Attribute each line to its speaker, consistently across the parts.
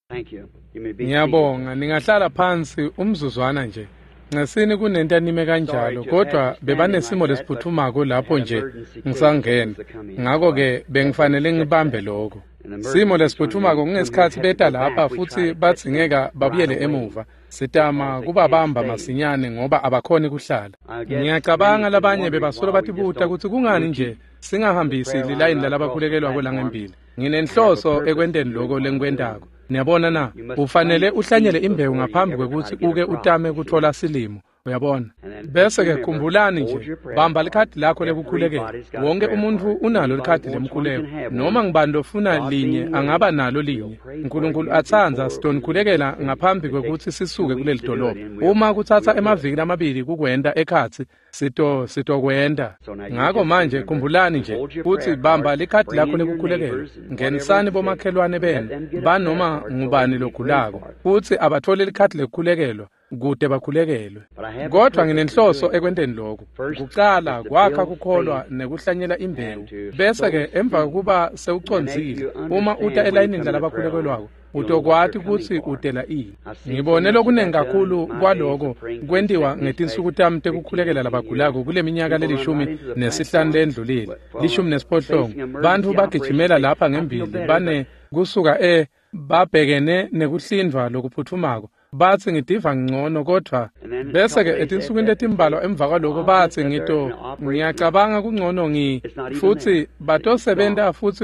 Speaker 1: Thank you. You may be seated.
Speaker 2: Ngiyabonga ningahlala phansi umzuzwana nje. Ngesini kunento anime kanjalo kodwa bebanesimo lesiphuthumako lapho nje ngisangena. Ngakho ke bengifanele ngibambe lokho. Simo lesiphuthumako kungesikhathi beta lapha futhi badzingeka babuyele emuva. Sitama kubabamba masinyane ngoba abakhoni kuhlala. Ngiyacabanga labanye bebasolo batibuta kutsi kungani nje singahambisi lilayini lalabakhulekelwako langembili. Nginenhloso ekwenteni lokho lengikwentako. Niyabona na, ufanele uhlanyele imbewu ngaphambi kwekutsi uke utame kutfola silimo. Uyabona? Bese ke khumbulani nje, bamba likhadi lakho lekukhulekela. Wonke umuntfu unalo likhadi lemkhuleko. Noma ngibani lofuna linye angaba nalo linye. Nkulunkulu atsandza sitonikhulekela ngaphambi kwekutsi sisuke kuleli dolobha. Uma kutsatsa emaviki lamabili kukwenta ekhatsi, sitokwenta. Ngako manje khumbulani nje kutsi bamba likhadi lakho lekukhulekela. Ngenisani bomakhelwane benu banoma ngubani logulako futsi abathole likhadi lekukhulekelwa kute bakhulekelwe. Kodwa nginenhloso ekwenteni lokhu. Kucala kwakha kukholwa nekuhlanyela imbewu. Bese ke emva kokuba sewucondzile, uma uta elayinini lalabakhulekelwako, utokwati kutsi utela ini. Ngibone lokunengi kakhulu kwaloko kwentiwa ngetinsuku tami tekukhulekela labagulako kule minyaka le-15 lendlulile, 18. Bantfu bagijimela lapha ngembili bane kusuka babhekene nekuhlindvwa lokuphutfumako. Batsi ngitiva ngcono kodvwa bese ke etinsukwini letimbalwa emva kwaloko batsi ngiyacabanga kungcono futsi batosebenta futsi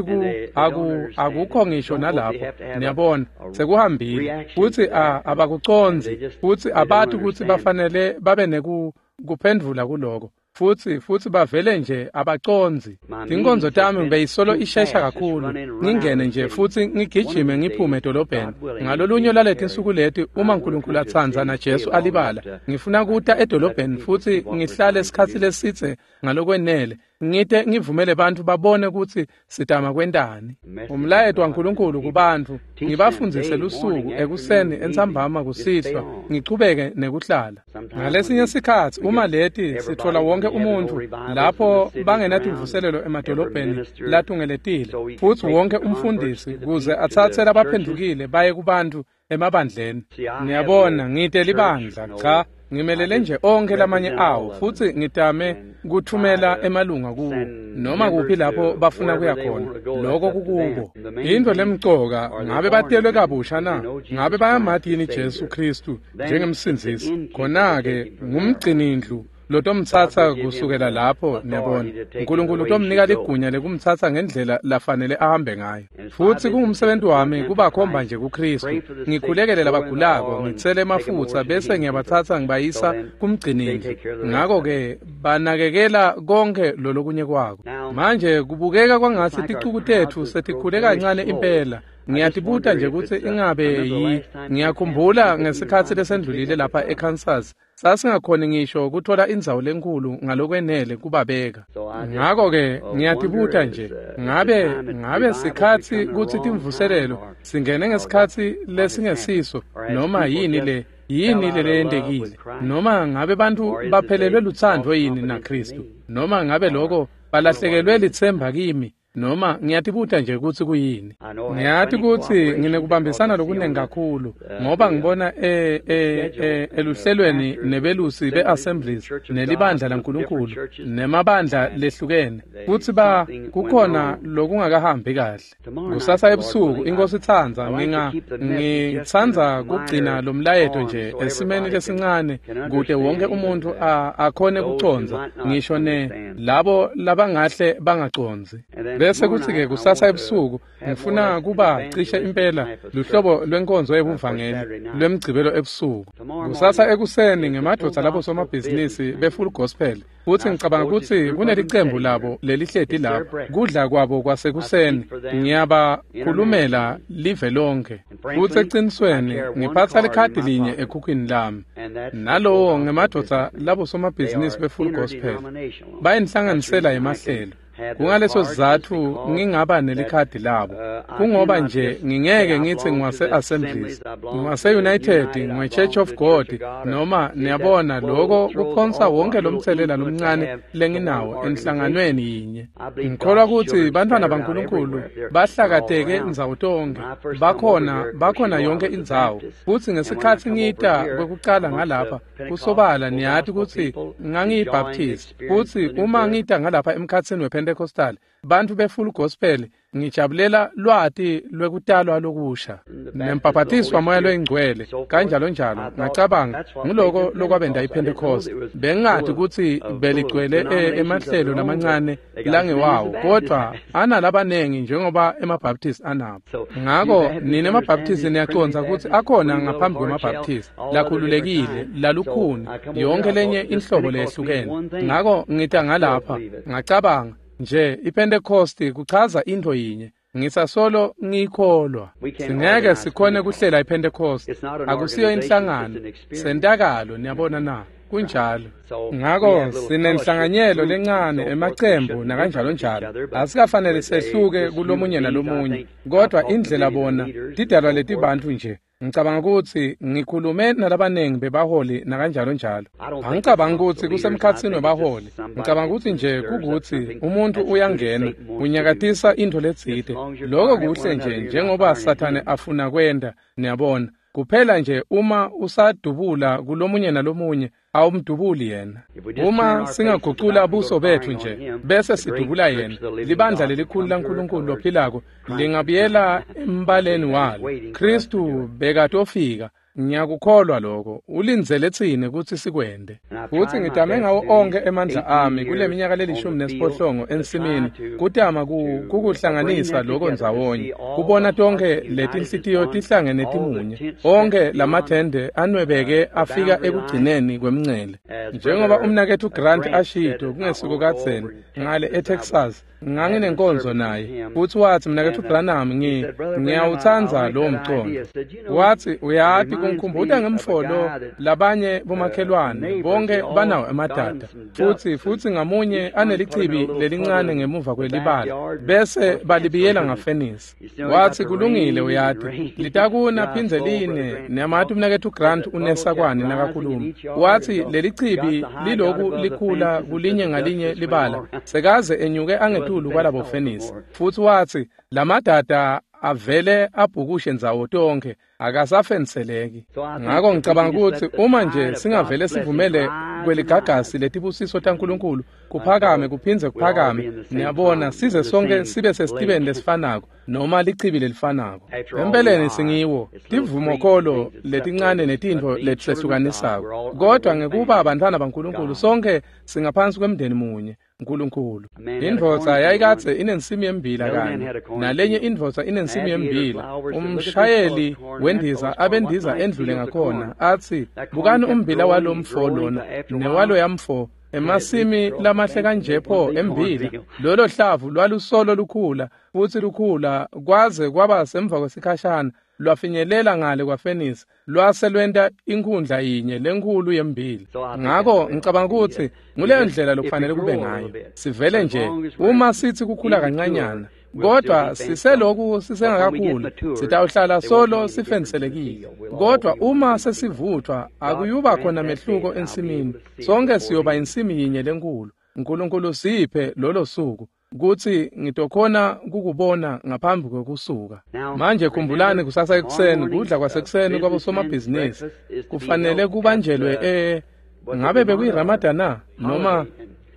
Speaker 2: akukho ngisho nalapho. Niyabona, sekuhambile futsi abakucondzi futsi abati kutsi bafanele babe nekuphendvula kuloko. Futsi bavele nje abacondzi. Tinkonzo tami beyisolo ishesha kakhulu. Ngingene nje futsi ngigijime ngiphume edolobheni. Ngalolunye laletinsuku leti uma uNkulunkulu atsandza na Jesu alibala, ngifuna kuta edolobheni futsi ngihlale isikhatsi lesitse ngalokwenele. Ngite ngivumele bantfu babone kutsi sitama kwentani. Umlayeto waNkulunkulu kubantfu, ngibafundzise lusuku ekuseni, entsambama, kusihlwa, ngichubeke nekuhlala. Ngalesinye sikhatsi uma leti sitfola wonke umuntfu lapho bangenatimvuselelo emadolobheni latungeletile, futsi wonke umfundisi kuze atsatse labaphendvukile baye kubantfu emabandleni. Niyabona, ngite libandla, cha, ngimelele nje onke lamanye awo futsi ngitame kuthumela emalunga kuwo noma kuphi lapho bafuna kuya khona. Lokho kukubo. Into lemcoka, ngabe batelwe kabusha na? Ngabe bayamati yini Jesu Khristu njengemsindzisi? Khona-ke ngumgcinindlu lotomtsatsa kusukela lapho. Niyabona, uNkulunkulu utomnika ligunya lekumtsatsa ngendlela lafanele ahambe ngayo. Futsi kungumsebenzi wami kubakhomba nje kuKhristu, ngikhulekele labagulako, ngitsele emafutsa bese ngiyabatsatsa ngibayisa kumgcinindlu. Ngako-ke banakekela konke lolokunye kwako. Manje kubukeka kwangatsi ticuku tetfu setikhule kancane impela. Ngiyatibuta nje kutsi ingabe ngiyakhumbula ngesikhatsi lesendlulile lapha eKansas, sasingakhoni ngisho kuthola indzawo lenkulu ngalokwenele kubabeka. Ngako-ke ngiyatibuta nje, ngabe sikhatsi kutsi timvuselelo singene ngesikhatsi lesingesiso noma yini leyentekile, noma ngabe bantfu baphelelwe lutsandvo yini naKhristu, noma ngabe loko balahlekelwe litsemba kimi, noma ngiyatibuta nje kutsi kuyini. Ngiyati kutsi nginekubambisana lokunengi kakhulu ngoba ngibona eluhlelweni nebelusi be-Assemblies nelibandla laNkulunkulu nemabandla lehlukene kutsi kukhona lokungakahambi kahle. Kusasa ebusuku iNkosi itsandza ngitsandza kugcina lo mlayeto nje esimeni lesincane kute wonke umuntfu akhone kucondza, ngisho ne labo labangahle bangacondzi. Bese kutsi-ke kusasa ebusuku ngifuna kuba cishe impela luhlobo lwenkonzo yebuvangeli lwemgcibelo ebusuku. Kusasa ekuseni ngemadvodza labo somabhizinisi be-Full Gospel, futsi ngicabanga kutsi kunelicembu labo lelihleti lapho. Kudla kwabo kwasekuseni ngiyabakhulumela live lonke. Futsi ecinisweni ngiphatsa likhadi linye ekhukhwini lami. Nalowo ngemadvodza labo somabhizinisi be-Full Gospel. Bayinhlanganisela yemahlelo. Kungaleso sizatfu ngingaba nelikhadi labo. Kungoba nje ngingeke ngitsi ngiwase-Assemblies, ngiwase-United, ngiwe-Church of God, noma niyabona lokho kuphonsa wonke lomtselela lomncane lenginawo enhlanganweni yinye. Ngikholwa kutsi bantfwana baNkulunkulu bahlakateke ndzawo tonkhe, bakhona yonke indzawo. Futsi ngesikhatsi ngita kwekucala ngalapha, kusobala niyati kutsi ngangiyibaptist. Futsi uma ngita ngalapha emkhatsini wePentecostal, bantfu be-Full Gospel, ngijabulela lwati lwekutalwa lokusha nembhabhatiso waMoya loyiNgcwele kanjalo njalo. Ngacabanga nguloko lokwabenda iPentecost. Bengingati kutsi beligcwele emahlelo lamancane langewawo, kodwa analabanengi njengoba emaBaptist anabo. Ngako nine emaBaptist niyacondza kutsi akhona ngaphambi kwemaBaptist lakhululekile, lalukhuni, yonke lenye inhlobo leyehlukene. Ngako ngita ngalapha ngacabanga nje iPentecost kuchaza intfo yinye, ngisasolo ngiyikholwa. Singeke sikhone kuhlela iPentecost, akusiyo inhlangano, sentakalo, niyabona na? Kunjalo. Ngako sinenhlanganyelo lencane, emacembu nakanjalo njalo. Asikafanele sehluke kulomunye nalomunye, kodwa indlela bona tidalwa letibantfu nje. Ngicabanga kutsi ngikhulume nalabanengi bebaholi nakanjalo njalo. Angicabangi kutsi kusemkhatsini webaholi. Ngicabanga kutsi nje kukutsi umuntu uyangena, unyakatisa intfo letsite. Loko kuhle nje njengoba Sathane afuna kwenta, niyabona. Kuphela nje uma usadubula kulomunye nalomunye, awumdubuli yena. Uma singagucula buso bethu nje bese sidubula yena, libandla lelikhulu laNkulunkulu lophilako lingabuyela embaleni walo. Khristu bekatofika. Ngiyakukholwa lokho. Ulindzele tsine kutsi sikwente. Futsi ngitame ngawo onkhe emandla ami kule minyaka le-18 ensimini kutama kukuhlanganisa lokho ndzawonye, kubona tonkhe letinhlitiyo tihlangene timunye, onkhe lamathende anwebeke afika ekugcineni kwemncele. Njengoba umnaketfu Grant ashito kungesiko kadzeni ngale eTexas, nganginenkonzo naye, futsi watsi, mnaketfu Branham, ngiyawutsandza lowo mcondo. Watsi, uyati kungikhumbuta ngemfolo labanye bomakhelwane bonke banawo emadada, futsi ngamunye anelichibi lelincane ngemuva kwelibala, bese balibiyela ngafenisi. Watsi, kulungile, uyati litakuna phindze line. Niyamati umnaketfu Grant unesakwani nakakhuluma. Watsi lelichibi liloku likhula kulinye ngalinye libala, sekaze enyuke angetulu kwalabo fenisi. Futsi watsi lamadada avele abhukushe ndzawo tonkhe, akasafenseleki. Ngako ngicabanga kutsi uma nje singavele sivumele kweligagasi letibusiso taNkulunkulu kuphakame kuphindze kuphakame, niyabona, size sonke sibe sesitibeni lesifanako noma lichibi lelifanako. Empeleni singiwo tivumokholo letincane netintfo letisehlukanisako, kodwa ngekuba abantwana baNkulunkulu sonke singaphansi kwemndeni munye Nkulunkulu. Indvodza yayikadze inensimi yembila kanye nalenye indvodza inensimi yembila. Umshayeli wendiza abendiza endlule ngakhona atsi, bukani umbila walomfo lona newalo yamfo, emasimi lamahle kanje pho embila. Lolo hlavu lwalusolo lukhula futsi lukhula kwaze kwaba semva kwesikhashana lwafinyelela ngale kwafenisi, lwase lwenta inkhundla yinye lenkhulu yembila. Ngako ngicabanga kutsi nguleyo ndlela lokufanele kube ngayo. Sivele nje uma sithi kukhula kancanyana, kodwa siseloku sisengakakhuli, sitawuhlala solo sifenselekile. Kodwa uma sesivuthwa, akuyuba khona mehluko ensimini. Sonke siyoba insimi yinye lenkhulu. Nkulunkulu siphe lolo suku kutsi ngitokhona kukubona ngaphambi kwekusuka. Manje khumbulani, kusasa ekuseni kudla kwasekuseni kwabosomabhizinisi kufanele kubanjelwe ngabe bekuyiRamadan na noma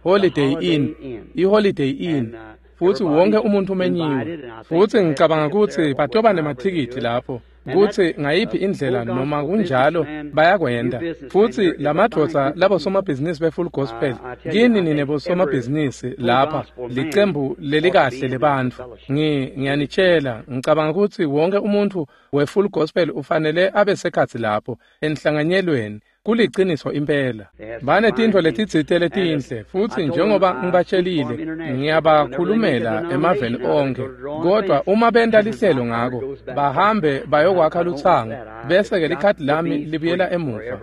Speaker 2: Holiday Inn, iHoliday Inn. Futsi wonke umuntu umenyiwe. Futsi ngicabanga kutsi batoba nemathikithi lapho, kutsi ngayiphi indlela noma kunjalo bayakwenda. Futsi lamadvodza labosomabhizinisi be-Full Gospel, kini nine bosomabhizinisi lapha, licembu lelikahle lebantfu. Ngiyanitshela, ngicabanga kutsi wonke umuntu we-Full Gospel ufanele abe sekhatsi lapho enhlanganyelweni. Kuliciniso impela. Banetintfo letitsite letinhle, futsi njengoba ngibatshelile, ngiyabakhulumela emaveni onkhe. Kodwa uma benta lihlelo ngako, bahambe bayokwakha lutsango, bese-ke likhadi lami libuyela emuva.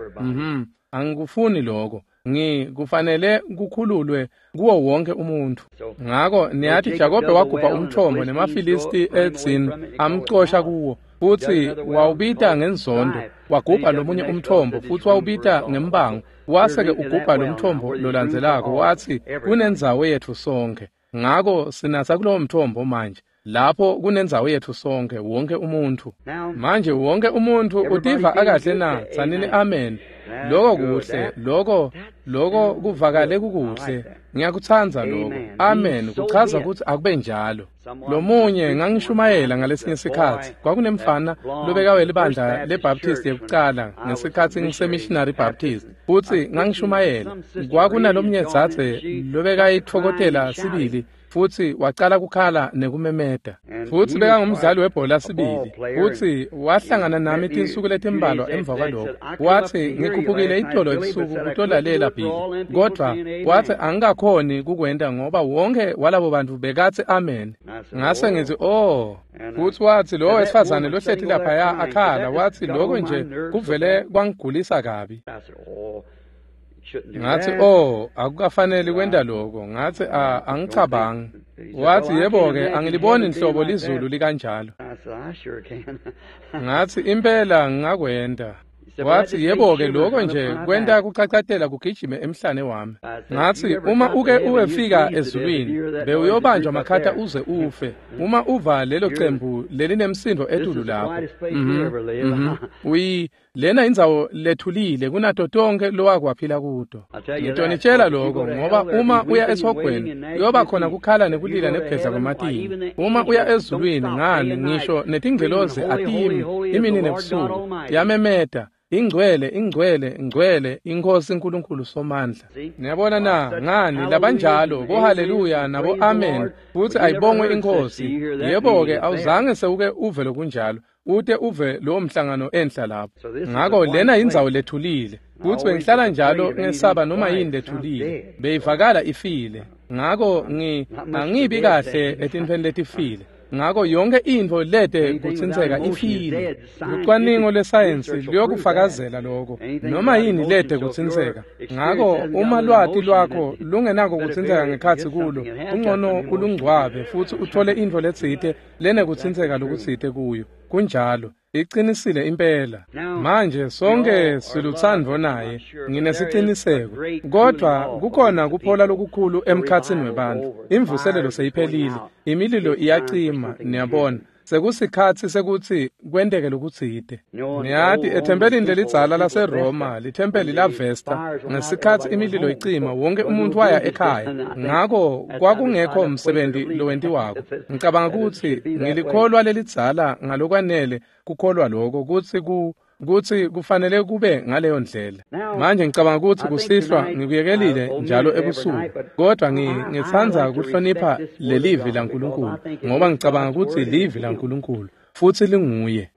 Speaker 2: Angikufuni lokho. Kufanele kukhululwe kuwo wonke umuntu. Ngako niyati Jakobe wagubha umthombo nemaFilisti edzini amcosha kuwo, futsi wawubita ngenzondo. Wagubha lomunye umthombo futsi wawubita ngembango. Wase-ke ugubha lomthombo lolandzelako, watsi kunendzawo yetfu sonkhe. Ngako sinatsa kulowo mthombo manje, lapho kunendzawo yetfu sonkhe, wonke umuntfu. Manje wonke umuntfu utiva akahle na? Tsanini amen. Loko kuhle, loko kuvakale kukuhle. Ngiyakutsandza lokho. Amen. Kuchaza ukuthi akube njalo. Lomunye ngangishumayela ngalesinye sikhatsi, kwakunemfana lobekawe libandla leBaptist yekucala ngesikhatsi ngisemissionary Baptist, futsi ngangishumayela. Kwakunalomnye dzadze lobekayitfokotela sibili, futsi wacala kukhala nekumemeta. Futsi bekangumdlali webhola sibili, futsi wahlangana nami tinsuku letimbalwa emva kwalokho. Watsi ngikhuphukile itolo ebusuku kutolalela Billy, kodvwa watsi angikakhoni kukwenta ngoba wonke walabo bantfu bekatsi amen. Ngase ngithi oh. Futsi watsi lowo wesifazane lohleti laphaya akhala, watsi lokho nje kuvele kwangigulisa kabi. Ngathi oh, akukafaneli kwenta lokho. Ngathi angicabangi. Wathi yebo-ke, angiliboni nhlobo lizulu likanjalo. Ngathi impela ngingakwenta. Wathi yebo-ke, lokho nje kwenta kucacatela kugijime emhlane wami. Ngathi uma uke uwefika ezulwini, bewuyobanjwa makhata uze ufe. Uma uva lelo cembu lelinemsindo etulu lapho. Lena indzawo lethulile kunato tonke lowakwaphila kuto. Ngitonitshela lokho ngoba uma uya esihogweni uyoba khona kukhala nekulila nekugedla kwematinyo. Uma uya ezulwini, ngani ngisho netingelozi atimi imini nebusuku tiyamemeta, ingcwele, ingcwele, ingcwele iNkhosi uNkulunkulu Somandla. Niyabona na? Ngani labanjalo bohaleluya nabo amen, futsi ayibongwe iNkhosi. Yebo-ke, awuzange sewuke uve lokunjalo, ute uve lowo mhlangano enhla lapho. Ngako lena indzawo lethulile, futsi bengihlala njalo ngesaba noma yini lethulile, beyivakala ifile. Ngako angibi kahle etintfweni letifile. Ngako yonke intfo lete kutsintseka ifile. Lucwaningo lwesayensi luyokufakazela lokho, noma yini lete kutsintseka. Ngako uma lwati lwakho lungenako kutsintseka ngekhatsi kulo, kungcono ulungcwabe futsi uthole intfo letsite lenekutsintseka lokutsite kuyo. Kunjalo, iqinisile impela. Manje sonke silutsandvo naye, nginesiciniseko. Kodwa kukhona kuphola lokukhulu emkhatsini webantfu. Imvuselelo seyiphelile, imililo iyacima, niyabona. Sekusikhatsi sekutsi kwenteke lokutsite. Niyati ethempelini lelidzala laseRoma, lithempeli laVesta, ngesikhatsi imililo icima, wonke umuntu waya ekhaya. Ngako kwakungekho msebenzi lowentiwako. Ngicabanga kutsi ngilikholwa lelidzala ngalokwanele kukholwa lokho kutsi kufanele kube ngaleyo ndlela. Manje ngicabanga kutsi kusihlwa ngikuyekelile njalo ebusuku, kodwa ngitsandza kuhlonipha lelivi laNkulunkulu ngoba ngicabanga kutsi livi laNkulunkulu futsi linguye.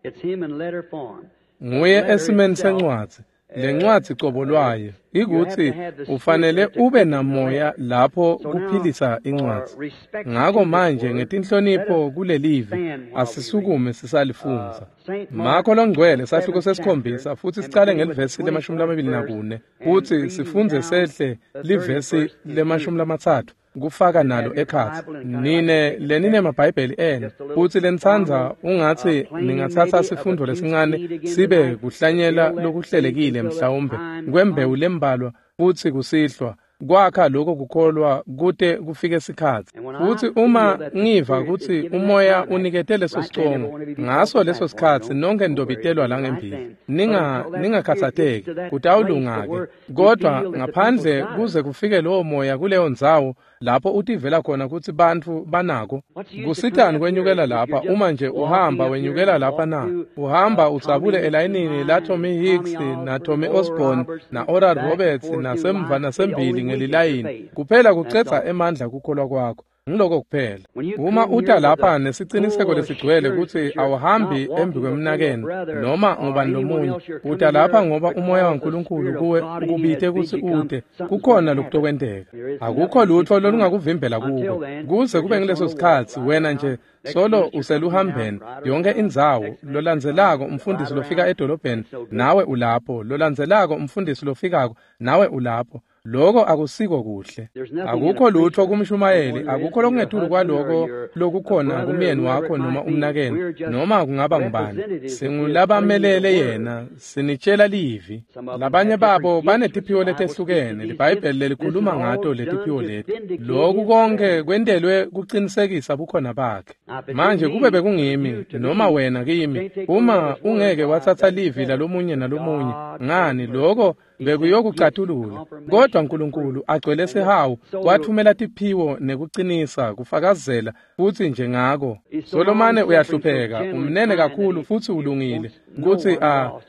Speaker 2: Nguye esimeni sencwadzi. Lencwadzi cobo lwayo ikutsi ufanele ube namoya lapho kuphilisa incwadzi. Ngako manje ngetinhlonipho kulelivi asisukume sisalifundza. Makho longcwele sahluko 7 futsi sicale ngelivesi le-24 futsi sifundze sehle livesi le-30 kufaka nalo ekhatsi. Nine leninemabhayibheli enu futsi lenitsandza ungatsi ningatsatsa sifundo lesincane sibe kuhlanyela lokuhlelekile mhlawumbe kwembewu lembalwa futsi kusihlwa kwakha lokho kukholwa kute kufike sikhatsi. Futsi uma ngiva kutsi umoya unikete leso sicongo, ngaso leso sikhatsi nonke nitobitelwa la ngembili. Ningakhatsateki, kutawulunga-ke. Kodwa ngaphandle kuze kufike lowo moya kuleyo ndzawo lapho utivela khona kutsi bantfu banako. Kusitani kwenyukela lapha uma nje uhamba wenyukela lapha na? Uhamba udzabule elayinini la Tommy Hicks na Tommy Osborne na Oral Roberts nasemva nasembili ngelilayini. Kuphela kucedza emandla kukholwa kwakho. Ngiloko kuphela. Uma uta lapha nesiciniseko lesigcwele kutsi awuhambi embi kwemnakenu noma ngubani lomunye, uta lapha ngoba umoya waNkulunkulu kuwe ukubite kutsi ute, kukhona lokutokwenteka. Akukho lutfo lolungakuvimbela kuko. Kuze kube ngileso sikhatsi wena nje Solo useluhambeni yonke indzawo. Lolandzelako umfundisi lofika edolobheni, nawe ulapho. Lolandzelako umfundisi lofikako, nawe ulapho. Lokho akusiko kuhle. Akukho lutho kumshumayeli, akukho lokungetulu kwaloko lokukhona kumyeni wakho noma umnakenu noma kungaba ngubani. Singulabamelele yena, sinitshela livi. Labanye babo banetiphiwo letehlukene, liBhayibheli lelikhuluma ngato letiphiwo leti. Lokhu konke kwentelwe kuqinisekisa bukhona bakhe. Manje kube bekungimi noma wena kimi, uma ungeke wathatha livi lalomunye nalomunye, ngani lokho bekuyokucatulula. Kodwa uNkulunkulu agcwele sihawu wathumela tiphiwo nekuqinisa kufakazela futhi nje ngako. Solomane uyahlupheka, umnene kakhulu futhi ulungile kutsi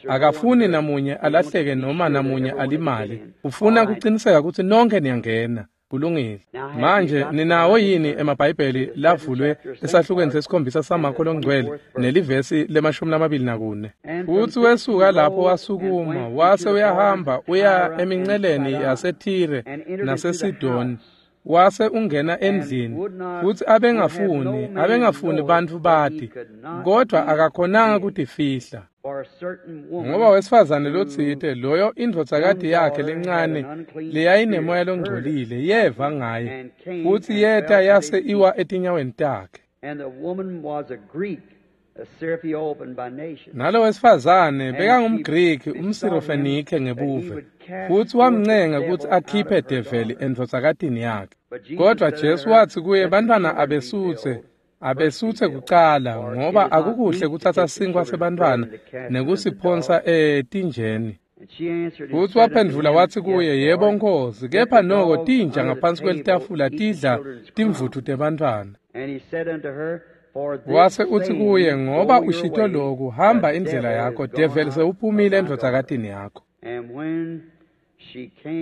Speaker 2: akafuni namunye alahleke noma namunye alimale. Ufuna kuqiniseka kutsi nonke niyangena. Kulungile. Manje ninawo yini emaBhayibheli lavulwe esahlukweni sesikhombisa saMakho longcwele nelivesi le-24? Futhi wesuka lapho wasukuma wase uyahamba uya eminceleni yaseThire naseSidoni, wase ungena endlini. Futhi abengafuni bantfu bati, kodwa akakhonanga kutifihla. Ngoba wesifazane lotsite loyo indvodzakati yakhe lencane leyayinemoya longcolile yeva ngaye, futsi yeta yase iwa etinyaweni takhe. Nalo wesifazane bekangumGriki, umSirofenike ngebuve, futsi wamncenga kutsi akhiphe develi endvodzakatini yakhe. Kodwa Jesu watsi kuye, bantfwana abesutse kucala, ngoba akukuhle kutsatsa sinkwa sebantfwana nekusiphonsa etinjeni. Futsi waphendvula watsi kuye, yebo Nkosi, kepha noko tinja ngaphansi kwelitafula tidla timvutfu tebantfwana. Wase utsi kuye, ngoba ushito loku, hamba indlela yakho, develi sewuphumile endvodzakatini yakho.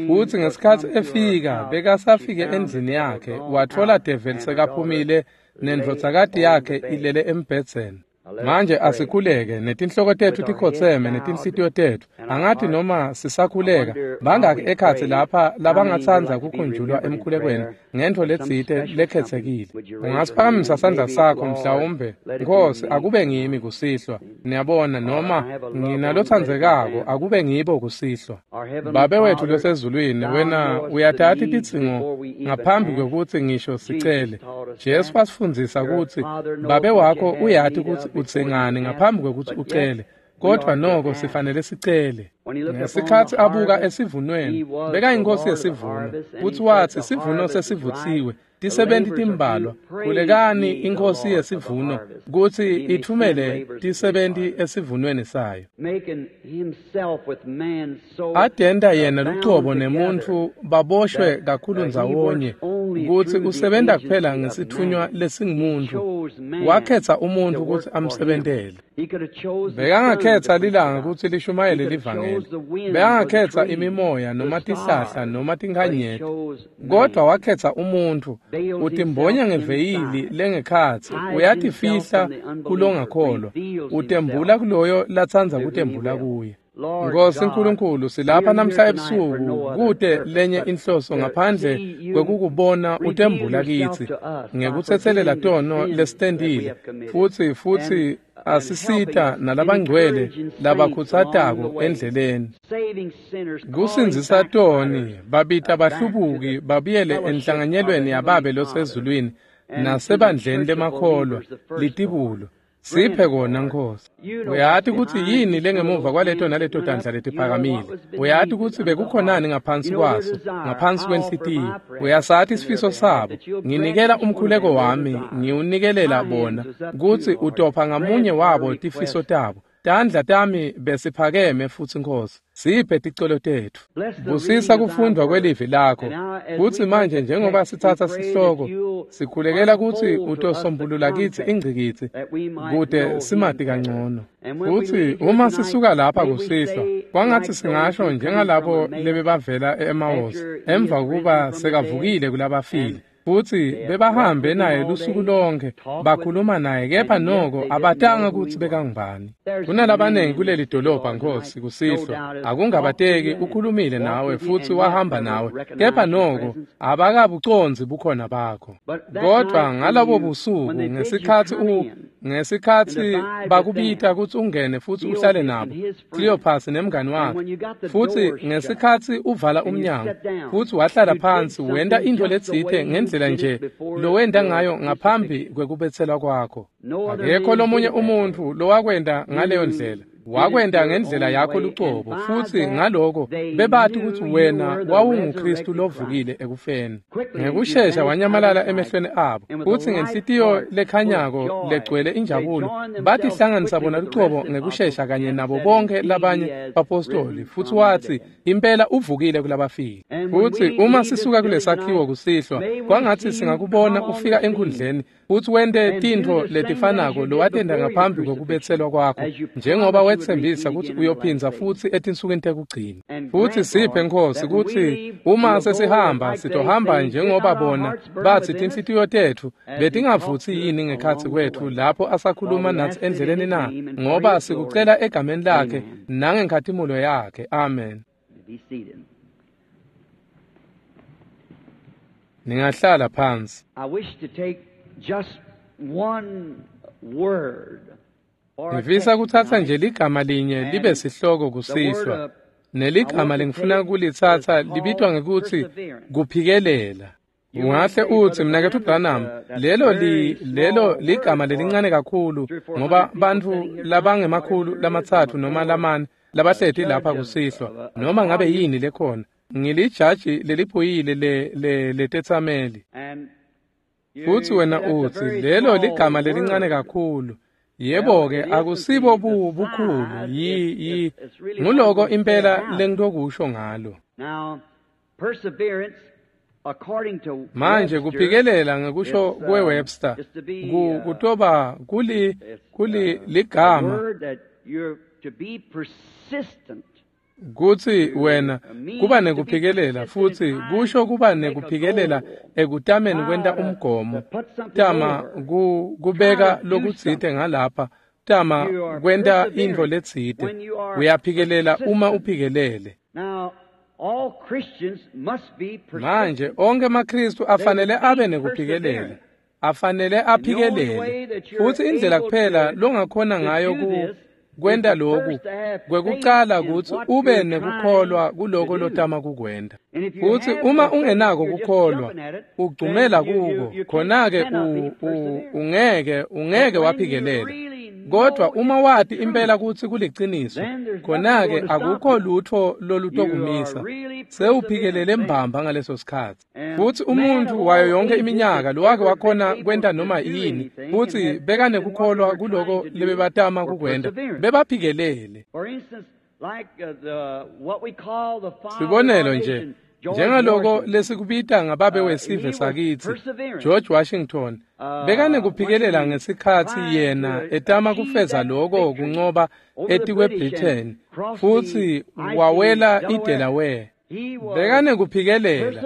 Speaker 2: Futsi ngesikhatsi efika, bekasafike endlini yakhe, watfola develi sekaphumile nendvodzakati yakhe ilele embhedzeni. Manje asikhuleke netinhloko tetfu tikhotseme netinhlitiyo tetfu. Angathi noma sisakhuleka, bangaki ekhatsi lapha labangatsandza kukhunjulwa emkhulekweni ngentfo letsite lekhetsekile? Ungasiphakamisa sandla sakho mhlawumbe, Nkosi, akube ngimi kusihlwa. Niyabona, noma nginalotsandzekako, akube ngibo kusihlwa. Babe wethu losezulwini, wena uyatati tidzingo ngaphambi kwekutsi ngisho sicele. Jesu wasifundzisa kutsi Babe wakho uyati kutsi utsengani ngaphambi kwekutsi ucele, kodwa noko sifanele sicele. Ngesikhatsi abuka esivunweni, bekayinkosi yesivuno, futsi watsi sivuno sesivutsiwe, tisebenti timbalwa. Khulekani inkosi yesivuno kutsi itfumele tisebenti esivunweni sayo. Adenta yena lucobo nemuntfu baboshwe kakhulu ndzawonye kutsi usebenta kuphela ngesitfunywa lesingumuntu. Wakhetsa umuntfu kutsi amsebentele. Bekangakhetsa lilanga kutsi lishumayele livangeli, bekangakhetsa imimoya noma tihlahla noma tinkhanyeti, kodwa wakhetsa umuntfu. Utimbonya ngeveyili lengekhatsi, uyatifihla kulongakholwa, utembula kuloyo latsandza kutembula kuye. Nkosi Nkulunkulu, silapha namhla ebusuku kute lenye inhloso ngaphandle kwekukubona utembula kitsi ngekutsetselela tono lesitentile, futsi asisita nalabangcwele labakhutsatako endleleni. Kusindzisa toni, babita bahlubuki babuyele enhlanganyelweni yaBabe losezulwini nasebandleni lemakholwa litibulo. Siphe kona Nkosi. Uyati kutsi yini lengemuva kwaleto naleto tandla letiphakamile. Uyati kutsi bekukhonani ngaphansi kwaso, ngaphansi kwenhlitiyo. Uyasati isifiso sabo. Nginikela umkhuleko wami, ngiwunikelela bona, kutsi utopha ngamunye wabo tifiso tabo. Tandla tami besiphakeme futsi Nkosi, siphe ticelo tetfu. Busisa kufundwa kwelivi lakho. Kutsi manje njengoba sitsatsa sihloko, sikhulekela kutsi utosombulula kitsi ingcikitsi kute simati kangcono. Futsi uma sisuka lapha kusihlwa, kwangatsi singasho njengalabo lebebavela e-Emawusi emva kuba sekavukile kulabafile. Futsi bebahambe naye lusuku lonke, bakhuluma naye, kepha noko abatanga kutsi bekangubani. Kunalabanengi kuleli dolobha, Nkosi, kusihlwa, akungabateki ukhulumile nawe futsi wahamba nawe, kepha noko abakabucondzi bukhona bakho. Kodwa ngalabo busuku ngesikhatsi bakubita kutsi ungene futsi uhlale nabo, Cleopas nemngani wakhe, futsi ngesikhatsi uvala umnyango futsi wahlala phansi, wenta intfo letsite ngendlela nje lowenta ngayo ngaphambi kwekubetselwa kwakho. Akekho lomunye umuntfu lowakwenta ngaleyo ndlela. Wakwenta ngendlela yakho lucobo, futsi ngaloko bebati kutsi wena wawunguKristu lovukile ekufeni. Ngekushesha wanyamalala emehlweni abo, futsi ngenhlitiyo lekhanyako legcwele injabulo batihlanganisa bona lucobo ngekushesha kanye nabo bonke labanye bapostoli, futsi watsi impela uvukile kulabafile. Futsi uma sisuka kulesakhiwo kusihlwa, kwangatsi singakubona ufika enkhundleni futsi wente tintfo letifanako lowatenta ngaphambi kwekubetselwa kwakho, njengoba wetsembisa kutsi uyophindza futsi etinsukwini tekugcina. Futsi siphe, Nkosi, kutsi uma sesihamba sitohamba njengoba bona batsi tinhlitiyo tetfu betingavutsi yini ngekhatsi kwetfu lapho asakhuluma natsi endleleni na, ngoba sikucela egameni lakhe nangenkhatimulo yakhe. Amen. Ningahlala phansi.
Speaker 1: I wish to take just one word.
Speaker 2: Ngifisa kutsatsa nje ligama linye libe sihloko kusihlwa. Neligama lengifuna kulitsatsa libitwa ngekutsi kuphikelela. Ungahle utsi, mnaketfu Branham, lelo ligama lelincane kakhulu, ngoba bantfu labangemakhulu 3 noma 4 labahleti lapha kusihlwa, noma ngabe yini lekhona. Ngilijaji leliphuyile letetsameli. Futsi wena utsi lelo ligama lelincane kakhulu. Yebo-ke, akusibo bukhulu, nguloko impela lengitokusho ngalo. Manje kuphikelela ngekusho kwe-Webster kutoba kuli ligama kutsi wena kuba nekuphikelela, futsi kusho kuba nekuphikelela ekutameni kwenta umgomo, tama kubeka lokutsite ngalapha, tama kwenta intfo letsite. Uyaphikelela uma uphikelele. Manje onke emaKristu afanele abe nekuphikelela, afanele aphikelele, futsi indlela kuphela longakhona ngayo kwenta loku kwekucala kutsi ube nekukholwa kuloko lotama kukwenta. Futsi uma ungenako kukholwa, ugcumela kuko, khona-ke ungeke waphikelela. Kodwa uma wati impela kutsi kuliciniso, khona-ke akukho lutfo lolutokumisa. Sewuphikelele mbamba ngaleso sikhatsi. Futsi umuntfu wayo yonke iminyaka lowake wakhona kwenta noma yini, futsi bekanekukholwa kuloko lebebatama kukwenta, bebaphikelele. Sibonelo nje, njengaloko lesikubita ngababe wesive sakitsi, George Washington, bekanekuphikelela ngesikhatsi yena etama kufeza loko kuncoba etikwe-Britain, futsi wawela iDelaware. Bekanekuphikelela.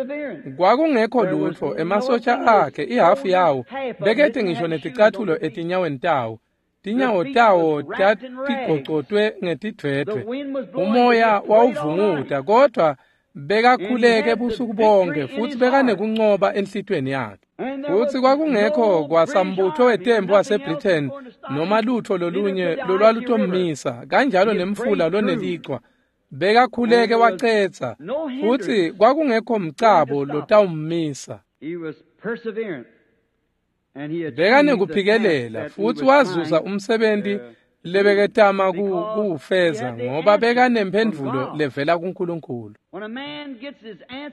Speaker 2: Kwakungekho lutfo emasotja akhe, ihafu yawo bekete ngisho neticathulo etinyaweni tawo. Tinyawo tawo tatigocotwe ngetidvwedvwe. Umoya wawuvunguta, kodwa bekakhuleke busuku bonke, futsi bekanekuncoba enhlitiyweni yakhe. Futsi kwakungekho kwasambutho wetembu waseBritain noma lutfo lolunye lolwalutommisa, kanjalo nemfula lonelichwa. Bekakhuleke wacetsa, futsi kwakungekho mcabo lotawummisa. Bekanekuphikelela, futsi wazuza umsebenti lebeketama kuwufeza, ngoba bekanemphendvulo levela kuNkulunkulu.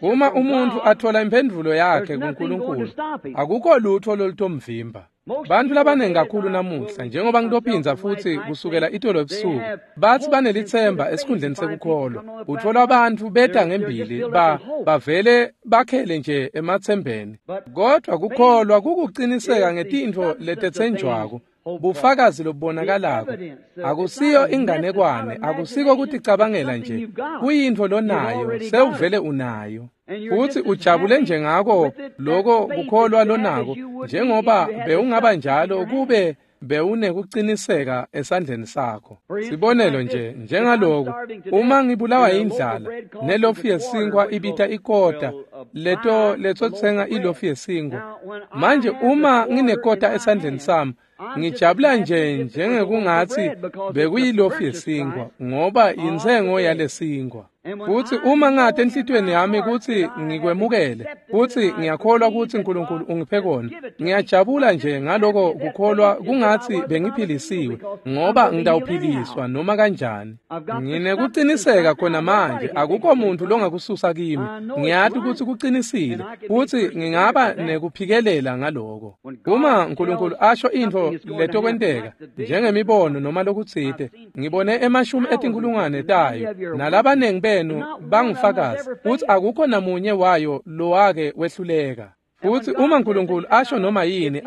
Speaker 2: Uma umuntfu athola imphendvulo yakhe kuNkulunkulu, akukho lutfo lolutomvimba. Bantfu labanengi kakhulu namuhla, njengoba ngitophindza futsi kusukela itolo ebusuku, batsi banelitsemba esikhundleni sekukholwa. Utfola bantfu beta ngembili bavele bakhele nje ematsembeni. Kodwa kukholwa kukuciniseka ngetintfo letetsenjwako, Bufakazi lobubonakalako akusiyo inganekwane, akusiko kuticabangela nje, kuyintfo lonayo, sewuvele unayo. Futhi ujabule nje ngako loko kukholwa lonako, njengoba bewungaba njalo kube bewunekuqiniseka esandleni sakho. Sibonelo nje, njengaloku, uma ngibulawa indlala nelofu yesinkwa ibita ikota, leto letsotsenga ilofu yesinkwa. Manje uma nginekota esandleni sami, ngijabula nje njengekungathi bekuyilofu yesinkwa, ngoba intsengo yalesinkwa. Futhi uma ngade enhlitiyweni yami kutsi ngikwemukele, futhi ngiyakholwa kutsi Nkulunkulu ungiphe kona, ngiyajabula nje ngaloko kukholwa kungathi bengiphilisiwe, ngoba ngitawuphiliswa noma kanjani. Nginekuqiniseka khona manje, akukho muntu longakususa kimi. Ngiyati kutsi kuqinisile, futhi ngingaba nekuphikelela ngaloko. Uma Nkulunkulu asho intfo letokwenteka, njengemibono noma lokutsite, ngibone emashumi etinkulungwane tayo, nalabanengi benu bangufakazi, futhi akukho namunye wayo lowake wehluleka. Futhi uma uNkulunkulu asho noma yini,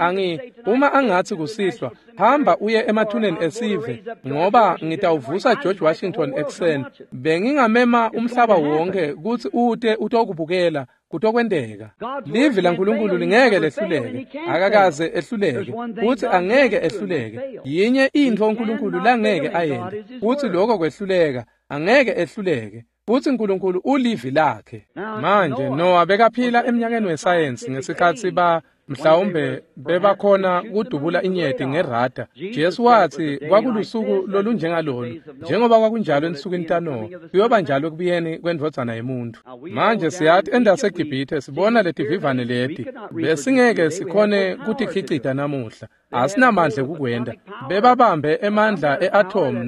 Speaker 2: uma angathi kusihlwa, hamba uye emathuneni esive, ngoba ngitawuvusa George Washington ekuseni, bengingamema umhlaba wonke kutsi ute utokubukela, kutokwenteka. Livi laNkulunkulu lingeke lehluleke, akakaze ehluleke, futhi angeke ehluleke. Yinye intfo uNkulunkulu langeke ayente, futhi lokho kwehluleka, angeke ehluleke. Futhi uNkulunkulu ulivi lakhe. Manje Noah bekaphila eminyakeni wesayensi ngesikhatsi mhlawumbe bebakhona kudubula inyeti ngerada. Jesu wathi kwakulusuku lolunjengalolu, njengoba kwakunjalo ensukwini taNoah, kuyoba njalo ekubuyeni kwendvodzana yemuntu. Manje siyathi endaseGibhithe sibona letivivane leti, besingeke sikhone kutikhicita namuhla, asinamandla ekukwenta. Bebabambe emandla e-atom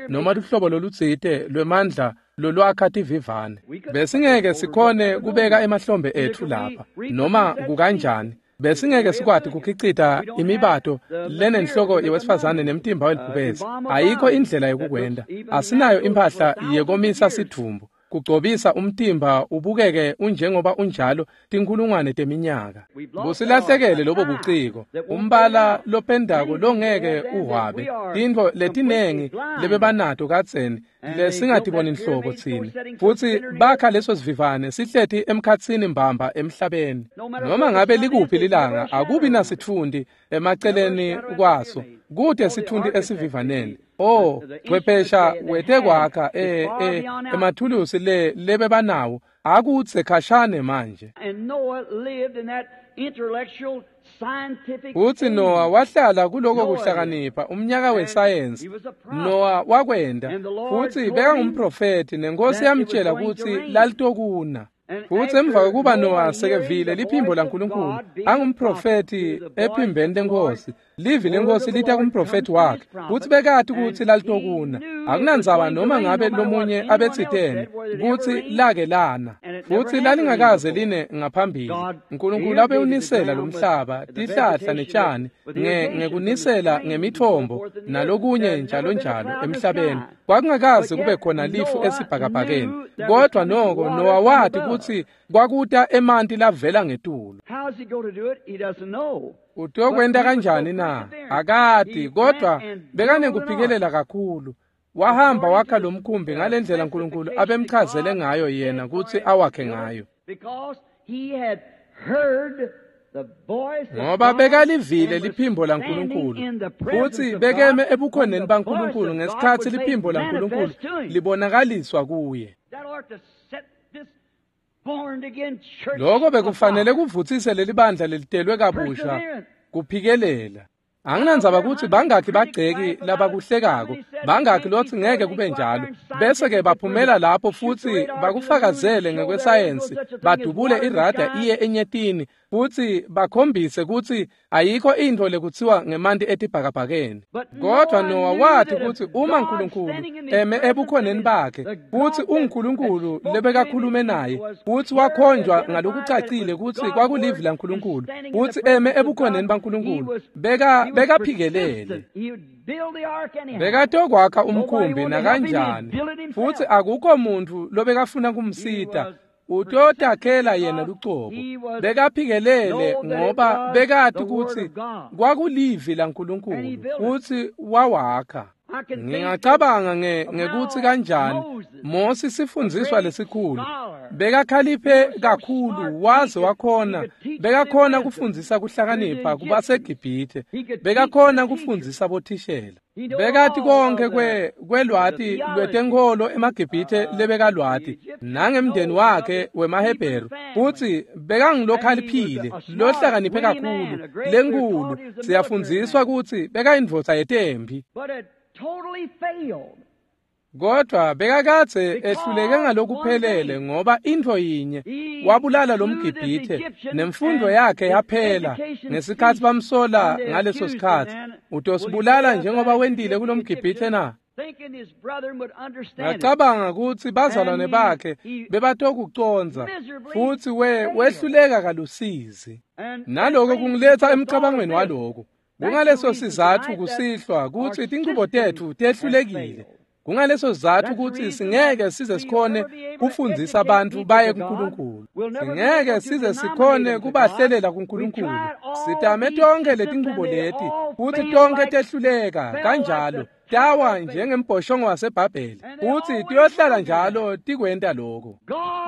Speaker 2: noma luhlobo lolutsite lwemandla lolwakha tivivane. Besingeke sikhone kubeka emahlombe etfu lapha noma kukanjani. Besingeke sikwati kukhicita imibato lenenhloko yewesifazane nemtimba welibhubesi. Ayikho indlela yokukwenta. Asinayo impahla yekomisa sidvumbu, kugcobisa umtimba ubukeke unjengoba unjalo tinkulungwane teminyaka. Busilahlekele lobo buciko, umbala lopendako longeke uhwabe, tintfo letinengi lebebanato kadzeni lesingatiboni nhlobo tsine. Futhi bakha leso sivivane sihleti emkhatsini mbamba emhlabeni. Noma ngabe likuphi lilanga, akubi nasitfunti emaceleni kwaso, kute sitfunti esivivaneni. Oh, chwephesha wetekwakha emathulusi lebebanawo akutse khashane manje. Futhi Noah wahlala kuloko kuhlakanipha umnyaka wesayensi. Noah wakwenda, futhi bekangumprofethi, nenkosi yamtshela kutsi lalitokuna. Futhi emva kokuba Noah sekevile liphimbo laNkulunkulu, angumprofethi ephimbeni lenkosi, livi lenkosi lita kumprofethi wakhe, futhi bekati kutsi lalitokuna. Akunandzaba noma ngabe lomunye abetsitene kutsi lake lana, futhi lalingakaze line ngaphambili. Nkulunkulu abewunisela lomhlaba, tihlahla netshani, ngekunisela ngemithombo nalokunye njalo njalo emhlabeni. Kwakungakaze kube khona lifu esibhakabhakeni, kodwa noko Noah wati kutsi kwakuta emanti lavela ngetulu. Utokwenta kanjani na? Akati, kodwa bekanekuphikelela kakhulu. Wahamba wakha lo mkhumbi ngalendlela uNkulunkulu abemchazele ngayo yena kutsi awakhe ngayo. Ngoba bekalivile liphimbo laNkulunkulu, futhi bekeme ebukhoneni baNkulunkulu ngesikhatsi liphimbo laNkulunkulu libonakaliswa kuye. Lokho bekufanele kuvutsise leli bandla lelitelwe kabusha kuphikelela. Anginandzaba kutsi bangakhi bagceki labakuhlekako, bangakhi lotsi ngeke kube njalo, bese-ke baphumela lapho futsi bakufakazele ngekwesayensi, badubule irada iye enyetini, futsi bakhombise kutsi ayikho intfo lekutsiwa ngemanti etibhakabhakeni. Kodwa Noah wati kutsi uma uNkulunkulu eme ebukhoneni bakhe, futsi unguNkulunkulu lebekakhulume naye, futsi wakhonjwa ngalokucacile kutsi kwakulivi laNkulunkulu, futsi eme ebukhoneni baNkulunkulu, bekaphikelele. Bekatokwakha umkhumbi nakanjani, futsi akukho muntfu lobekafuna kumsita. Utotakhela yena lucobo. Bekaphikelele ngoba bekati kutsi kwakulivi laNkulunkulu futsi wawakha. Ngingacabanga ngekutsi kanjani Mosi sifundziswa lesikhulu bekakhaliphe kakhulu waze wakhona bekakhona kufundzisa kuhlakanipha kubaseGibhithe, bekakhona kufundzisa bothishela, bekati konke kwelwati lwetenkholo emaGibhithe lebekalwati nangemndeni wakhe wemaHebheru, futsi bekangilokhaliphile lohlakaniphe kakhulu lenkulu. Siyafundziswa kutsi bekayindvodza yetempi, kodwa bekakadze ehluleke ngalokuphelele ngoba intfo yinye wabulala lomGibhithe nemfundo yakhe yaphela ngesikhatsi bamsola ngaleso sikhatsi. Utosibulala njengoba wentile kulomGibhithe na? Ngacabanga kutsi bazalwane bakhe bebatokucondza futsi wehluleka kalusizi. Naloko kungiletsa emcabangweni waloko. Kungaleso sizatfu kusihlwa kutsi tinchubo tetfu tehlulekile. Kungaleso sizatfu kutsi singeke size sikhone kufundzisa abantu baye kuNkulunkulu. Singeke size sikhone kubahlelela kuNkulunkulu. Sitame tonkhe letinchubo leti futsi tonkhe tehluleka kanjalo. Tawa njengembhoshongo waseBhabheli futsi tiyohlala njalo tikwenta lokho.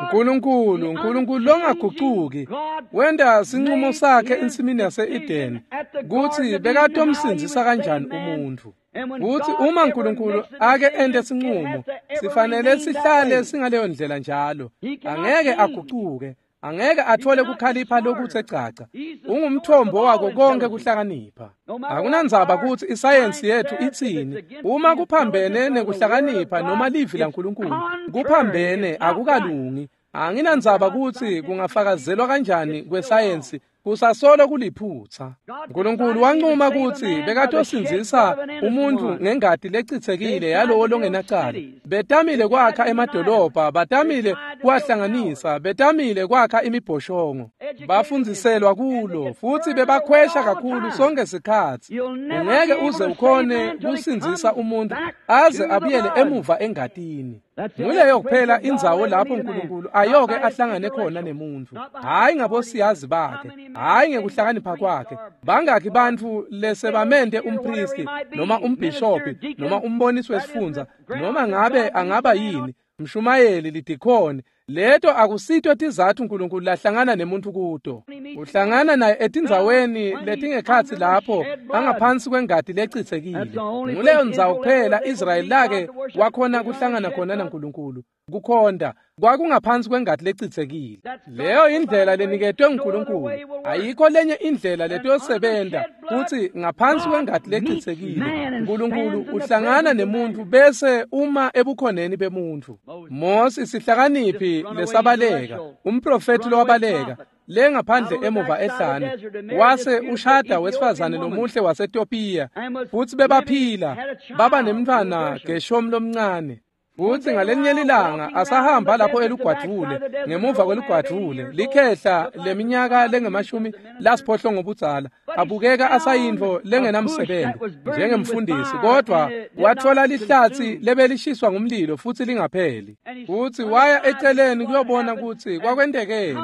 Speaker 2: Nkulunkulu, Nkulunkulu longagucuki, wenta sinqumo sakhe ensimini yase-Edeni kutsi bekatomsindzisa kanjani umuntfu. Futsi uma Nkulunkulu ake ente sinqumo, sifanele sihlale singaleyo ndlela njalo. Angeke agucuke, angeke athole kukhalipha lokuthe caca. Ungumthombo wako konke kuhlakanipha. Akunandzaba kutsi isayensi yethu itsini, uma kuphambene nekuhlakanipha noma livi laNkulunkulu, kuphambene akukalungi. Anginandzaba kutsi kungafakazelwa kanjani kwesayensi, kusasolo kuliphutsa. Nkulunkulu wancuma kutsi bekatosindzisa umuntfu ngengati lecitsekile yalowo longenacala. Betamile kwakha emadolobha, batamile kuwahlanganisa, betamile kwakha imibhoshongo. Bafundziselwa kulo futsi bebakhwesha kakhulu sonke sikhatsi. Ungeke uze ukhone kusindzisa umuntfu aze abuyele emuva engatini. Nguleyo kuphela indzawo lapho Nkulunkulu ayoke ahlangane khona nemuntfu, hhayi ngabosiyazi bakhe, hhayi ngekuhlakanipha kwakhe. Bangakhi bantfu lesebamente umpristi noma umbhishobhi noma umbonisi wesifundza noma ngabe angaba yini mshumayeli lidikhoni, leto akusito tizatfu Nkulunkulu lahlangana nemuntfu kuto. Uhlangana naye etindzaweni letingekhatsi lapho angaphansi kwengati lecitsekile. Nguleyo ndzawo kuphela Israyeli lake wakhona kuhlangana khona naNkulunkulu. Kukhonta kwakungaphansi kwengati lecitsekile. Leyo indlela leniketwe nguNkulunkulu. Ayikho lenye indlela letiyosebenta kutsi ngaphansi kwengati lecitsekile Nkulunkulu uhlangana nemuntfu bese uma ebukhoneni bemuntfu. Mosi sihlakaniphi lesabaleka, umprofethi lowabaleka lengaphandle emuva ehlane, wase ushada wesifazane lomuhle waseTopiya, futsi bebaphila baba nemntfwana Geshomu lomncane. Futsi ngalenye lilanga asahamba lapho elugwadvule, ngemuva kwelugwadvule, likhehla leminyaka lengemashumi lasiphohlongo budzala, abukeka asayintfo lengenamsebenzi njengemfundisi, kodvwa watfola lihlatsi lebelishiswa ngumlilo futsi lingapheli. Futsi waya eceleni kuyobona kutsi kwakwentekeni,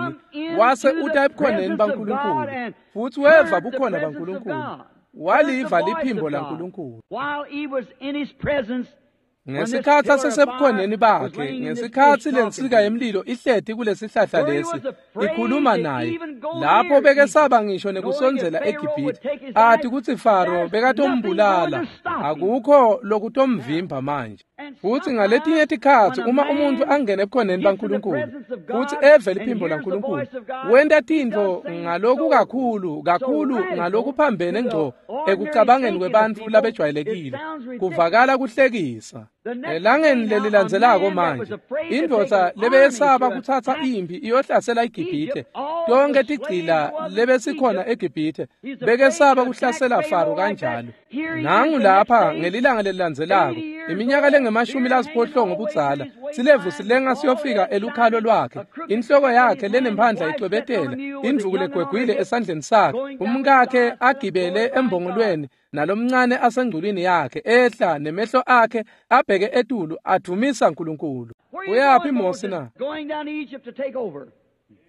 Speaker 2: wase uta ebukhoneni baNkulunkulu, futsi weva bukhona baNkulunkulu, waliva liphimbo laNkulunkulu. Ngesikhatsi asesebukhoneni bakhe, ngesikhatsi lensika yemlilo ihleti kulesihlahla lesi ikhuluma naye, lapho bekesaba ngisho nekusondzela eGibhithe, ati kutsi Faro bekatombulala, akukho lokutomvimba manje. Futsi ngaletinye tikhatsi uma umuntfu angene ebukhoneni baNkulunkulu futsi eve liphimbo laNkulunkulu, wenta tintfo ngalokukakhulu kakhulu ngalokuphambene ngco ekucabangeni kwebantfu labejwayelekile, kuvakala kuhlekisa. Elangeni lelilandzelako manje, indvodza lebeyesaba kutsatsa imphi iyohlasela iGibhithe, tonkhe tigcila lebesikhona eGibhithe, bekesaba kuhlasela Faro kanjalo. Nangu lapha ngelilanga lelilandzelako, iminyaka lengema nemashumi lasiphohlongo budzala, silevu silenga siyofika elukhalo lwakhe, inhloko yakhe lenemphandla icwebetela, indvuku legwegwile esandleni sakhe, umkakhe agibele embongolweni nalomncane asengculwini yakhe, ehla nemehlo akhe abheke etulu advumisa uNkulunkulu. Uyaphi Mose na?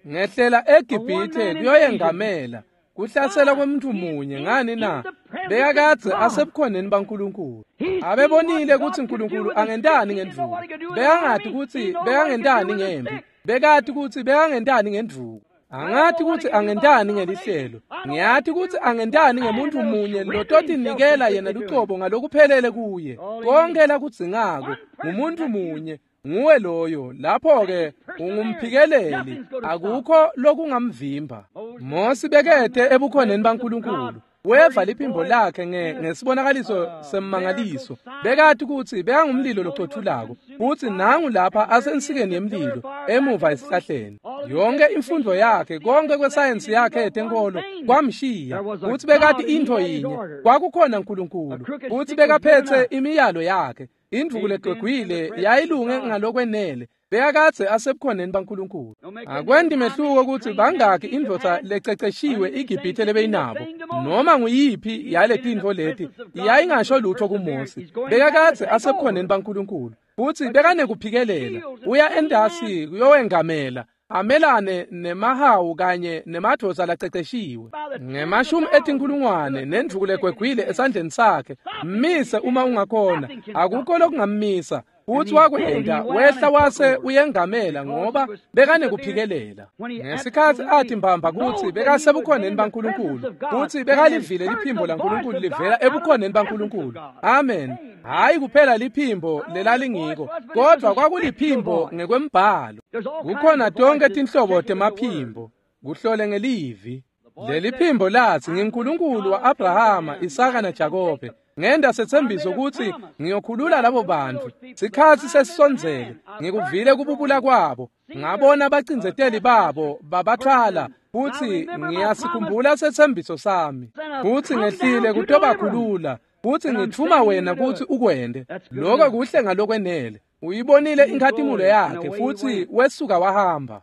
Speaker 2: Ngehlela eGibhithe kuyoyengamela. Kuhlasela kwemuntu munye ngani na? Bekakadze asebukhoneni baNkulunkulu. Abebonile ukuthi uNkulunkulu angentani ngendvuku. Bekangati ukuthi bekangentani ngempi. Bekati ukuthi bekangentani ngendvuku. Angati ukuthi angentani ngelihlelo. Ngiyati ukuthi angentani ngemuntu munye lototinikela yena lucobo ngalokuphelele kuye. Konke lakudzingako ngumuntu munye. Nguwe loyo, lapho-ke ungumphikeleli, akukho lokungamvimba. Mosi bekete ebukhoneni baNkulunkulu. Weva liphimbo lakhe ngesibonakaliso semmangaliso. Bekati ukuthi bekangumlilo locothulako, futhi nangu lapha asensikeni yemlilo, emuva esihlahleni. Yonke imfundo yakhe, konke kwesayensi yakhe yetenkolo kwamshiya. Futhi bekati intfo yinye, kwakukhona uNkulunkulu, futhi bekaphethe imiyalo yakhe. Indvuku legwegwile yayilunge ngalokwenele, bekakadze asebukhoneni baNkulunkulu. Akwendi mehluko ukuthi bangaki indvodza lececeshiwe iGibhithe lebeyinabo, noma nguyiphi yaletintfo leti yayingasho lutho kuMose. Bekakadze asebukhoneni baNkulunkulu, futhi bekanekuphikelela. Uya endasi kuyowengamela, amelane nemahawu kanye nemadvodza laceceshiwe. Ngemashumi etinkulungwane nendvuku legwegwile esandleni sakhe, mmise uma ungakhona, akukho lokungammisa. Futhi wakwenda wehla wase uyengamela ngoba bekanekuphikelela. Ngesikhathi athi mbamba kutsi bekasebukhoneni baNkulunkulu, kutsi bekalivile liphimbo laNkulunkulu livela ebukhoneni baNkulunkulu. Amen. Hayi kuphela liphimbo lelalingiko, kodwa kwakuliphimbo ngekwembhalo. Kukhona tonke tinhlobo temaphimbo, kuhlole ngelivi. Leli phimbo lathi ngiNkulunkulu wa-Abrahama, Isaka naJakobe. Ngenda setsembiso kutsi ngiyokhulula labo bantfu. Sikhatsi sesisondzele, ngikuvile kububula kwabo, ngabona abacindzeteli babo babathwala, futsi ngiyasikhumbula setsembiso sami. Futsi ngehlile kutobakhulula, futsi ngitfuma wena kutsi ukwente. Lokho kuhle ngalokwenele. Uyibonile inkhatimulo yakhe futhi wesuka wahamba.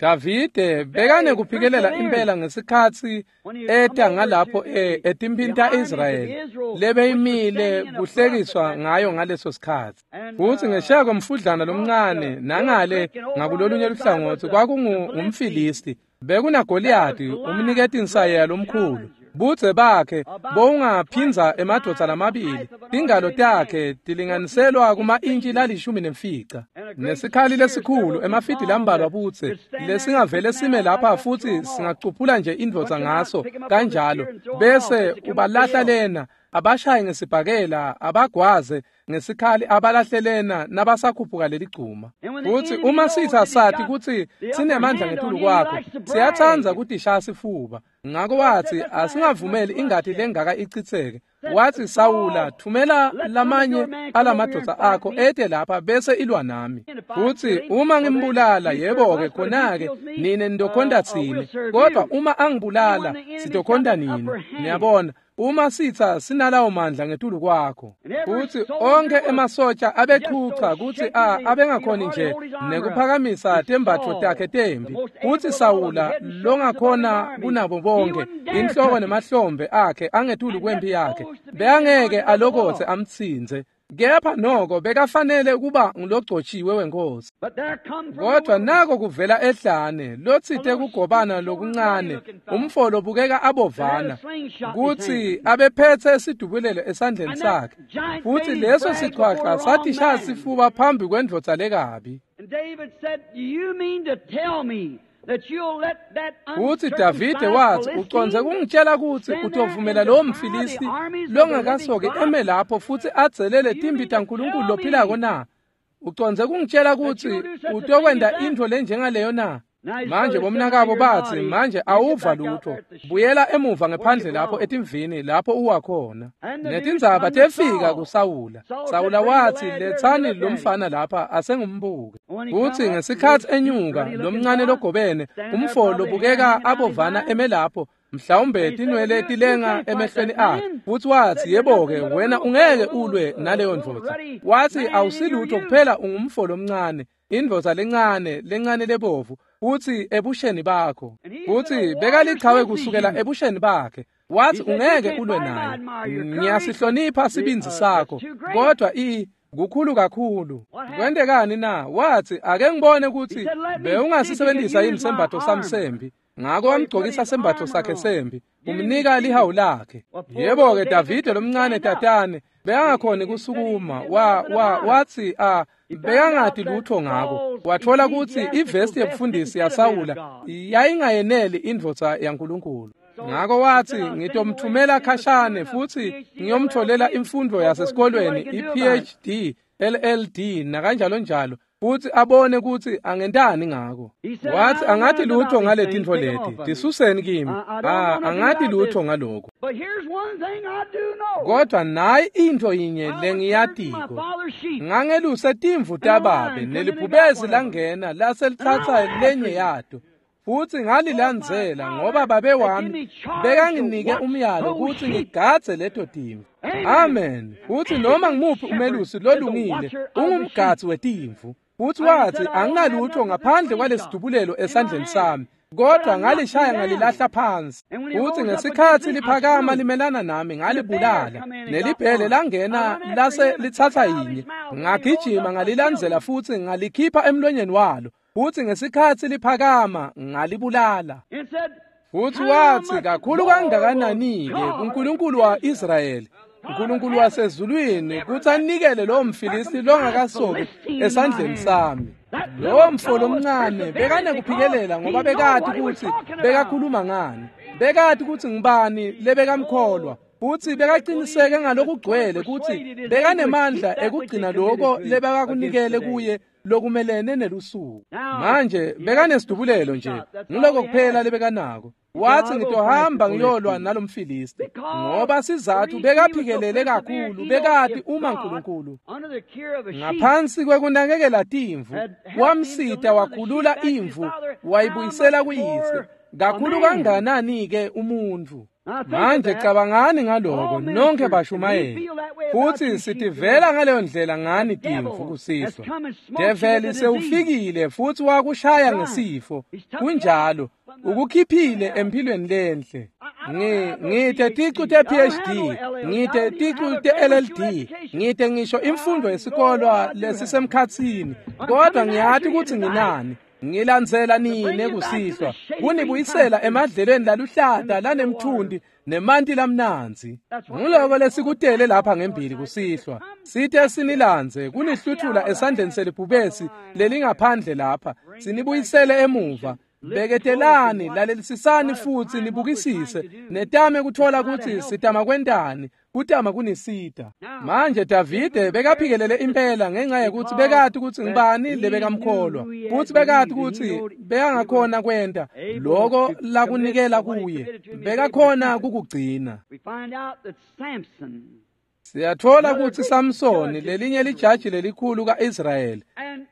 Speaker 2: Davide bekanekuphikelela impela ngesikhatsi eta ngalapho etimphini ta-Israyeli lebeyimile kuhlekiswa ngayo ngaleso sikhatsi. Futhi ngesheya komfudlana lomncane nangale ngakulolunye luhlangotsi kwakungumFilisti. BekunaGoliyati umniketi insayeya lomkhulu. Budze bakhe bowungaphindza emadvodza lamabili, tingalo takhe tilinganiselwa kuma-intshi la15. Nesikhali lesikhulu emafidi lambalwa budze lesingavele sime lapha futhi singacuphula nje indvodza ngaso kanjalo, bese ubalahla lena, abashaye ngesibhakela, abagwaze ngesikhali, abalahle lena nabasakhuphuka leligcuma. Futhi uma sitha sathi kutsi sinemandla ngetulu kwakho, siyatsandza kutishaya sifuba. Ngako wathi asingavumeli ingati lengaka ichitheke. Wathi Sawula, thumela lamanye alamadvodza akho ete lapha bese ilwa nami. Futhi uma ngimbulala, yebo-ke khona-ke nine nidokhonta tsine, kodwa uma angibulala sidokhonta nini. Niyabona, uma sitha sinalawo mandla ngetulu kwakho. Futhi onke emasotsha abechucha kutsi abengakhoni nje nekuphakamisa tembatfo takhe tembi. Futhi Sawula longakhona kunabo bonke, inhloko nemahlombe akhe angetulu kwempi yakhe, bekangeke alokotse amtsintse. Kepha noko bekafanele kuba ngulogcotshiwe wenkosi. Kodwa nako kuvela ehlane lotsite kugobana lokuncane, umfo lobukeka abovana, kutsi abephethe sidubulelo esandleni sakhe. Futhi leso sichwacha satishaya sifuba phambi kwendvodza lekabi. Futhi Davide wathi, ucondze kungitshela kutsi utovumela lowo mFilisti longakasoki eme lapho futhi adzelele timbi taNkulunkulu lophilako na? Ucondze kungitshela kutsi utokwenta intfo lenjengaleyo na? Manje bomnakabo bathi, manje awuva lutho, buyela emuva ngephandle lapho etimvini lapho uwakhona. Netindzaba tefika kuSawula. Sawula wathi, letsani lomfana lapha asengumbuke. Futhi ngesikhatsi enyuka lomncane logobene, umfo lobukeka abovana eme lapho, Mhlawumbe tinwele tilenga emehlweni akhe. Futhi wathi, yebo-ke, wena ungeke ulwe naleyo ndvodza. Wathi, awusilutho kuphela ungumfo lomncane, indvodza lencane, lencane lebovu, futhi ebusheni bakho. Futhi bekalichawe kusukela ebusheni bakhe. Wathi, ungeke ulwe naye. Ngiyasihlonipha sibindzi sakho, kodwa kukhulu kakhulu. Kwentekani na? Wathi, ake ngibone ukuthi bewungasisebenzisa yini sembatho sami sembi. Ngako wamgcokisa sembatho sakhe sembi, umnika lihawu lakhe. Yebo-ke, Davide lomncane tatane bekangakhoni kusukuma. Wathi bekangati lutho ngako. Wathola ukuthi ivesti yebufundisi yaSawula yayingayeneli indvodza yaNkulunkulu. Ngako wathi, ngitomthumela khashane futhi ngiyomtholela imfundo yasesikolweni, i-PhD, LLD nakanjalo njalo, futhi abone ukuthi angentani ngako. Wathi, angathi lutho ngale tintfo leti, tisuseni kimi. Angathi lutho ngaloko. Kodwa nayi intfo yinye lengiyatiko. Ngangeluse timvu tababe, nelibhubesi langena laselitsatsa lenye yato. Futhi ngalilandzela ngoba babe wami bekanginike umyalo ukuthi ngigadze leto timvu. Amen. Futhi noma ngimuphi umelusi lolungile ungumgadzi wetimvu. Futhi wathi, anginalutho ngaphandle kwalesidubulelo esandleni sami, kodwa ngalishaya ngalilahla phansi. Futhi ngesikhathi liphakama limelana nami ngalibulala, nelibhele langena lase litsatsa yinye. Ngagijima ngalilandzela futhi ngalikhipha emlonyeni walo. Futhi ngesikhathi liphakama ngalibulala. Futhi wathi, kakhulu kangakanani-ke kuNkulunkulu wa-Israyeli, uNkulunkulu wasezulwini, kuthi anikele lowo mFilisti longakasoki esandleni sami. Lowo mfo lomncane bekanekuphikelela ngoba bekati ukuthi bekakhuluma ngani, bekati ukuthi ngibani lebekamkholwa, futhi bekaqiniseke ngalokugcwele ukuthi bekanemandla ekugcina lokho lebekakunikele kuye lokumelene nelusuku. Manje bekanesidubulelo nje, ngiloko kuphela lebekanako. Wathi, ngitohamba ngiyolwa nalomFilisti, ngoba sizathu bekaphikelele kakhulu, bekati uma uNkulunkulu ngaphansi kwekunakekela timvu wamsita wakhulula imvu wayibuyisela kuyise, kakhulu kanganani-ke umuntu. Manje cabangani ngaloko nonke bashumayeli, futhi sitivela ngaleyo ndlela ngani timvu kusihlwa. Develi sewufikile futhi wakushaya ngesifo, kunjalo, ukukhiphile empilweni lenhle. Ngite ticu te-PhD, ngite ticu te-LLD, ngite ngisho imfundo yesikolwa lesisemkhatsini, kodwa ngiyati ukuthi nginani. Ngilandzela nine kusihlwa, kunibuyisela emadlelweni laluhlata lanemthundi nemanti lamnandzi. Nguloko lesikutele lapha ngembili kusihlwa, site sinilandze kunihluthula esandleni selibhubesi lelingaphandle lapha, sinibuyisele emuva. Beketelani, lalelisisani futhi nibukisise, netame kuthola ukuthi sitama kwentani, kutama kunisita. Manje Davide bekaphikelele impela ngenxa yokuthi bekati ukuthi ngibani lebekamkholwa, futhi bekati ukuthi bekangakhona kwenta lokho lakunikela kuye, bekakhona kukugcina. Siyathola ukuthi Samsoni lelinye lijaji lelikhulu kaIsrayeli,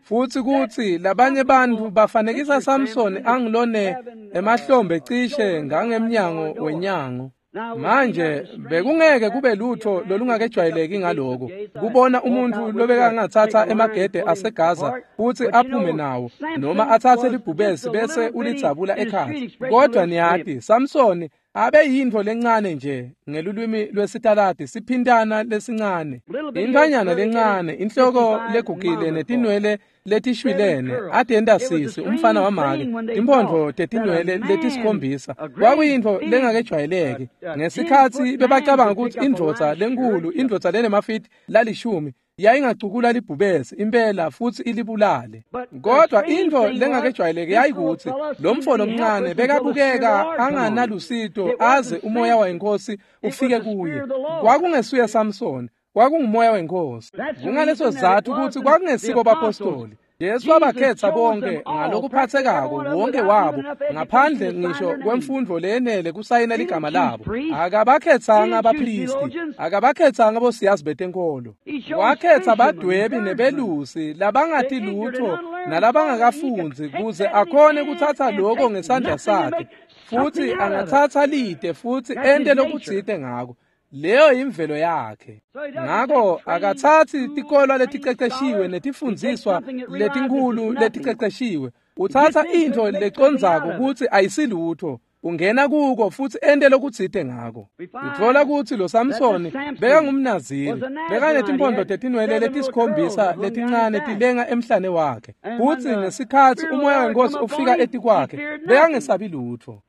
Speaker 2: futhi kuthi labanye bantu bafanekisa Samsoni angilone emahlombe cishe ngangemnyango wenyango. Manje bekungeke kube lutho lolungakejwayeleki ngaloko kubona umuntu lobekangathatha emagede aseGaza futhi aphume nawo, noma athathe libhubesi bese ulitsabula ekhaya. Kodwa niyati, Samsoni abe yintfo lencane nje ngelulwimi lwesitaladi, siphintana lesincane, intfanyana lencane, inhloko legugile netinwele letishwilene, atenta sisi umfana wamake, timphondvo tetinwele letisikhombisa. Kwakuyintfo lengakejwayeleki ngesikhatsi bebacabanga ukuthi indvodza lenkulu, indvodza lenemafiti lalishumi, yayingacukula libhubesi impela futhi ilibulale. Kodwa intfo lengakejwayeleki yayikuthi lo mfo lomncane bekabukeka anganalusito aze umoya wenkosi ufike kuye. Kwakungesuye Samsoni, kwakungumoya wenkosi. Kungaleso sizathu ukuthi kwakungesibo bapostoli. Jesu wabakhetsa bonke ngalokuphathekako wonke wabo ngaphandle ngisho kwemfundvo leyenele kusayina ligama labo. Akabakhetsanga abaphristi, akabakhetsanga bosiyazi betenkolo. Wakhetsa badwebi nebelusi labangati lutho nalabangakafundzi kuze akhone kuthatha lokho ngesandla sakhe futhi angathatha lide futhi ente lokutsite ngako. Leyo imvelo yakhe. Ngako akathathi tikolwa leticeceshiwe netifundziswa letinkulu leticeceshiwe. Uthatha intfo lecondzako kutsi ayisilutho, ungena kuko futhi ente lokutsite ngako. Utfola kutsi lo Samsoni bekangumNaziri, bekanetimpondo tetinwele letisikhombisa letincane tilenga emhlane wakhe. Futsi ngesikhatsi umoya wenkosi ufika etikwakhe, bekangesabi lutfo.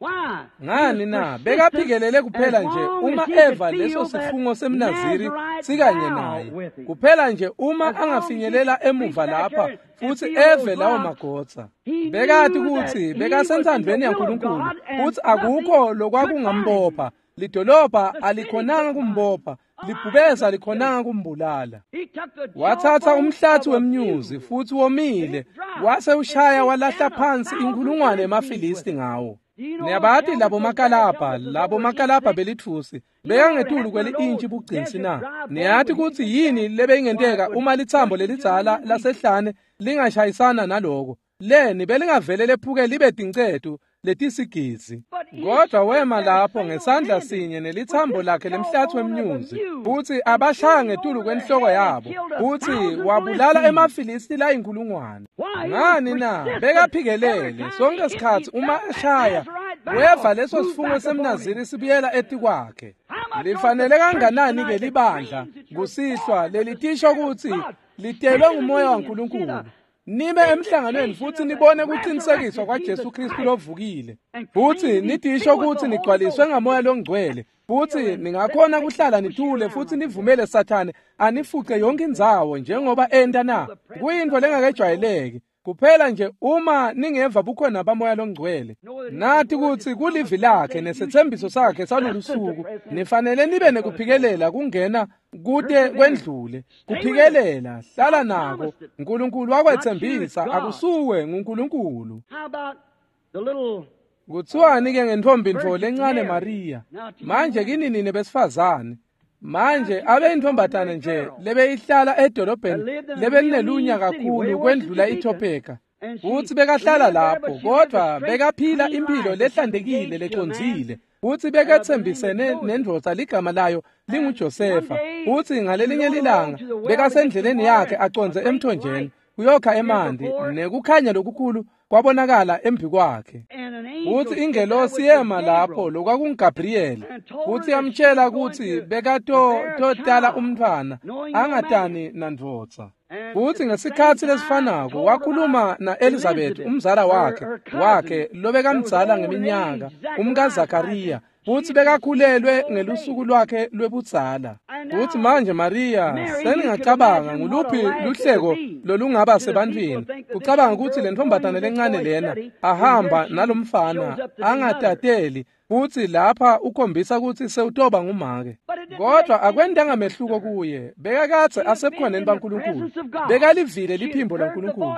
Speaker 2: Ngani na? Bekaphikelele kuphela nje uma eva leso sifungo semNaziri sikanye naye. Kuphela nje uma angafinyelela emuva lapha futhi eve lawo magotsa. Bekati kutsi bekasentsandvweni yaNkulunkulu futsi akukho lokwakungambopha. Lidolobha alikhonanga kumbopha, libhubesa alikhonanga kumbulala. Wathatha umhlathi wemnyuzi futhi womile, wase ushaya walahla phansi inkulungwane yemaFilisti ngawo. Niyabati labo makalabha belitfusi bekangetulu kweli-intshi bugcinsi na? Niyati kutsi yini lebeyingenteka uma litsambo lelidzala lasehlane lingashayisana naloko? Leni belingavele lephuke libe tincetu letisigizi. Kodwa wema lapho ngesandla sinye nelitsambo lakhe lemhlathi wemnyuzi futsi abashaya ngetulu kwenhloko yabo futsi wabulala emaFilisti layinkulungwane. Ngani na? Bekaphikelele sonke sikhatsi uma eshaya weva leso sifungo semNaziri sibuyela etikwakhe. Lifanele kanganani ke libandla kusihlwa lelitisho kutsi litelwe ngumoya waNkulunkulu. Nibe emhlanganweni futhi nibone kuqinisekiswa kwaJesu Kristu lovukile. Futhi nidisho kutsi nigcwaliswe ngamoya longcwele. Futhi ningakhona kuhlala nithule futhi nivumele Sathane anifuce yonke indzawo njengoba enta na. Kuyintfo lengakejwayeleki. Kuphela nje uma ningeva bukhona bamoya longcwele. Nathi kutsi kulivi lakhe nesethembiso sakhe salolu suku nifanele nibe nekuphikelela kungena kute kwendlule. Kuphikelela, hlala nako. uNkulunkulu wakwethembisa, akusuwe nguNkulunkulu. Kuthiwani ke ngentombi ntfo lencane Maria? Manje kini nine besifazane. Manje abe intombatana nje lebeyihlala edolobheni lebelinelunya kakhulu kwendlula iTopeka. Futsi bekahlala lapho kodwa bekaphila impilo lehlantekile lecondzile. Futsi beketsembisene nendvodza ligama layo linguJosefa. Futsi ngalelinye lilanga bekasendleleni yakhe acondze emthonjeni kuyokha emanti nekukhanya lokukhulu kwabonakala embi kwakhe. Futsi ingelosi yema lapho lokwakunguGabriyeli futsi yamtshela kutsi bekatotala umntfwana angatani nandvodza. Futsi ngesikhatsi lesifanako wakhuluma na-Elizabeth umzala wakhe lobekamdzala ngeminyaka umkaZakariya futsi bekakhulelwe ngelusuku lwakhe lwebudzala. Futsi manje Maria seningacabanga nguluphi luhleko lolungaba sebantwini kucabanga kutsi le ntombatana lencane lena ahamba nalomfana angatateli futsi lapha ukhombisa kutsi sewutoba ngumake. Kodwa akwentanga mehluko kuye, bekakadze asebukhoneni baNkulunkulu, bekalivile liphimbo laNkulunkulu,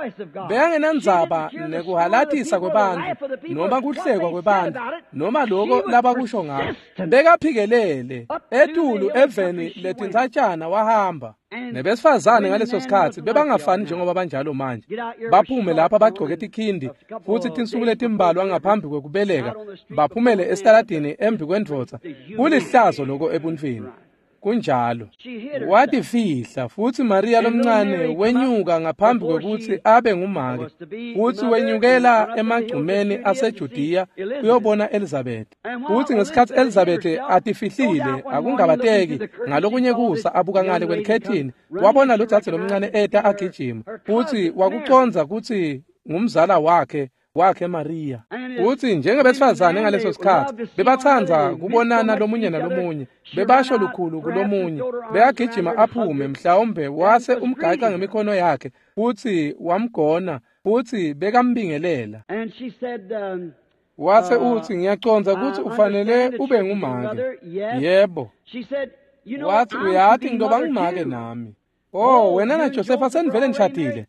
Speaker 2: bekangenandzaba nekuhalatisa kwebantfu noma kuhlekwa kwebantfu noma loko labakusho ngako. Bekaphikelele etulu eveni letintsatshana wahamba. Nebesifazane ngaleso sikhatsi bebangafani njengoba banjalo manje. Baphume lapha bagcoke tikhindi futsi tinsuku letimbalwa ngaphambi kwekubeleka baphumele esitaladini embi kwendvodza. Kulihlazo loko ebuntfwini. Kunjalo. Watifihla futsi Maria lomncane wenyuka ngaphambi kwekutsi abe ngumake. Futsi wenyukela emagcumeni aseJudiya kuyobona Elizabeth. Futsi ngesikhatsi Elizabeth atifihlile akungabateki ngalokunye kusa abuka ngale kwelikhethini wabona lodzadze lomncane eta agijima futsi wakucondza kutsi ngumzala wakhe Maria. Futsi njengebesifazane ngaleso sikhatsi bebatsandza kubonana lomunye nalomunye, bebasho lukhulu kulomunye, bekagijima aphume mhlawumbe wase umgaca ngemikhono yakhe futsi wamgona futsi bekambingelela. Wase utsi ngiyacondza kutsi ufanele ube ngumake. Yebo. Wathi uyati ngitoba ngumake nami. Oh, wena naJosefa senivele nishadile?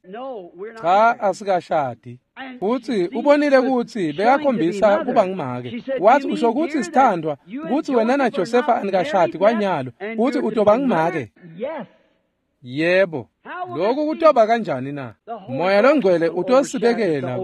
Speaker 2: Cha, asikashadi. Futsi ubonile kutsi bekakhombisa kuba ngumake. Wathi usho kutsi sithandwa kutsi wena naJosefa anikashadi kwanyalo, kutsi utoba ngumake? Yebo. Lokhu kutoba kanjani na? Moya longcwele utosibekela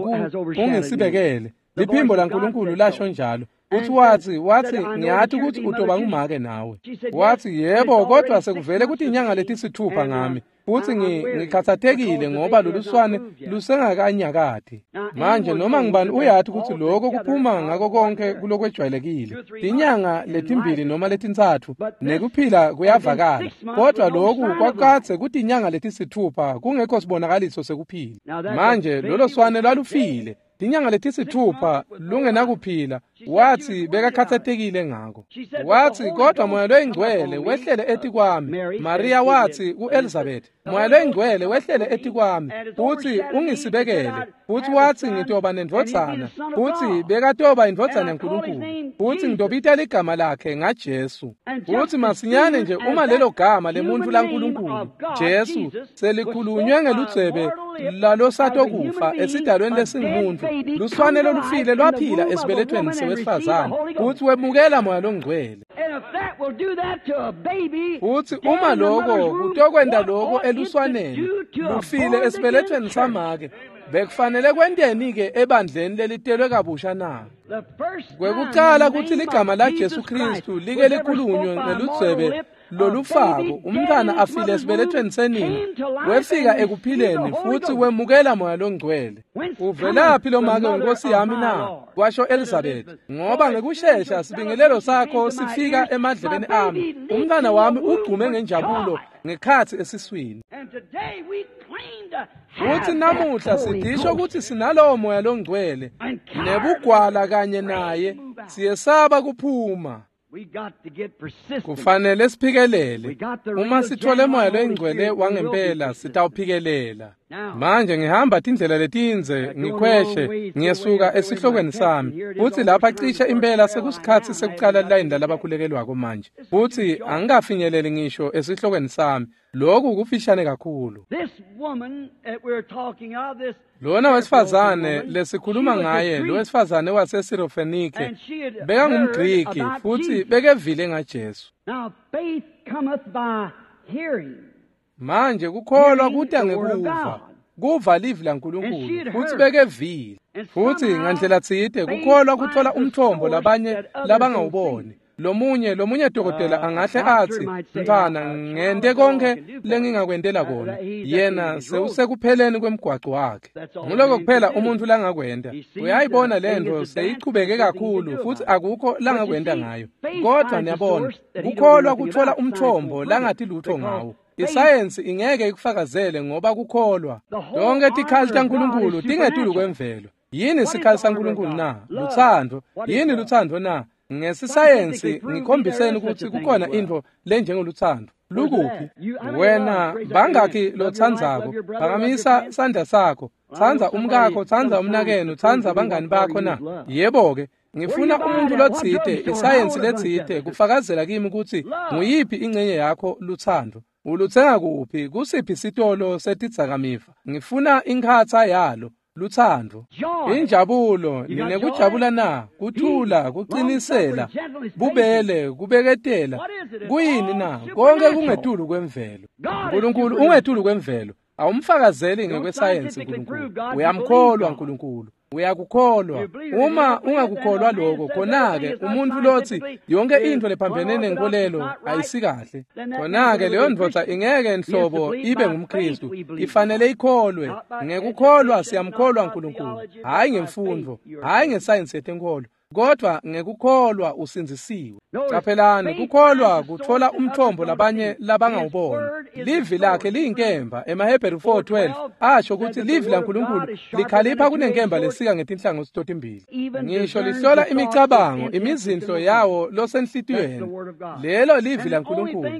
Speaker 2: ungisibekele. Liphimbo laNkulunkulu lasho njalo. Uthi wathi ngiyathi ukuthi utoba ngumake nawe. Wathi yebo, kodwa sekuvele ukuthi inyanga letisithupha ngami. Futhi ngikhathatekile ngoba loluswane lusengakanyakati. Manje noma ngibani uyathi ukuthi lokho kuphuma ngako konke kulokwejwayelekile. Tinyanga letimbili noma letintsatfu nekuphila kuyavakala. Kodwa lokhu kwakadze kuthi inyanga letisithupha kungekho sibonakaliso sekuphila. Manje lolo swane lwalufile. Tinyanga letisithupha lungenakuphila. Wathi bekakhathatekile ngako. Wathi kodwa moya loyingcwele wehlele etikwami. Maria wathi kuElizabeth, moya loyingcwele wehlele etikwami futhi ungisibekele. Futhi wathi ngitoba nendvodzana, futhi bekatoba indvodzana yaNkulunkulu, futhi ngitobita ligama lakhe ngaJesu. Futhi masinyane nje uma lelo gama lemuntu laNkulunkulu Jesu selikhulunywe ngeludzebe lalosatokufa esidalweni lesingumuntu, luswane lolufile lwaphila esibelethweni sewesifazane, futhi wemukela moya longcwele. Futhi uma lokho kutokwenta lokho eluswaneni lufile esibelethweni samake, bekufanele kwenteni-ke ebandleni lelitelwe kabusha na? Kwekucala kutsi ligama laJesu Kristu like likhulunywe ngeludzebe lolufako, umntwana afile esibelethweni senina, wefika ekuphileni futhi wemukela moya longcwele. Uvelaphi lo make wenkosi yami na? Kwasho Elizabeth. Ngoba ngekushesha sibingelelo sakho sifika emadlebeni ami, umntwana wami ugqume ngenjabulo ngekhatsi esiswini. Futhi namuhla sidisho ukuthi sinalowo moya longcwele nebugwala kanye naye, siyesaba kuphuma. Kufanele siphikelele. Uma sithole moya loyingcwele wangempela sitawuphikelela. Manje ngihamba tindlela letindze ngikhweshe ngiyesuka esihlokweni sami. Futhi lapha cishe impela sekusikhatsi sekucala line lalabakhulekelwako manje. Futhi angikafinyeleli ngisho esihlokweni sami. Lokhu kufishane kakhulu. Lona wesifazane lesikhuluma ngaye, lo wesifazane waseSirofenike, bekangumGriki futhi bekevile ngaJesu. Manje kukholwa kuta ngekuva, kuva livi laNkulunkulu, futhi bekevile. Futhi ngandlela tsite kukholwa kuthola umthombo labanye labangawuboni. Lomunye dokotela angahle athi, mntwana, ngente konke lengingakwentela kona. Yena sewusekupheleni kwemgwaco wakhe. Nguloko kuphela umuntu langakwenta. Uyayibona lento seyichubeke kakhulu futhi akukho langakwenta ngayo. Kodwa niyabona, kukholwa kuthola umthombo langathi lutho ngawo. Isayensi ingeke ikufakazele ngoba kukholwa. Tonke tikhali taNkulunkulu tingetulu kwemvelo. Yini sikhali saNkulunkulu na? Lutsandvo. Yini lutsandvo na? Ngesisayensi ngikhombiseni ukuthi kukhona into lenjengolutsandvo. Lukuphi? Wena bangakhi lotsandzako? Phakamisa sandla sakho. Tsandza umkakho, tsandza umnakenu, tsandza bangani bakho na? Yebo-ke, ngifuna umuntu lotsite, isayensi letsite kufakazela kimi ukuthi nguyiphi ingcenye yakho lutsandvo. Ulutsenga kuphi? Kusiphi sitolo setidzakamiva? Ngifuna inkhatsa yalo. Lutsandvo, injabulo, ninekujabula na? Kuthula, kuqinisela, bubele, kubeketela. Kuyini na? Konke kungetulu kwemvelo. Nkulunkulu ungetulu kwemvelo. Awumfakazeli ngekwesayensi Nkulunkulu. Uyamkholwa Nkulunkulu. Uyakukholwa. Uma ungakukholwa lokho, khona-ke umuntu lothi yonke into lephambene nenkolelo ayisikahle, khona-ke leyo ndvodza ingeke nhlobo ibe ngumKristu. Ifanele ikholwe. Ngekukholwa siyamkholwa Nkulunkulu, hhayi ngemfundo, hhayi ngesayensi yetenkolo, kodwa ngekukholwa usindzisiwe. Caphelani, kukholwa kuthola umthombo labanye labangawubona. Livi lakhe liyinkemba. EmaHebheru 4:12 asho ukuthi livi laNkulunkulu likhalipha kunenkemba lesika ngetinhlangothi totimbili, ngisho lihlola imicabango, imizindlo yawo losenhlitiyweni. Lelo livi laNkulunkulu.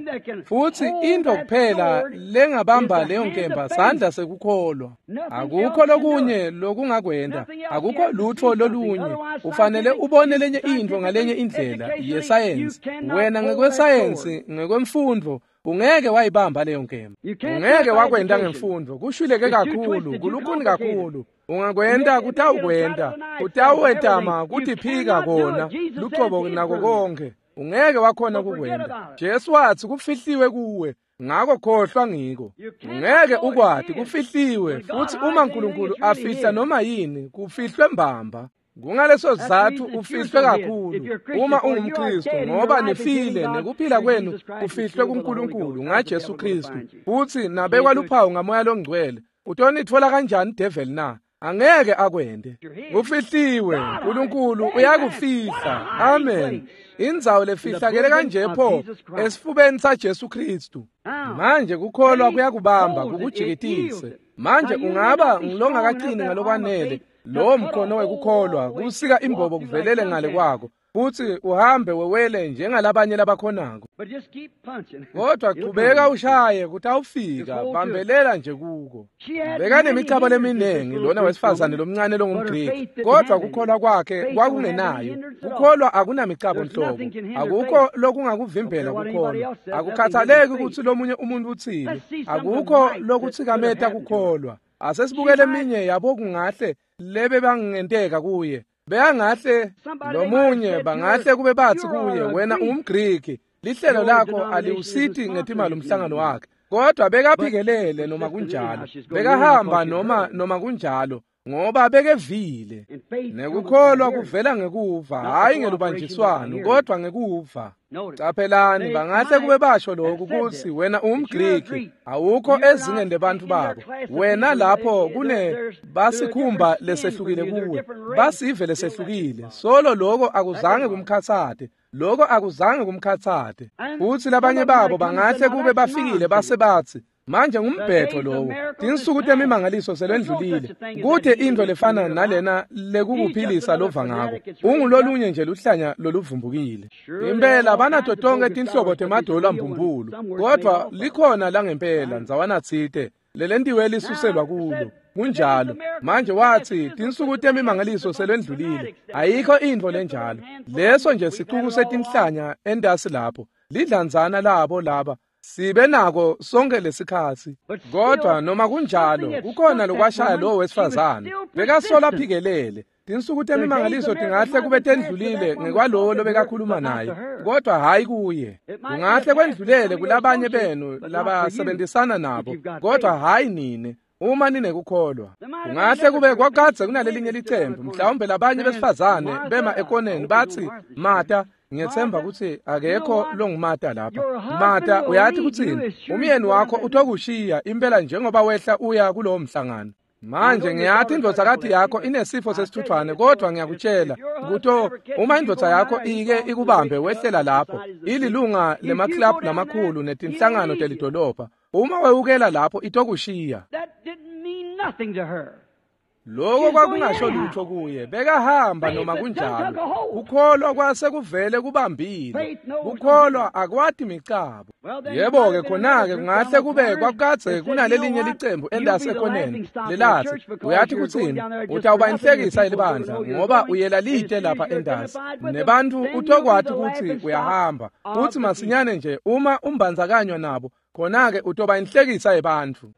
Speaker 2: Futhi into kuphela lengabamba leyo nkemba sandla sekukholwa. Akukho lokunye lokungakwenta, akukho lutho lolunye. Ufanele ubone lenye intfo ngalenye indlela yesayensi, wena ngekwesayensi, ngekwemfundvo, ungeke wayibamba leyo nkemba. Ungeke wakwenta ngemfundvo, kushwileke kakhulu, kulukhuni kakhulu. Ungakwenta kutawukwenta, kutawetama kutiphika kona lucobo nako konke. Ungeke wakhona kukwenta. Jesu watsi kufihliwe kuwe, ngako khohlwa ngiko. Ungeke ukwati, kufihliwe. Futsi uma uNkulunkulu afihla noma yini, kufihlwe mbamba. Kungaleso sizatfu ufihlwe kakhulu uma ungumKristu, ngoba nifile nekuphila kwenu kufihlwe kuNkulunkulu ngaJesu Kristu, futsi nabekwa luphawu ngaMoya loNgcwele. Utonitfola kanjani devil na? Angeke akwente. Kufihliwe, uNkulunkulu uyakufihla. Amen. Indzawo lefihlakele kanje pho esifubeni saJesu Kristu. Manje kukholwa kuyakubamba kukujikitise. Manje ungaba ngilongakaqini ngalokwanele lowo mkhono wekukholwa kusika imbobo kuvelele ngale kwako, futsi uhambe wewele njengalabanye labakhonako. Kodwa chubeka ushaye kutawufika, bambelela nje kuko. Bekanemicabo leminingi lona wesifazane lomncane longumGriki, kodwa kukholwa kwakhe kwakungenayo. Kukholwa akunamicabo nhlobo, akukho lokungakuvimbela kukholwa. Akukhathaleki kutsi lomunye umuntu utsini, akukho lokutsikameta kukholwa. Asesibukele eminye yabo kungahle lebe bangenteka kuye. Beyangahle lomunye bangahle kube batsi kuye, wena ungumGriki, lihlelo lakho aliwusiti ngetimali umhlangano wakhe. Kodwa bekaphikelele noma kunjalo, bekahamba noma kunjalo, ngoba bekevile. Nekukholwa kuvela ngekuva, hhayi ngelubanjiswano, kodwa ngekuva. Caphelani, bangahle kube basho lokhu kutsi wena ungumGriki, awukho ezingeni lebantfu babo. Wena lapho kune basikhumba lesehlukile kuwe, basive lesehlukile. Solo loko akuzange kumkhatsate, loko akuzange kumkhatsate. Futsi labanye babo bangahle kube bafikile base batsi, manje ngumbhetho lowo, tinsuku temimangaliso selendlulile, kute intfo lefana nalena lekukuphilisa lova ngako. Ungulolunye nje luhlanya loluvumbukile. Impela banato tonke tinhlobo temadolo ambumbulu, kodwa likhona langempela ndzawana tsite lelentiwe lisuselwa kulo. Kunjalo. Manje watsi tinsuku temimangaliso selendlulile, ayikho intfo lenjalo. Leso nje sicuku setinhlanya entasi lapho, lidlanzana labo laba sibe nako sonke lesikhatsi. Kodwa noma kunjalo kukhona lokwashaya lowo wesifazane, bekasola aphikelele. Tinsuku temimangaliso tingahle kube tendlulile ngekwalowo lobekakhuluma naye, kodwa hhayi kuye. Kungahle kwendlulele kulabanye benu labasebenzisana nabo, kodwa hhayi nine uma ninekukholwa. Kungahle kube kwakadze kunalelinye licembu, mhlawumbe labanye besifazane bema ekoneni batsi, Mata, ngiyethemba kutsi akekho longumata lapha. Mata, uyathi kutsini? Umyeni wakho utokushiya impela njengoba wehla uya kulowo mhlangano. Manje ngiyathi indvodzakati yakho inesifo sesithuthwane, kodwa ngiyakutshela kuto uma indvodza yakho ike ikubambe wehlela lapho, ililunga lemaklabhu lamakhulu netinhlangano telidolobha, uma wewukela lapho itokushiya. Loko kwakungasho lutho kuye, bekahamba noma kunjalo. Kukholwa kwase kuvele kubambile, kukholwa akwati micabo. Yebo-ke khona-ke kungahle kube kwakukadze kunalelinye licembu entasi ekoneni lelatsi, uyathi kutsini? Utawuba inhlekisa yelibandla ngoba uyela lite lapha entasi, nebantfu utokwati kutsi uyahamba. Futsi masinyane nje uma umbandzakanywa nabo, khona-ke utoba inhlekisa yebantfu.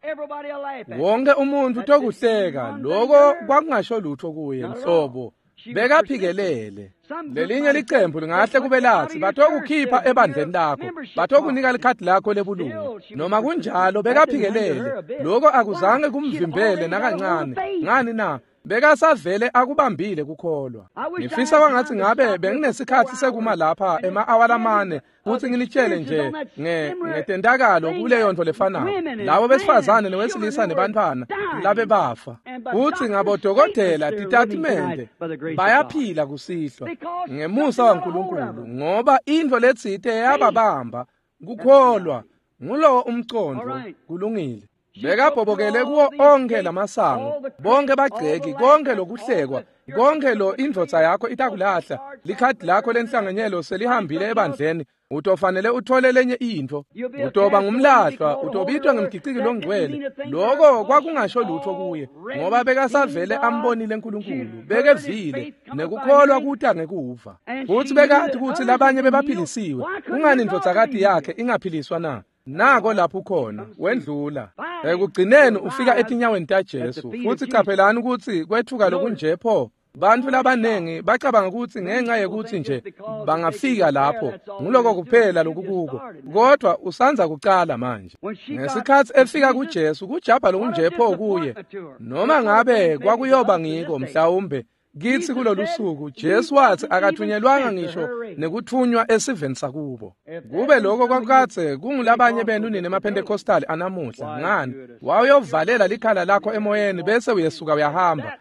Speaker 2: Wonke umuntu utokuhleka. Loko kwakungasho lutho kuye nhlobo, bekaphikelele. Lelinye licembu lingahle kube latsi, batokukhipha ebandleni lakho, batokunika likhadi lakho lebulungu. Noma kunjalo bekaphikelele. Loko akuzange kumvimbele nakancane. Ngani na? Bekasavele akubambile kukholwa. Ngifisa kwangatsi ngabe benginesikhatsi sekuma lapha ema-awa lamane kutsi nginitshele nje ngetentakalo kuleyo nto lefanako, labo besifazane newesilisa nebantfwana labebafa. Futsi ngabodokotela titatimende bayaphila kusihlwa ngemusa waNkulunkulu, ngoba intfo letsite yababamba, kukholwa. Ngulowo umcondvo. Kulungile. Bekabhobokele kuwo onke lamasango, bonke bagceki, konke lokuhlekwa, konke lo indvodza yakho itakulahla, likhadi lakho lenhlanganyelo selihambile ebandleni, utofanele uthole lenye intfo, utoba ngumlahlwa, utobitwa ngemgiciki longcwele. Lokho kwakungasho lutho kuye, ngoba bekasavele ambonile uNkulunkulu, bekevile, nekukholwa kuta ngekuva. Futhi bekathi kutsi labanye bebaphilisiwe, kungani indvodzakati yakhe ingaphiliswa na? Nako lapho khona wendlula. Ekugcineni ufika etinyaweni taJesu. Futhi caphelani ukuthi kwethuka lokunje pho. Bantfu labanengi bacabanga ukuthi ngenxa yekuthi nje bangafika lapho nguloko kuphela lokukuko, kodwa usanza kucala manje. Ngesikhatsi efika kuJesu, kujabha lokunje pho kuye, noma ngabe kwakuyoba ngiko mhlawumbe kitsi kulolu suku, Jesu watsi akathunyelwanga ngisho nekuthunywa esiveni sakubo. Kube lokho kwakukadze kungulabanye benu nine emaPentecostal anamuhla, ngani wawuyovalela likhala lakho emoyeni bese uyesuka uyahamba.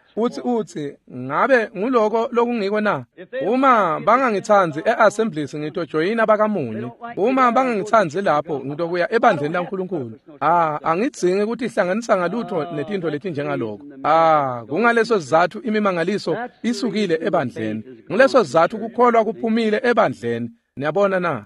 Speaker 2: Uthi ngabe nguloko lokungiko na? Uma bangangitsandzi eAssemblies ngitojoyina bakamunye. Uma bangangitsandzi lapho ngitokuya ebandleni laNkulunkulu. Angidzingi ukuthi ihlanganisa ngalutho netintfo letinjengaloko. Kungaleso sizatfu imimangaliso isukile ebandleni. Nguleso sizatfu kukholwa kuphumile ebandleni. Niyabona na?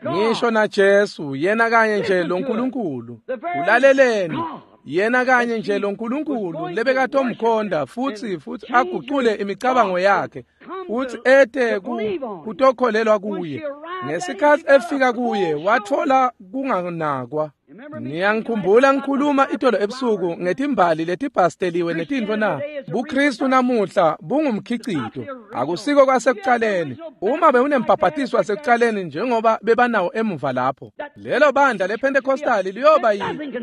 Speaker 2: Ngisho na Jesu, yena kanye nje lo Nkulunkulu. Ulaleleni. Yena kanye nje lo Nkulunkulu lebekatomkhonda futhi agucule imicabango yakhe, futhi ete kutokholelwa kuye. Ngesikhatsi efika kuye wathola kunganakwa. Niyangikhumbula ngikhuluma itolo ebusuku ngetimbali letibhasteliwe netintfo na? BuKristu namuhla bungumkhicito, akusiko kwasekucaleni. Uma bewunembhabhatiso wasekucaleni njengoba bebanawo emuva lapho, lelo bandla lePentecostal liyoba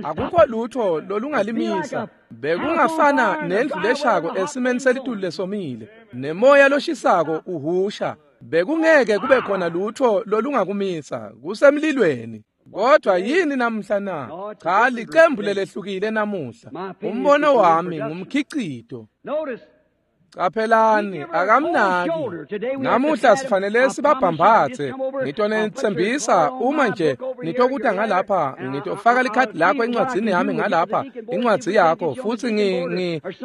Speaker 2: akukho lutho lolungalimisa. Bekungafana nendlu leshako esimeni selitulu lesomile, nemoya loshisako uhusha. Bekungeke kube khona lutho lolungakumisa, kusemlilweni. Kodwa yini namuhla na? Cha, licembu lelehlukile namuhla. Umbono wami ngumkhicito. Caphelani, akamnaki. Namuhla sifanele sibabhambathe. Ngitonetsembisa uma nje nitokuta ngalapha, ngitofaka likhadi lakho encwadzini yami ngalapha, incwadzi yakho, futhi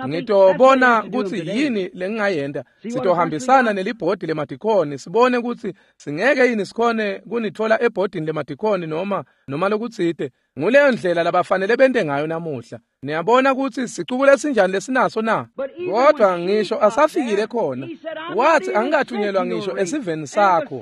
Speaker 2: ngitobona kutsi yini lengingayenta. Sitohambisana nelibhodi lemadikhoni, sibone kutsi singeke yini sikhone kunitfola ebhodini lemadikhoni noma lokutsite. Nguleyo ndlela labafanele bente ngayo namuhla. Niyabona kutsi sicuku lesinjani lesinaso na? Kodwa ngisho asafikile khona, wathi angikathunyelwa ngisho esiveni sakho.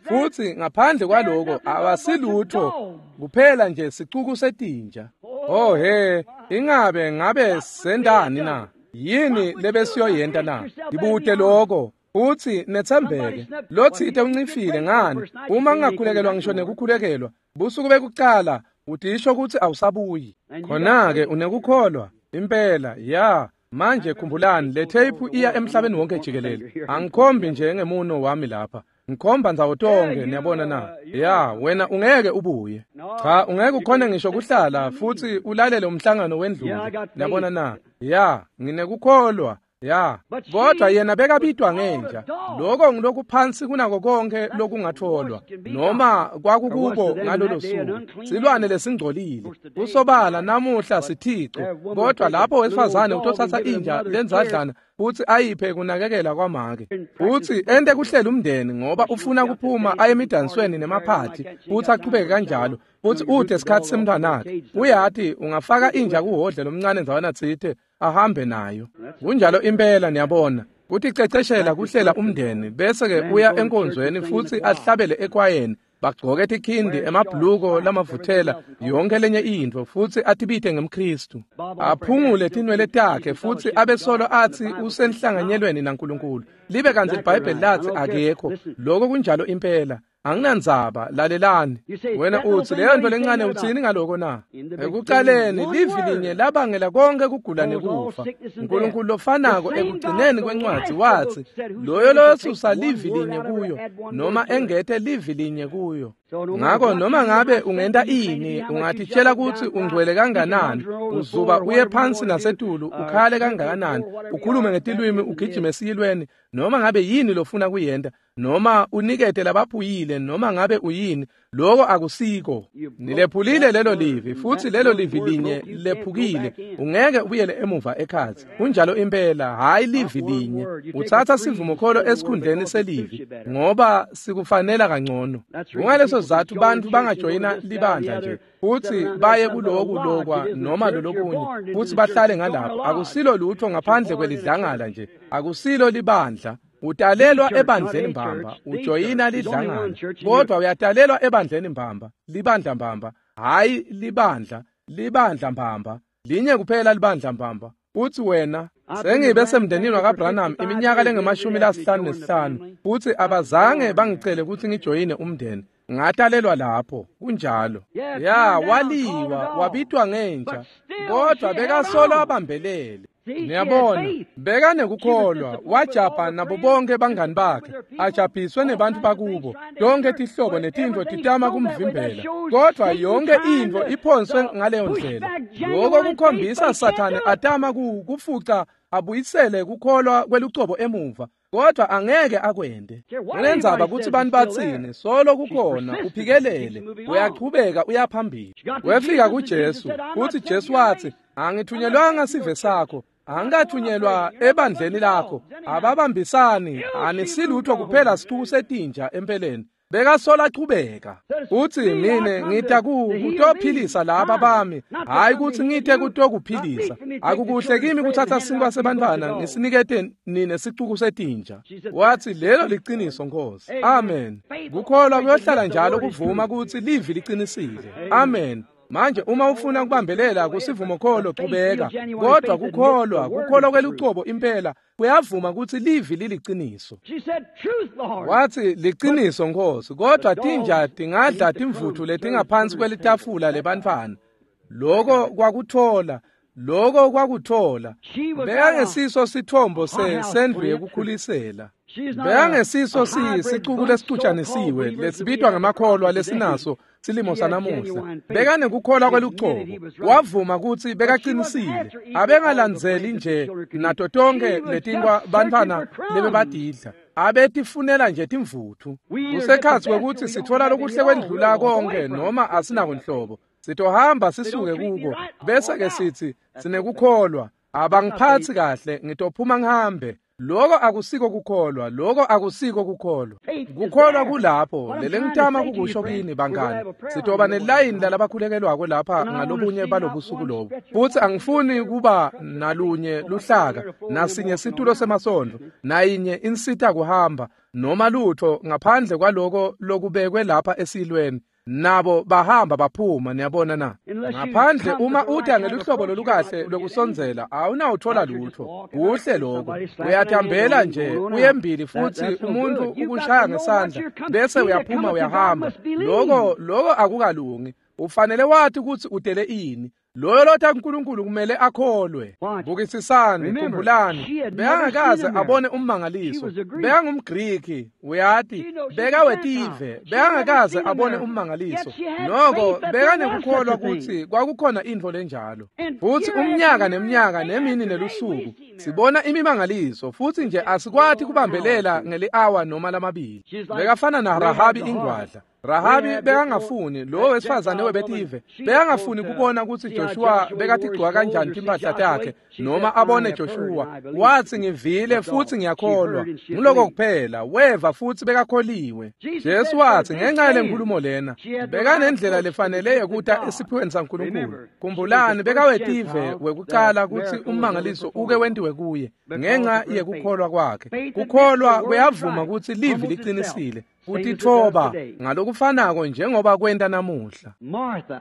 Speaker 2: Futhi ngaphandle kwaloko abasilutho kuphela nje sicuku setinja. Oh he, ingabe ngabe sendani na? Yini lebesiyoyenta na? Ngibute lokho. Uthi nethembeke, lotsite uncifile ngani? Uma ngingakhulekelwa ngisho nekukhulekelwa, busuku bekucala utisho kutsi awusabuyi. Khona-ke unekukholwa impela. Ya, manje khumbulani, le tape iya emhlabeni wonke jikelele. Angikhombi nje ngemuno wami lapha, ngikhomba ndzawo tonke. Niyabona na? Ya, wena ungeke ubuye. Cha, ungeke ukhone ngisho kuhlala futhi ulalele umhlangano wendlule. Niyabona na? Ya, nginekukholwa. Ya, kodwa yena bekabitwa ngenja. Lokho ngilokuphansi kunako konke lokungatholwa, noma kwakukubo ngalolo suku. Silwane lesingcolile. Kusobala namuhla sithico, kodwa lapho wesifazane utothatha inja lenzadlana futhi ayiphe kunakekela kwamake, futhi ente kuhlela umndeni ngoba ufuna kuphuma aye emidansweni nemaphathi, futhi aqhubeke kanjalo, futhi ude isikhathi semntwanakhe. Uyati ungafaka inja kuhhodle lomncane ndzawana tsite ahambe nayo. Kunjalo impela. Niyabona kuticeceshela kuhlela umndeni, bese-ke uya enkonzweni futhi ahlabele ekwayeni, bagcoke tikhindi, emabhuluko lamavuthela, yonke lenye intfo, futhi atibite ngemKristu, aphungule tinwele takhe, futhi abesolo athi usenhlanganyelweni naNkulunkulu, libe kantsi iBhayibheli lathi akekho. Lokho kunjalo impela. Anginandzaba, lalelani. Wena uthi leyo nto lencane, utsini ngaloko na? Ekucaleni livi linye labangela konke kugula nekufa. uNkulunkulu lofanako ekugcineni kwencwadzi wathi loyo loyosusa livi linye kuyo noma engete livi linye kuyo. Ngako noma ngabe ungenta ini, ungatitshela kutsi ungcwele kanganani, uzuba uye phansi nasetulu, ukhale kangakanani, ukhulume ngetilwimi, ugijime esiyilweni, noma ngabe yini lofuna kuyenta, noma unikete labaphuyile noma ngabe uyini, lokho akusiko. Nilephulile lelo livi, futhi lelo livi linye lephukile, ungeke ubuyele emuva ekhatsi. Kunjalo impela, hayi livi linye. Uthatha sivumokholo esikhundleni selivi ngoba sikufanela kangcono. Kungaleso sizatfu bantfu bangajoyina libandla nje futhi baye kuloku lokwa noma lolokunye futhi bahlale ngalapho. Akusilo lutho ngaphandle kwelidlangala nje, akusilo libandla. Utalelwa ebandleni mbamba, ujoyina lidlangala, kodwa uyatalelwa ebandleni mbamba, libandla mbamba, hayi libandla, libandla mbamba, linye kuphela libandla mbamba. Uthi wena, sengibe semndenini wakaBranham iminyaka lengama-55 futhi abazange bangicele ukuthi ngijoyine umndeni. Ngatalelwa lapho, kunjalo. Ya, waliwa, wabitwa ngenja, kodwa bekasolo abambelele. Niyabona, bekanekukholwa, wajabha nabo bonke bangani bakhe, ajabhiswe nebantu bakubo, tonke tihlobo netintfo titama kumvimbela, kodwa yonke intfo iphonswe ngaleyo ndlela. Lokho kukhombisa Sathane atama kufuca abuyisele kukholwa kwelucobo emuva, kodwa angeke akwende. Ngendzaba kutsi bantu batsini, solo kukhona, uphikelele, uyachubeka uyaphambili. Wefika kuJesu, futhi Jesu wathi, angithunyelwanga sive sakho, angikathunyelwa ebandleni lakho, ababambisani, anisilutho kuphela sicuku setinja empeleni. Bekasola achubeka. Uthi mine ngita kutophilisa laba bami, hayi kutsi ngite kutokuphilisa. Akukuhle kimi kuthatha sinkwa sebantfwana ngisinikete nine sicuku setinja. Wathi lelo liciniso Nkosi. Amen. Kukholwa kuyohlala njalo kuvuma kutsi livi liqinisile. Amen. Manje uma ufuna kubambelela kusivumokholo chubeka, kodwa kukholwa kwelucobo impela kuyavuma kutsi livi liliciniso. Wathi liciniso Nkosi, kodwa tinja tingadla timvutfu letingaphansi kwelitafula lebantfwana. Lokho kwakuthola, lokho kwakuthola. Bekangesiso sithombo sendlu yekukhulisela. Bekangesiso sicuku lesicutjanisiwe lesibitwa ngemakholwa lesinaso silimo sanamuhla. Bekanekukholwa kwelucobo, wavuma kutsi bekaqinisile, abengalandzeli nje nato tonke letinkwa bantfwana lebebadidla, abetifunela nje timvutfu. Kusekhatsi kwekutsi sitfola lokuhle kwendlula konke noma asinako nhlobo, sitohamba sisuke kuko bese ke sithi sinekukholwa, abangiphatsi kahle, ngitophuma ngihambe. Lokho akusiko kukholwa, lokho akusiko kukholwa. Kukholwa kulapho, lelengitama kukusho kini bangani. Sitoba nelayini lalabakhulekelwako lapha ngalobunye balobusuku lobu. Futhi angifuni kuba nalunye luhlaka, nasinye situlo semasondo, nayinye insita kuhamba, noma lutho ngaphandle kwaloko lokubekwe lapha esilweni. Nabo bahamba baphuma, niyabona na. Ngaphandle uma uta ngeluhlobo lolukahle lokusondzela, awunawuthola lutho. Kuhle lokho. Uyathambela nje uyembili futhi umuntu ukushaya ngesandla bese uyaphuma uyahamba. Lokho akukalungi. Ufanele wathi ukuthi udele ini. Loyo lotha kuNkulunkulu kumele akholwe. Bukisisani, khumbulani, bekangakaze abone ummangaliso. BekangumGriki, uyati, bekawetive, bekangakaze abone ummangaliso. Noko bekanekukholwa kutsi kwakukhona intfo lenjalo. Futhi umnyaka neminyaka nemini nelusuku sibona imimangaliso futhi nje asikwati kubambelela ngeli-awa noma lamabili. Bekafana na Rahabi ingwadla. Rahabi bekangafuni, lo wesifazane webetive, bekangafuni kubona kutsi Joshua bekatigcoka kanjani timphahla takhe noma abone Joshua. Wathi ngivile futhi ngiyakholwa. Ngiloko kuphela, weva futhi bekakholiwe. Jesu wathi ngenxa yalenkulumo lena, bekanendlela lefanele yekuta esiphiweni saNkulunkulu. Khumbulani, bekawetive wekucala kutsi ummangaliso uke wentiwe kuye ngenxa yekukholwa kwakhe. Kukholwa kuyavuma kutsi livi liqinisile. Kutitfoba ngalokufanako njengoba kwenta namuhla.
Speaker 1: Martha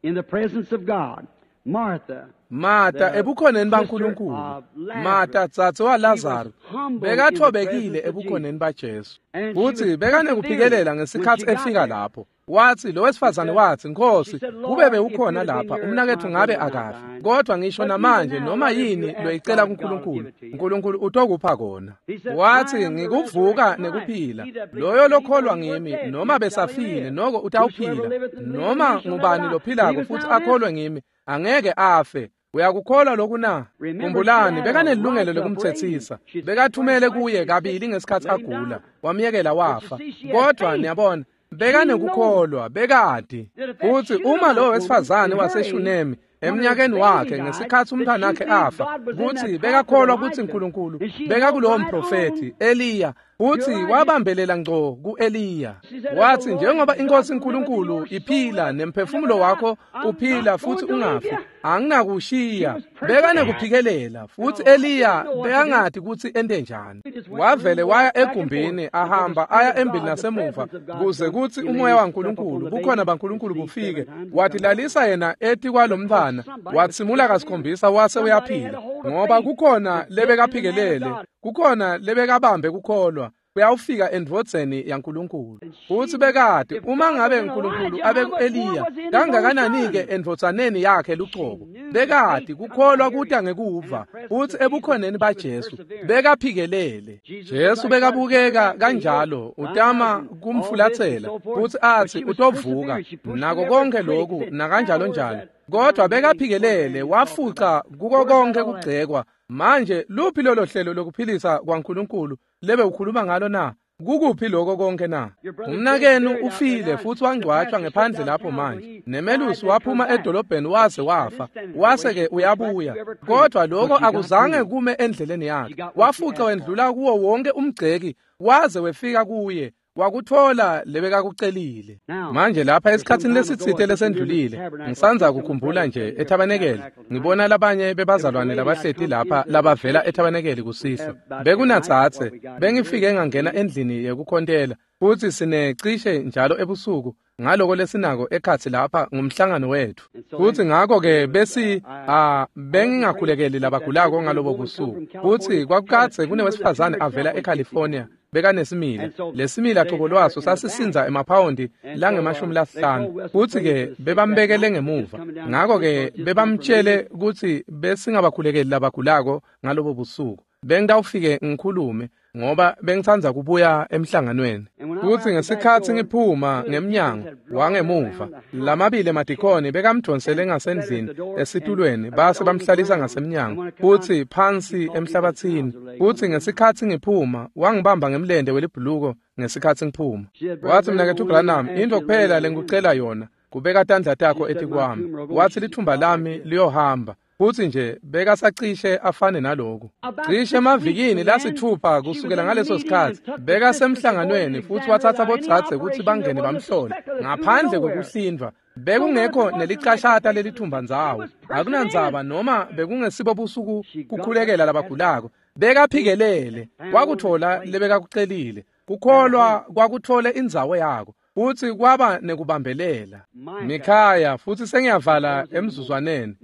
Speaker 1: in the presence of God. Martha,
Speaker 2: Martha ebukhoneni baNkulunkulu. Martha tsatsi waLazaro bekathobekile ebukhoneni baJesu. Futhi bekanekuphikelela ngesikhatsi efika lapho. Wathi lo wesifazane wathi, Nkosi, kube bewukhona lapha umnaketfu ngabe akafi. Kodwa ngisho namanje noma yini loyicela kuNkulunkulu, uNkulunkulu utokupha kona. Wathi ngikuvuka nekuphila. Loyo lokholwa ngimi noma besafile noko utawuphila. Noma ngubani lophilako futhi akholwe ngimi angeke afe. Uyakukholwa lokhu na? Khumbulani, bekanelungelo lokumthethisa. Bekathumele kuye kabili ngesikhathi agula, wamyekela wafa. Kodwa niyabona, bekanekukholwa, bekati kutsi uma lowo wesifazane waseShunemi eminyakeni wakhe ngesikhathi umntwanakhe afa, kutsi bekakholwa kutsi uNkulunkulu bekakulowo mprofethi Eliya, futhi wabambelela ngco ku-Eliya. Wathi, njengoba inkosi uNkulunkulu iphila nemphefumulo wakho uphila futhi ungafi, anginakushiya. Bekanekuphikelela, futhi Eliya bekangati kutsi ente njani. Wavele waya egumbini, ahamba aya embili nasemuva, kuze kutsi umoya waNkulunkulu, bukhona baNkulunkulu bufike. Watilalisa yena etikwalomntfwana, watsimula kasikhombisa wase uyaphila, ngoba kukhona lebekaphikelele, kukhona lebekabambe kukholwa kuyawufika endvodzeni yaNkulunkulu. Futsi bekati uma ngabe uNkulunkulu abe ku-Eliya, kangakanani-ke endvodzaneni yakhe lucobo. Bekati kukholwa kuta ngekuva, futsi ebukhoneni baJesu bekaphikelele. Jesu bekabukeka kanjalo, utama kumfulatsela futsi atsi utovuka nako konke lokhu nakanjalo njalo, kodwa bekaphikelele, wafuca kuko konke kugcekwa. Manje luphi lolo hlelo lokuphilisa kwaNkulunkulu lebe ukhuluma ngalo na? Kukuphi lokho konke na? Umnakenu ufile futhi wangcwatshwa ngephandle lapho manje. Nemelusi waphuma edolobheni waze wafa, wase-ke uyabuya. Kodwa lokho akuzange kume endleleni yakhe. Wafuca wendlula kuwo wonke umgceki waze wefika kuye, wakuthola lebekakucelile. Manje lapha esikhatsini lesitsite lesendlulile, ngisanza kukhumbula nje ethabanekeli, ngibona labanye bebazalwane labahleti lapha labavela ethabanekeli kusihlwa. Bekunatsatse, bengifike ngangena endlini yekukhontela, futhi sinecishe njalo ebusuku ngaloko lesinako ekhatsi lapha ngumhlangano wethu. Futhi ngakho-ke besi bengingakhulekeli labagulako ngalobo busuku. Futhi kwakukadze kunewesifazane avela eCalifornia, bekanesimila. Lesimila cobo lwaso sasisinza emaphawondi langama-50. Futhi-ke bebambekele ngemuva. Ngakho-ke bebamtshele kutsi besingabakhulekeli labagulako ngalobo busuku. Bengitawufike ngikhulume ngoba bengitsandza kubuya emhlanganweni. Futhi ngesikhathi ngiphuma ngemnyango wangemuva, lamabili emadikoni bekamdvonsele ngasendlini esitulweni, base bamhlalisa ngasemnyango futhi phansi emhlabathini. Futhi ngesikhathi ngiphuma, wangibamba ngemlente welibhuluko ngesikhathi ngiphuma. Wathi, mnaketfu Branham, into kuphela lengikucela yona kubeka tandla takho etikwami. Wathi, lithumba lami liyohamba. Futhi nje bekasacishe afane naloku. Cishe emavikini lasithupha kusukela ngaleso sikhathi, bekasemhlanganweni futhi wathatha bodzadze kutsi bangene bamhlole ngaphandle kokuhlindvwa. Bekungekho nelicashata lelithumba ndzawo. Akunandzaba noma bekungesibo busuku kukhulekela labagulako. Bekaphikelele, wakuthola lebekakucelile. Kukholwa kwakuthole indzawo yako, futhi kwaba nekubambelela. Mikhaya, futhi sengiyavala emzuzwaneni.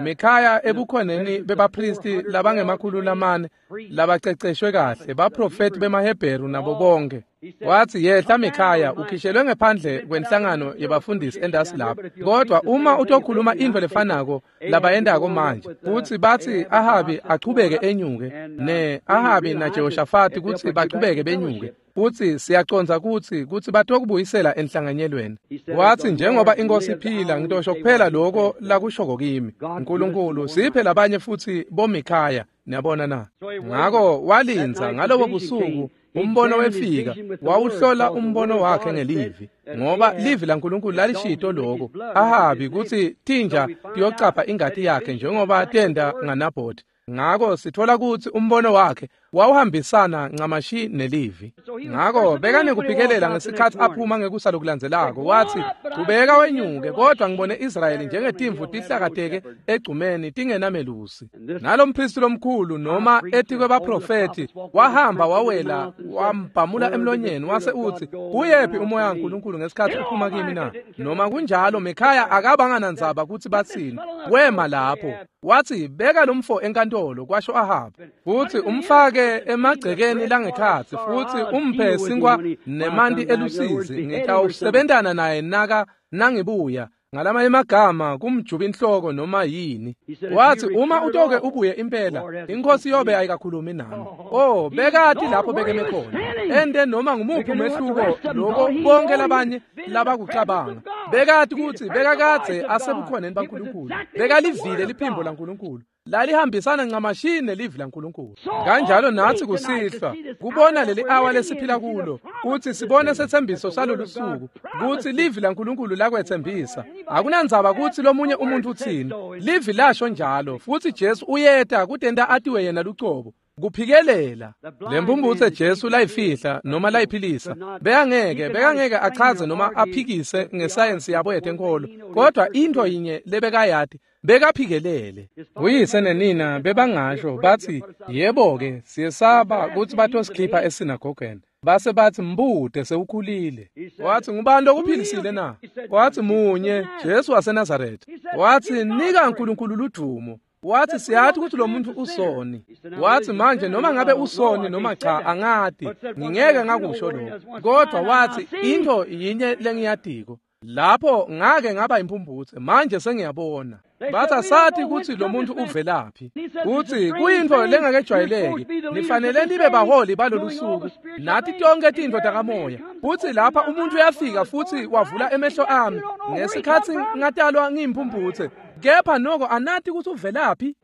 Speaker 2: Mikhaya ebukhoneni bebapristi labangema-400 labaceceshwe kahle, baprofeti bemaHebheru nabo bonke. Wathi, yehla Mikhaya, ukhishelwe ngephandle kwenhlangano yebafundisi endasi lapho. Kodwa uma utokhuluma intfo lefanako labayendako manje, futhi bathi Ahabi achubeke enyuke, ne Ahabi na Jehoshafati kutsi bachubeke benyuke, futhi siyacondza kutsi batokubuyisela enhlanganyelweni. Wathi, njengoba inkosi iphila, ngitosho kuphela lokho lakushoko kimi. uNkulunkulu siphe labanye futhi boMikhaya. Niyabona na? Ngako walindza ngalobo busuku, umbono wefika, wawuhlola umbono wakhe ngelivi, ngoba livi laNkulunkulu lalishito lokho Ahabi kutsi tinja tiyocapha ingati yakhe njengoba tenda ngaNabhothi. Ngako sithola kutsi umbono wakhe wawuhambisana ncamashi nelivi. Ngako bekanekuphikelela ngesikhathi aphuma ngekusa lokulandzelako. Wathi, chubeka wenyuke, kodwa ngibone Israyeli njengetimvu tihlakateke egcumeni tingenamelusi. Nalo mpristi lomkhulu noma etikwebaprofethi wahamba wawela wambhamula emlonyeni wase utsi, uyephi umoya waNkulunkulu ngesikhathi uphuma kimi na? Noma kunjalo Mikhaya akabanganandzaba kutsi batsini. Wema lapho wathi, beka lomfo enkantolo, kwasho Ahabi, futhi umfake emagcekeni langekhatsi, futhi umphe sinkwa nemanti elusizi. Ngitawusebentana naye naka nangibuya. Ngalamanye amagama, kumjuba inhloko noma yini. Wathi, uma utoke ubuye impela, inkosi yobe ayikakhulumi nami. Oh, bekati lapho bekeme khona. Ende noma ngumuphi umehluko lokho bonke labanye labakucabanga. Bekati kutsi bekakadze asebukhoneni baNkulunkulu. Bekalivile liphimbo laNkulunkulu. Lalihambisana ncamashi nelivi laNkulunkulu. Kanjalo natsi kusihlwa kubona leli awa lesiphila kulo, kutsi sibone setsembiso salolu suku, kutsi livi laNkulunkulu lakwetsembisa. Akunandzaba kutsi lomunye umuntu utsini, livi lasho njalo, futsi Jesu uyeta kutenta atiwe yena lucobo. Kuphikelela lempumputse Jesu layifihla noma layiphilisa, bekangeke achaze noma aphikise ngesayensi yabo yetenkolo, kodwa into yinye lebekayati, bekaphikelele. Uyise nenina bebangasho bathi, yebo-ke, siyesaba kutsi batosikhipha esinagogeni. Base bathi, mbute sewukhulile. Wathi, ngubani lokuphilisile na? Wathi, munye, Jesu waseNazaretha. Wathi, nika uNkulunkulu ludumo. Wathi, siyathi ukuthi lo muntu usoni. Wathi, manje noma ngabe usoni noma cha angati, ngingeke ngakusho lokho. Kodwa wathi, into yinye lengiyatiko, lapho ngake ngaba impumputse, manje sengiyabona. Bathi, asathi kutsi lo muntu uvelaphi, kutsi kuyintfo lengakejwayeleki, nifanele nibe baholi balolu suku, nathi tonke tintfo takamoya. Futsi lapha umuntu uyafika futsi wavula emehlo ami ngesikhatsi ngatalwa ngiyimpumputse, kepha noko anati kutsi uvelaphi.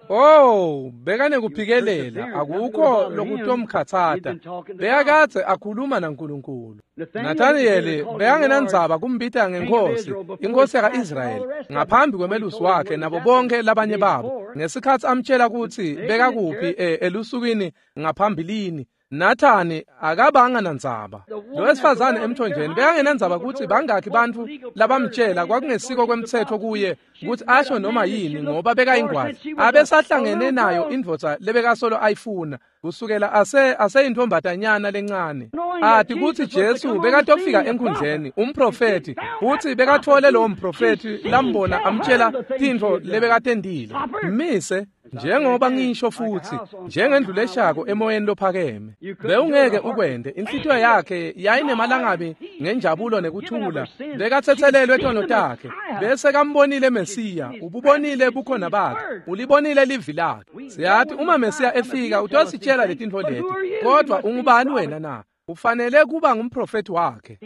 Speaker 2: Oh, bekanekuphikelela, akukho lokutomkhatsata. Bekakadze akhuluma naNkulunkulu. Nathaniyeli bekangenandzaba kumbita ngenkosi, inkosi yaka-Israyeli, ngaphambi kwemelusi wakhe nabo bonke labanye babo. Ngesikhatsi amtshela kutsi bekakuphi elusukwini ngaphambilini, Nathani akabanga nandzaba. Lo wesifazane emthonjeni bekangenandzaba kutsi bangakhi bantfu labamtshela kwakungesiko kwemtsetfo kuye kutsi asho noma yini, ngoba bekayingwadla. Abesahlangene nayo indvodza lebekasolo ayifuna kusukela aseyintombatanyana lencane. Ati kutsi Jesu bekatofika enkhundleni, umprofethi, futsi bekathole lowo mprofethi lambona amtshela tintfo lebekatendile. Mise njengoba ngisho futhi, njengendlu leshako emoyeni lophakeme. Bewungeke ukwente. Inhlitiyo yakhe yayinemalangabi ngenjabulo nekuthula. Bekatsetselelwe tono takhe. Bese kambonile Mesiya, ububonile bukhona bakhe, ulibonile livi lakhe. Siyathi uma Mesiya efika utositshela letintfo leti, kodwa ungubani wena na? Ufanele kuba ngumprofethi wakhe.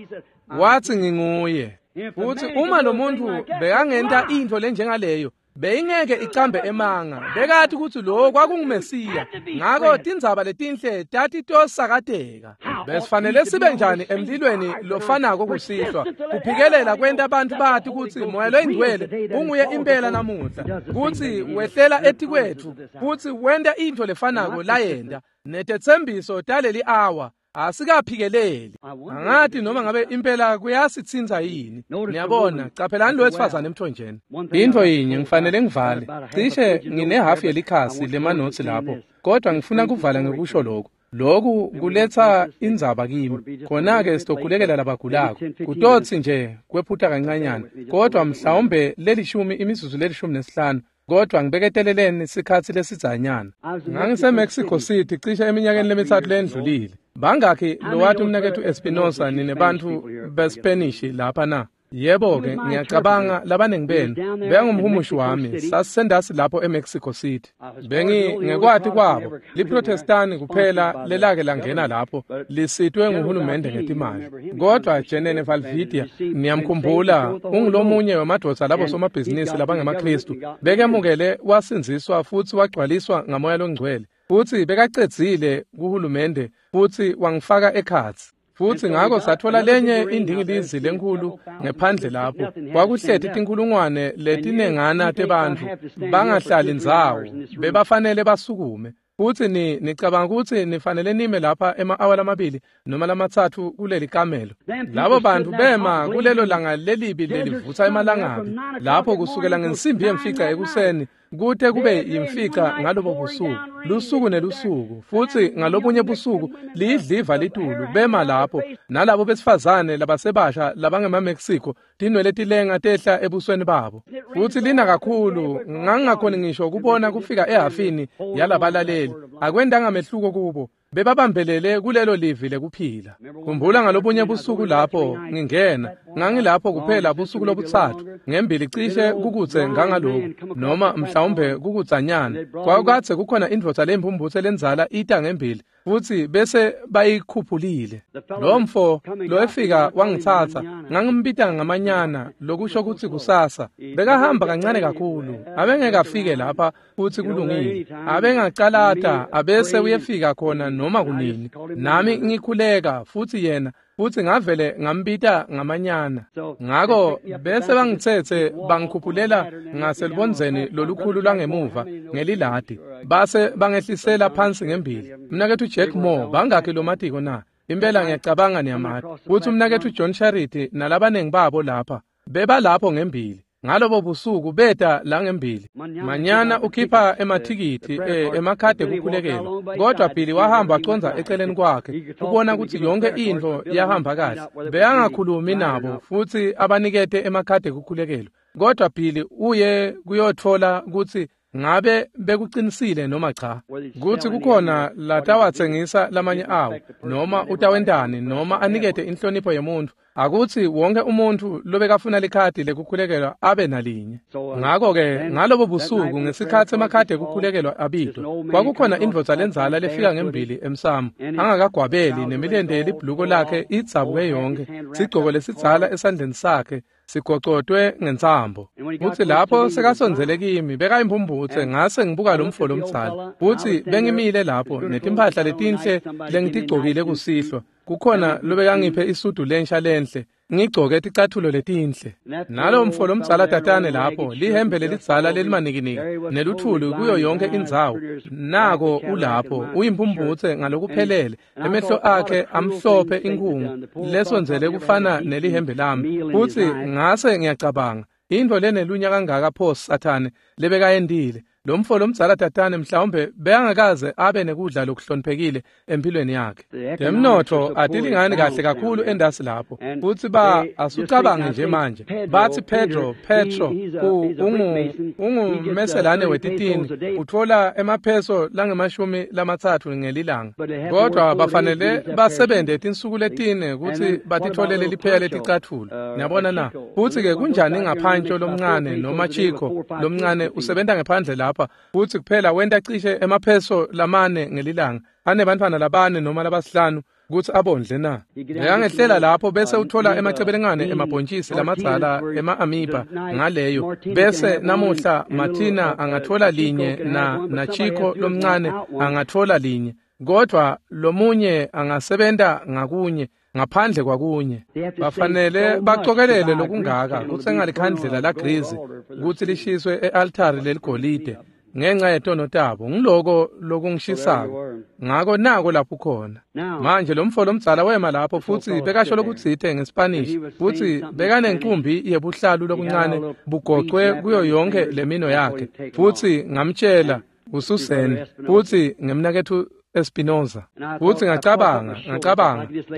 Speaker 2: Wathi, nginguye. Futhi uma lo muntu bekangenta intfo lenjengaleyo, beyingeke icambe emanga. Bekathi kutsi lo kwakunguMesiya. Ngako tindzaba letinhle tatitosakateka. Besifanele sibe njani emlilweni lofanako kusihlwa, kuphikelela kwenta abantu bati kutsi Moya loyiNgcwele unguye impela namuhla, kutsi wehlela etikwetfu futsi wenta intfo lefanako layenta netetsembiso taleli awa. Asikaphikeleli. Angati noma ngabe impela kuyasitsintsa yini. Niyabona, caphelani lo wesifazane emthonjeni. Intfo yinye ngifanele ngivale. Cishe nginehafu yelikhasi lemanotsi lapho, kodwa ngifuna kuvala ngekusho lokhu. Lokhu kuletsa indzaba kimi. Khona-ke sitokhulekela labagulako. Kutotsi nje kwephuta kancanyana, kodwa mhlawumbe lelishumi imizuzu le-15, kodwa ngibeketeleleni sikhatsi lesidzanyana. NgangiseMexico City cishe eminyakeni lemithathu lendlulile. Bangakhi lowati umnaketfu Espinosa ninebantfu beSpanish lapha na? Yebo-ke, ngiyacabanga labaningi benu. Bekangumhumushi wami, sasisendasi lapho eMexico City. Bengi ngekwati kwabo, liProtestani kuphela lelake langena lapho, lisitwe nguhulumende ngetimali. Kodwa Jenene Valvidia, niyamkhumbula, ungulomunye wemadvodza labo somabhizinisi labangemaKhristu, bekemukele wasindziswa futsi wagcwaliswa ngaMoya loNgcwele. Futsi bekacedzile kuhulumende futsi wangifaka ekhatsi. Futsi ngako satfola lenye indingilizi lenkulu ngephandle lapho. Kwakuhleti tinkhulungwane letinengana tebantfu bangahlali ndzawo, bebafanele basukume. Futsi nicabanga kutsi nifanele nime lapha ema-awa lamabili noma lamathathu kuleli kamelo. Labo bantfu bema kulelo langa lelibi lelivutsa emalangabi, lapho kusukela ngensimbi yemfica ekuseni kute kube yimfica ngalobo busuku, lusuku nelusuku. Futsi ngalobunye busuku liyidliva litulu, bema lapho nalabo besifazane labasebasha labangemaMexico, tinwele tilenga tehla ebusweni babo. Futsi lina kakhulu, ngangingakhoni ngisho kubona kufika ehhafini yalabalaleli. Akwentanga mehluko kubo, bebabambelele kulelo livi lekuphila. Khumbula ngalobunye busuku lapho ngingena, ngangilapho kuphela busuku lobutsatfu ngembili cishe kukutse ngangaloku noma mhlawumbe kukutsanyana. Kwakukadze kukhona indvodza leyimpumputse lendzala ita ngembili, Futsi bese bayikhuphulile. Lo mfo lowefika wangitsatsa, ngangimbita ngamanyana, lokusho kutsi kusasa. Bekahamba kancane kakhulu, abengeke afike lapha futsi kulungile. Abengacalata abese uyefika khona noma kunini. Nami ngikhuleka futsi yena futsi ngavele ngambita ngamanyana. Ngako bese bangitsetse bangikhuphulela ngaselubondzeni lolukhulu lwangemuva ngeliladi, base bangehlisela phansi ngembili. Mnaketfu Jack Moore, bangakhi lomatiko na? Impela ngiyacabanga niyamati. Futsi umnaketfu John Charity nalabanengi babo lapha bebalapho ngembili. Ngalobo busuku beta la ngembili. Manyana ukhipha emathikithi emakhadi ekukhulekelwa, kodwa Billy wahamba wacondza eceleni kwakhe kubona kutsi yonke intfo yahamba kahle. Bekangakhulumi nabo futsi abanikete emakhadi ekukhulekelwa, kodwa Billy uye kuyotfola kutsi ngabe bekuqinisile noma cha, kutsi kukhona latawatsengisa lamanye awo, noma utawentani, noma anikete inhlonipho yemuntfu. Akutsi wonke umuntfu lobekafuna likhadi lekukhulekelwa abe nalinye. Ngako-ke ngalobo busuku ngesikhatsi emakhadi ekukhulekelwa abitwa, kwakukhona indvodza lendzala lefika ngembili emsamo, angakagwabeli, nemilente yelibhuluko lakhe idzabuke yonkhe, sigcoko lesidzala esandleni sakhe sigocotwe ngentsambo. Futsi lapho sekasondzele kimi, bekayimphumphutse, ngase ngibuka lo mfo lomdzala. Futsi bengimile lapho netimphahla letinhle lengitigcokile kusihlwa. Kukhona lobekangiphe isudu lensha lenhle, ngigcoke ticathulo letinhle. Nalo mfo lomdzala tatane lapho, lihembe lelidzala lelimanikiniki neluthuli kuyo yonke indzawo. Nako ulapho, uyimphumputse ngalokuphelele, emehlo akhe amhlophe inkhungu lesondzele kufana nelihembe lami. Futsi ngase ngiyacabanga, intfo lenelunya kangaka pho Sathane lebekayentile. Lo mfo lomdzala tatane mhlawumbe bekangakaze abe nekudla lokuhloniphekile empilweni yakhe. Temnotfo atilingani kahle kakhulu endasi lapho. Futsi asucabange nje manje. Batsi Pedro ungumeselane wetitini, utfola emapheso langemashumi lamatsatfu ngelilanga. Kodwa bafanele basebente tinsuku letine kutsi batitfolele lipheya leticatfulo. Niyabona na? Futsi-ke kunjani ngaphantsho lomncane noma Chico lomncane usebenta ngephandle lapha, futsi kuphela wenta cishe emapheso lamane ngelilanga, anebantfwana labane noma labasihlanu kutsi abondle na? Bekangehlela lapho bese utfola emacebelengane emabhontjisi lamadzala ema-amiba ngaleyo, bese namuhla Martina angatfola linye na Chico lomncane angatfola linye, kodwa lomunye angasebenta ngakunye ngaphandle kwakunye. Bafanele bacokelele lokungaka kutsenga likhandlela lagrisi kutsi lishiswe e-altari leligolide ngenxa yetono tabo. Ngiloko lokungishisako. Ngako nako lapho khona. Manje lo mfo lomdzala wema lapho futsi bekasho lokutsite ngeSpanish, futsi bekanencumbi yebuhlalu lobuncane bugocwe kuyo yonke lemino yakhe. Futsi ngamtshela uSusan, futsi ngemnaketfu Espinoza. Futsi ngacabanga,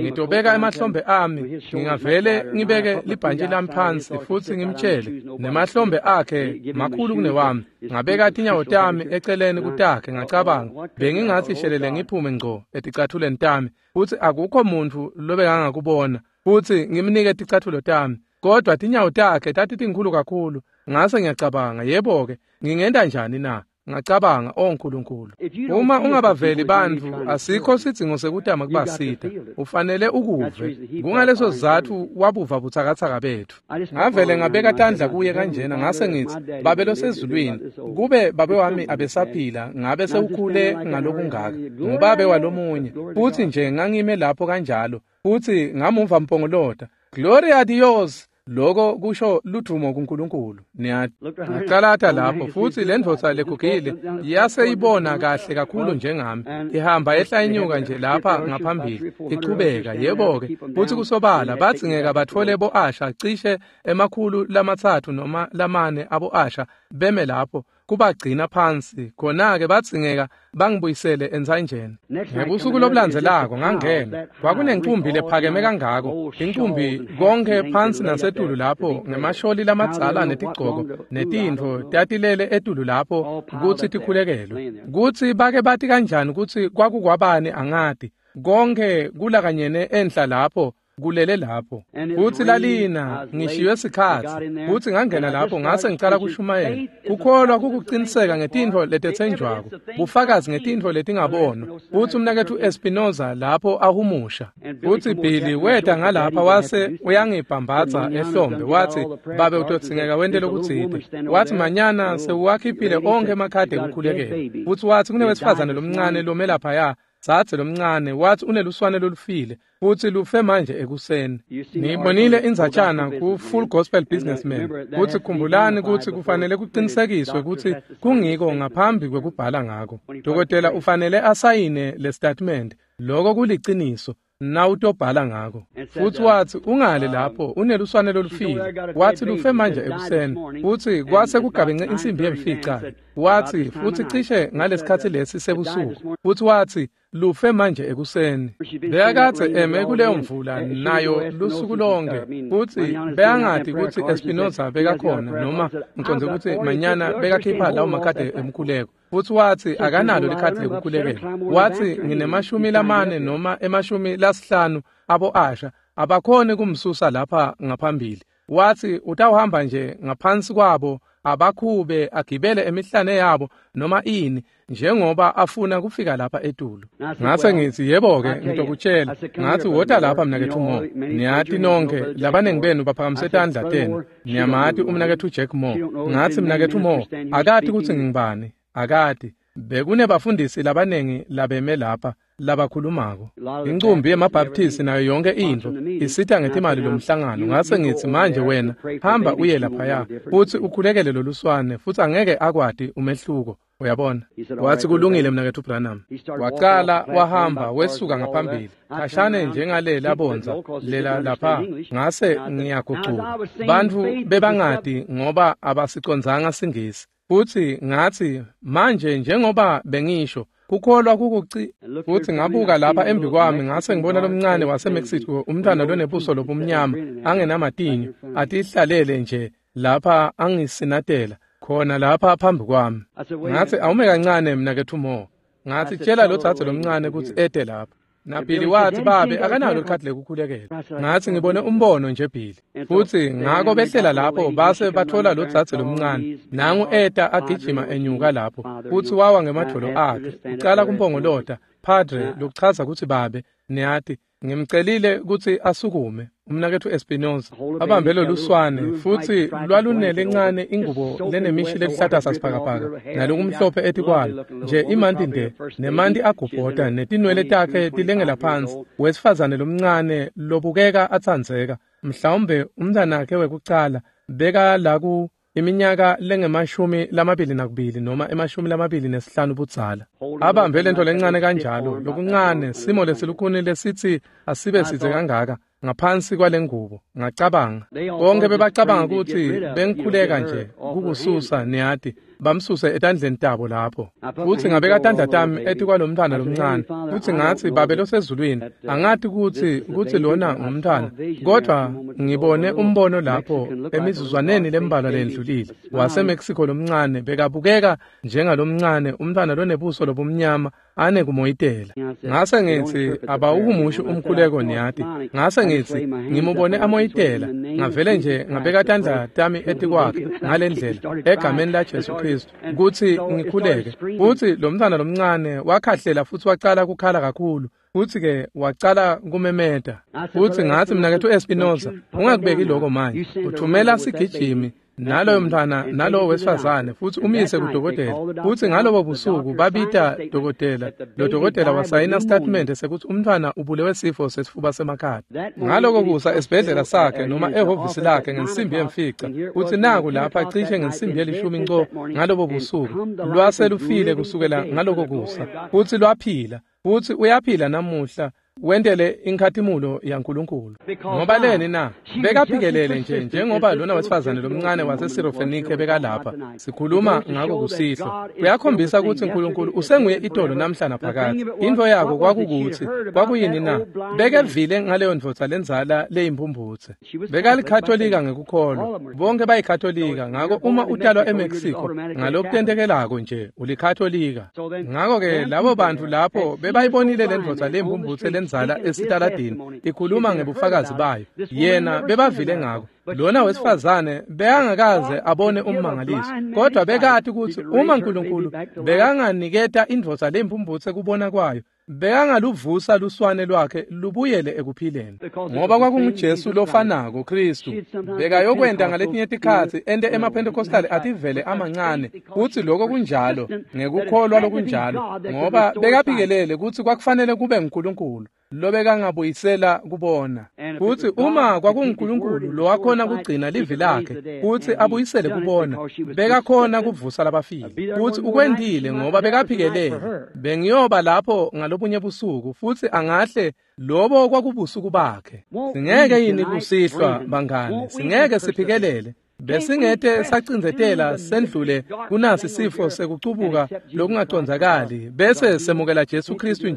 Speaker 2: ngitobeka emahlombe ami, ngingavele ngibeke libhantji lami phansi futsi ngimtshele, nemahlombe akhe makhulu kunewami. Ngabeka tinyawo tami eceleni kutakhe, ngacabanga, bengingatsi shelele ngiphume ngco eticathulweni tami, futsi akukho muntfu lobekangakubona, futsi ngimnike ticathulo tami. Kodwa tinyawo takhe tatitinkhulu kakhulu. Ngase ngiyacabanga, yebo-ke, ngingenta njani na? Ngacabanga, oh Nkulunkulu, uma ungabaveli bantfu, asikho sidzingo sekutama kubasita. Ufanele ukuve. Kungaleso sizatfu wabuva butsakatsaka betfu. Ngavele ngabeka tandla kuye kanjena, ngase ngitsi, Babe losezulwini, kube babe wami abesaphila, ngabe sewukhule ngalokungaka. Ngubabe walomunye. Futsi nje ngangime lapho kanjalo, futsi ngamuva mpongolota, Gloria a Dios. Loko kusho ludvumo kuNkulunkulu. Niyati. Ngacalata lapho futsi lendvodza legugile yase ibona kahle kakhulu njengami, ihamba ehla inyuka nje lapha ngaphambili ichubeka. Yebo-ke, futsi kusobala badzingeka batfole bo-asha cishe 300 noma 4 abo-asha beme lapho kubagcina phansi. Khona-ke badzingeka bangibuyisele entsanjeni. Ngebusuku lobulandzelako ngangena, kwakunencumbi lephakeme kangako, incumbi konke phansi nasetulu lapho ngemasholi lamadzala netigcoko netintfo tatilele etulu lapho kutsi tikhulekelwe. Kutsi bake bati kanjani kutsi kwakukwabani angati, konke kulakanyene enhla lapho. Kulele lapho. Futsi lalina ngishiywe sikhatsi, futsi ngangena lapho ngase ngicala kushumayela. Kukholwa kukuqiniseka ngetintfo letetsenjwako, bufakazi ngetintfo letingabonwa. Futsi umnaketfu Espinoza lapho ahumusha. Futsi Billy weta ngalapha wase uyangibhambatsa ehlombe wathi, "Babe utodzingeka wente lokutsite." Wathi, "Manyana sewuwakhiphile onkhe emakhadi ekukhulekela." Futsi wathi kunewesifazane lomncane lome laphaya, dzadze lomncane, wathi uneluswane lolufile futsi lufe manje ekuseni. Ngiyibonile indzatshana ku Full Gospel Businessman. Futsi khumbulani kutsi kufanele kuqinisekiswe kutsi kungiko ngaphambi kwekubhala ngako. Dokotela ufanele asayine le statement. Loko kuliciniso nawutobhala ngako. Futsi watsi ungale lapho uneluswane lolufile. Wathi lufe manje ekuseni. Futsi kwase kugabence insimbi yemfica. Wathi futsi cishe ngalesikhatsi lesi sebusuku. Futsi wathi lufe manje ekuseni. Bekakadze eme kuleyo mvula nayo lusuku lonke. Futsi bekangati kutsi Espinoza bekakhona noma ngicondze kutsi Manyana bekakhipha lawo makhadi emkhuleko. Futsi watsi akanalo likhadi lekukhulekela. Watsi ngine-40 noma 50 abo asha abakhoni kumsusa lapha ngaphambili. Watsi utawuhamba nje ngaphansi kwabo abakhube agibele emihlane yabo noma ini njengoba afuna kufika lapha etulu. Ngase ngithi yebo-ke ngitokutshela. Ngathi wota lapha mnaketfu Moore. Niyati nonke labaningi benu baphakamise tandla tenu. Niyamati umnaketfu Jack Moore. Ngathi mnaketfu Moore akati kutsi ngingubani. Akati. Bekunebafundisi labaningi labeme lapha labakhulumako. Incumbi yemabhaptisi nayo yonke intfo isita ngetimali lomhlangano. Ngase ngithi manje wena hamba uye laphaya futsi ukhulekele loluswane futsi angeke akwati umehluko. Uyabona? Wathi kulungile mnaketfu Branham. Waqala wahamba wesuka ngaphambili khashane njengale labonza lela lapha. Ngase ngiyagucuka. Bantfu bebangati ngoba abasicondzanga siNgisi. Futsi ngathi manje njengoba bengisho kukholwa kukuci. Futsi ngabuka lapha embi kwami ngase ngibona lomncane waseMexico, umntwana lonebuso lobumnyama angenamatinyo, atihlalele nje lapha angisinatela khona lapha phambi kwami. Ngathi awume kancane mnaketfu Moore. Ngathi tshela lo dzadze lomncane kutsi ete lapha. NaBilly wathi babe akanalo likhadi lekukhulekela. Ngathi ngibone umbono nje Billy. Futsi ngako behlela lapho base bathola lo dzadze lomncane. Nangu eta agijima enyuka lapho. Futsi wawa ngemadvolo akhe. Ucala kumpongolota, "Padre," lokuchaza kutsi babe. Niyati ngimcelile kutsi asukume. Umnaketfu Espinoza abambe loluswane futsi lwalunele encane ingubo lenemishi leluhlata sasibhakabhaka nalokumhlophe etikwalo nje imanti nde nemanti agubhota netinwele takhe tilengela phansi. Wesifazane lomncane lobukeka atsandzeka, mhlawumbe umntwanakhe wekucala beka laku iminyaka lengama-22 noma 25 budzala. Abambe lento lencane kanjalo, lokuncane simo lesilukhuni lesitsi asibe sidze kangaka ngaphansi kwalengubo. Ngacabanga bonke bebacabanga kutsi bengikhuleka nje kukususa, niyati, bamsuse etandleni tabo lapho. Futsi ngabeka tandla tami etikwalomntwana lomncane. Futsi ngathi babe losezulwini, angati kutsi lona ngumntwana, kodwa ngibone umbono lapho emizuzwaneni lembalwa lendlulile waseMexico lomncane bekabukeka njengalomncane umntwana lonebuso lobumnyama ane kumoyitela. Ngase ngithi abawuhumushi umkhuleko, niyati. Ngase ngithi ngimubone amoyitela. Ngavele nje ngabeka tandla tami etikwakhe ngalendlela egameni la Jesu Kristu kutsi ngikhuleke. Futsi lo mntwana lomncane wakhahlela futsi wacala kukhala kakhulu. Futsi ke wacala kumemeta. Futsi ngathi mnaketfu Espinoza, ungakubeki lokho manje. Uthumela sigijimi naloyo mntwana nalowo wesifazane futsi umise kudokotela. Futsi ngalobo busuku babita dokotela. Lo dokotela wasayina statement sekuthi umntwana ubulewe sifo sesifuba semakhadi. Ngaloko kusa esibhedlela sakhe noma ehhovisi lakhe ngensimbi yemfica. Futsi naku lapha cishe ngensimbi yelishumi nco ngalobo busuku. Lwase lufile kusukela ngaloko kusa. Futsi lwaphila. Futsi uyaphila namuhla. Wentele inkhatimulo yaNkulunkulu. Ngoba leni na? Bekaphikelele nje njengoba lona wesifazane lomncane waseSirofenike bekalapha. Sikhuluma ngako kusihlwa. Kuyakhombisa kutsi uNkulunkulu usenguye itolo namhla naphakadze. Intfo yako kwakukuthi kwakuyini na? Bekevile ngaleyo ndvodza lendzala leyimphumphutse. Bekalikhatolika ngekukholwa. Bonke bayikhatolika. Ngako uma utalwa eMexico ngalokutentekelako nje ulikhatolika. Ngako ke labo bantu lapho bebayibonile le ndvodza leyimphumphutse lendzala esitaladini ikhuluma ngebufakazi bayo. Yena bebavile ngako. Lona wesifazane bekangakaze abone ummangaliso, kodwa bekati kutsi uma uNkulunkulu bekanganiketa indvodza lempumphutse kubona kwayo, bekangaluvusa luswane lwakhe lubuyele ekuphileni. Ngoba kwakunguJesu lofanako Kristu bekayokwenta ngaletinye tikhatsi ente emaPentecostal ativele amancane, kutsi lokho kunjalo ngekukholwa lokunjalo, ngoba bekaphikelele kutsi kwakufanele kube nguNkulunkulu lobekangabuyisela kubona. Kutsi uma kwakunguNkulunkulu lowakhona kugcina livi lakhe kutsi abuyisele kubona, bekakhona kuvusa labafile. Kutsi ukwentile ngoba bekaphikelele. Bengiyoba lapho ngalobunye busuku futsi angahle lobo kwakubusuku bakhe. Singeke yini kusihlwa bangani, singeke siphikelele. Besingete sacindzetela sendlule kunasi sifo sekucubuka lokungacondzakali bese semukela Jesu Kristu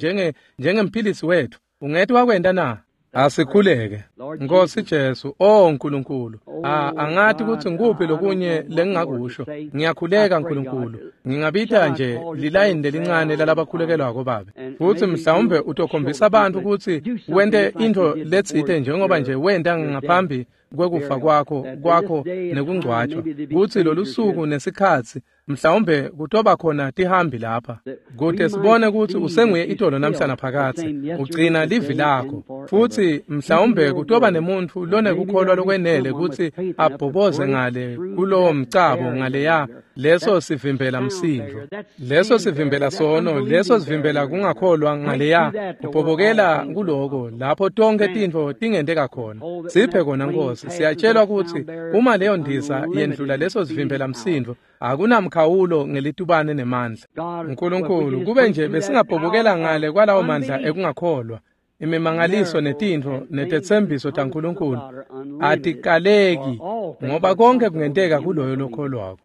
Speaker 2: njengemphilisi wetfu. Ungete wakwenta na? Asikhuleke. Nkosi Jesu, oh Nkulunkulu, angati kutsi ngikuphi lokunye lengingakusho. Ngiyakhuleka Nkulunkulu, ngingabita nje lilayini lelincane lalabakhulekelwako babe. Futsi mhlawumbe utokhombisa abantu kutsi wente intfo letsite njengoba nje wenta ngaphambi kwekufa kwakho nekungcwatjwa, kutsi lolusuku nesikhatsi mhlawumbe kutoba khona tihambi lapha, kute sibone kutsi usenguye itolo namhla naphakadze, ugcina livi lakho. Futsi mhlawumbe kutoba nemuntfu lonekukholwa lokwenele kutsi abhoboze ngale kulowo mcabo ngaleya leso sivimbela msindvo, leso sivimbela sono, leso sivimbela kungakholwa ngaleya, kubhobokela kuloko lapho tonke tintfo tingenteka khona. Siphe kona Nkosi. Siyatshelwa kutsi uma leyo ndiza yendlula leso sivimbela msindvo, akunamkhawulo ngelitubane nemandla. Nkulunkulu, kube nje besingabhobokela ngale kwalawo mandla ekungakholwa. Imimangaliso netintfo netetsembiso taNkulunkulu atikaleki, ngoba konke kungenteka kuloyo lokholwako.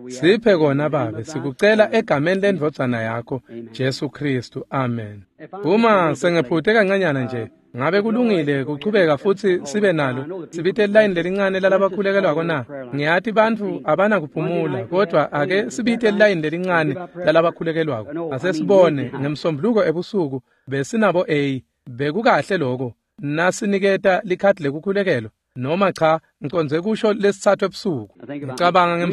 Speaker 2: Siphe kona Babe, sikucela egameni lendvodzana yakho Jesu Kristu, amen. Uma sengephute kancanyana nje, ngabe kulungile kuchubeka futsi sibe nalo sibite lilayini lelincane lalabakhulekelwako na? Ngiyati bantfu abanakuphumula, kodwa ake sibite lilayini lelincane lalabakhulekelwako. Asesibone ngemsombuluko ebusuku besinabo A, bekukahle lokho nasiniketa likhadi lekukhulekelwa noma cha, ngicondze kusho lesitsatfu ebusuku. Ngicabanga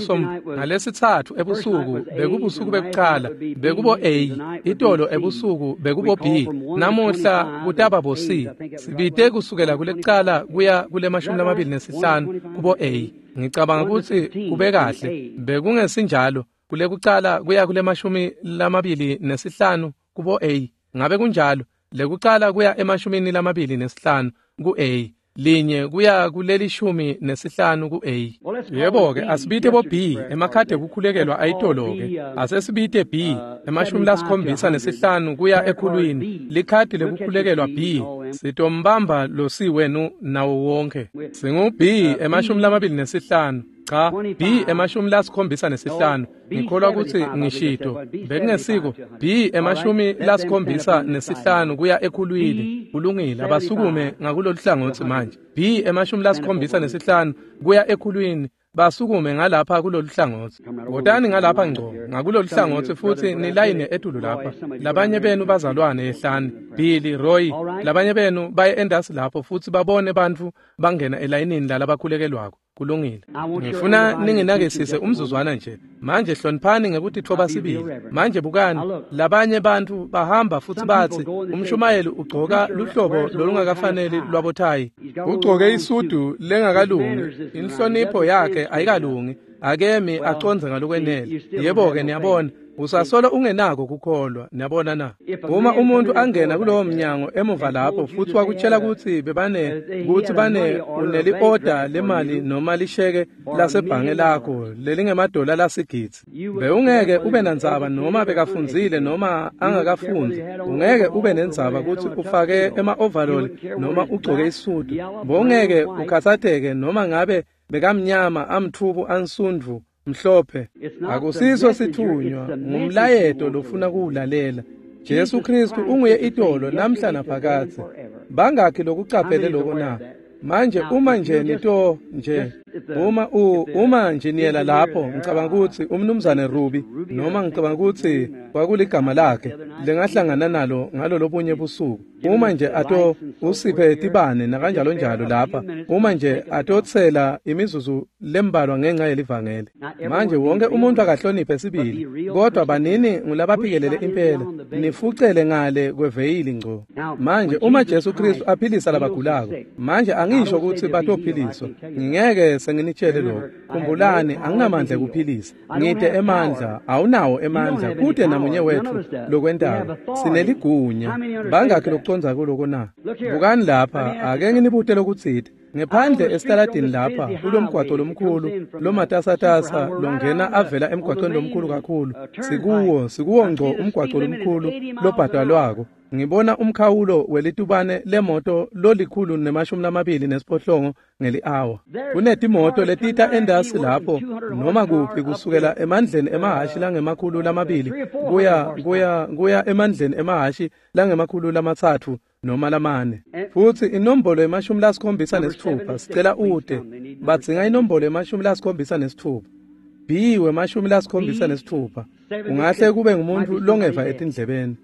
Speaker 2: ngalesitsatfu ebusuku bekubusuku bekucala bekubo A, itolo ebusuku bekubo B, namuhla kutaba bo C. Sibite kusukela kulekucala kuya kule 25 kubo A. Ngicabanga kutsi kube kahle, bekungesinjalo kulekucala kuya kule 25 kubo A. Ngabe kunjalo? Lekucala kuya e25 ku A, linye kuya kuleli 15 ku A. Yebo-ke, asibite bo B emakhadi ekukhulekelwa ayitolo-ke. Asesibite B 75 kuya ekhulwini, likhadi lekukhulekelwa B. Sitombamba lo C wenu nawo wonke. Singu B 25. Cha, B 75. Ngikholwa kutsi ngishito bekungesiko B 75 kuya ekhulwini. Kulungile, abasukume ngakulolu hlangothi manje. B 75 kuya ekhulwini, basukume ngalapha kulolu hlangothi. Wotani ngalapha ngco ngakulolu hlangothi futsi nilayine etulu lapha. Labanye benu bazalwane yehlani, Billy, Roy, labanye benu baye endasi lapho futsi babone bantfu bangena elayinini lalabakhulekelwako. Kulungile. Ngifuna ninginakisise umzuzwana nje. Manje hloniphani ngekutitfoba sibili. Manje bukani, labanye bantfu bahamba futsi batsi umshumayeli ugcoka luhlobo lolungakafaneli lwabothayi. Ugcoke isudu lengakalungi, inhlonipho yakhe ayikalungi, akemi acondze ngalokwenele. Yebo-ke, niyabona, usasolo ungenako kukholwa, niyabona na? Uma umuntu angena kulowo mnyango emuva lapho futsi wakutshela kutsi bebane uneli-oda lemali noma lisheke lasebhange lakho lelingemadola lasigidzi, bewungeke ube nandzaba noma bekafundzile noma angakafundzi. Ungeke ube nendzaba kutsi ufake ema-overall noma ugcoke isudu. Bowungeke ukhatsateke noma ngabe bekamnyama, amtfubu, ansundvu, mhlophe. Akusiso sithunywa, ngumlayeto lofuna kuwulalela. Jesu Kristu unguye itolo namhla naphakadze. Bangakhi lokucaphele lokho na? Manje uma nje nito nje Uma njiniyela lapho, ngicabanga ukuthi umnumzane Ruby, noma ngicabanga ukuthi kwakuligama lakhe lengahlangana nalo ngalolobunye busuku. Uma nje ato usiphe tibane nakanjalo njalo lapha, uma nje atotsela imizuzu lembalwa ngenxa yelivangeli. Manje wonke umuntu akahloniphe sibili, kodwa banini ngulabaphikelele impela, nifucele ngale kweveyili ngco. Manje uma Jesu Kristu aphilisa labagulako, manje angisho ukuthi batophiliswa, ngingeke senginitshele lokho. Khumbulani, anginamandla ekuphilisa, ngide emandla, awunawo emandla, kude namunye wethu lokwentako. Sineligunya. Bangakhi lokucondza kuloko na? Bukani lapha, ake nginibute lokutsite. Ngephandle esitaladini lapha kulomgwaco lomkhulu lomatasatasa longena avela emgwacweni lomkhulu kakhulu, sikuwo ngco umgwaco lomkhulu lobhadalwako. Ngibona umkhawulo welitubane lemoto lolikhulu ne-28 ngeli-hour. Kunetimoto letita endasi lapho noma kuphi kusukela emandleni emahhashi langema-200 kuya emandleni emahhashi langema-300 noma 4. Futhi inombolo ye-76 sicela ude. Badzinga inombolo ye-76. B we-76. Ungahle kube ngumuntu longeva etindlebeni.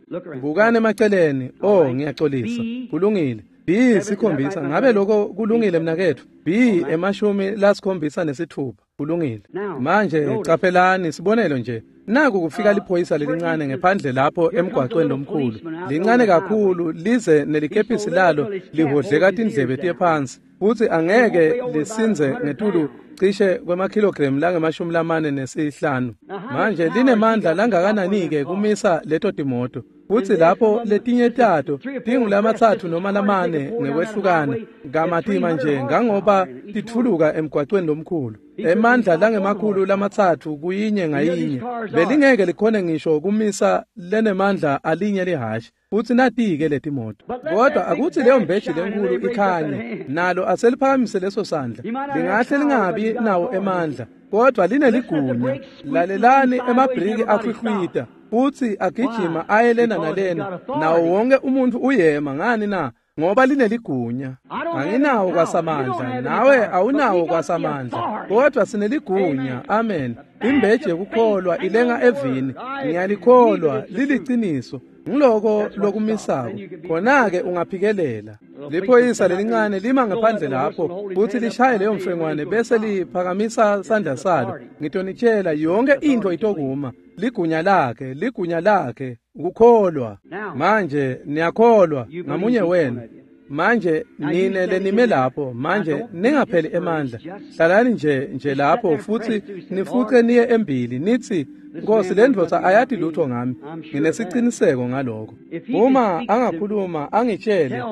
Speaker 2: Bukani emaceleni. Oh, ngiyaxolisa. Kulungile. B 7. Ngabe lokho kulungile mnaketfu? B 76. Kulungile. Manje caphelani sibonelo nje. Naku kufika liphoyisa lelincane ngephandle lapho emgwacweni lomkhulu. Lincane kakhulu lize nelikepisi lalo lihodleka tindlebe tiye phansi. Futhi angeke lisinze ngetulu cishe kwemakilogram langama-45. Manje linemandla langakanani-ke kumisa leto timoto. Futhi lapho letinye tato tingulama-3 noma 4 ngekwehlukana kamatima nje ngangoba titfuluka emgwacweni lomkhulu. Emandla langema-300 kuyinye ngayinye belingeke likhone ngisho kumisa lenemandla alinye lihhashi. Futhi nati-ke letimoto. Kodwa akuthi leyo mbeji lenkulu ikhanye, nalo aseliphakamise leso sandla. Lingahle lingabi nawo emandla, kodwa lineligunya. Lalelani emabriki akhwikhwita futhi agijima aye lena nalena, nawo wonke umuntu uyema. Ngani na? Ngoba lineligunya. Anginawo kwasamandla, nawe awunawo kwasamandla, kodwa sineligunya. Amen. Imbeji yekukholwa ilenga evini. Ngiyalikholwa, liliciniso. Ngiloko lokumisako. Khona-ke ungaphikelela. Liphoyisa lelincane lima ngaphandle lapho futhi lishaye leyo mfengwane bese liphakamisa sandla salo. Ngitonitshela, yonke into itokuma. Ligunya lakhe, ligunya lakhe, ukukholwa. Manje niyakholwa ngamunye wenu. Manje nine lenime lapho, manje ningapheli emandla. Hlalani nje lapho futhi nifuce niye embili nithi, Nkosi, le ndvodza ayati lutho ngami. Nginesiciniseko ngalokho. Uma angakhuluma angitshele,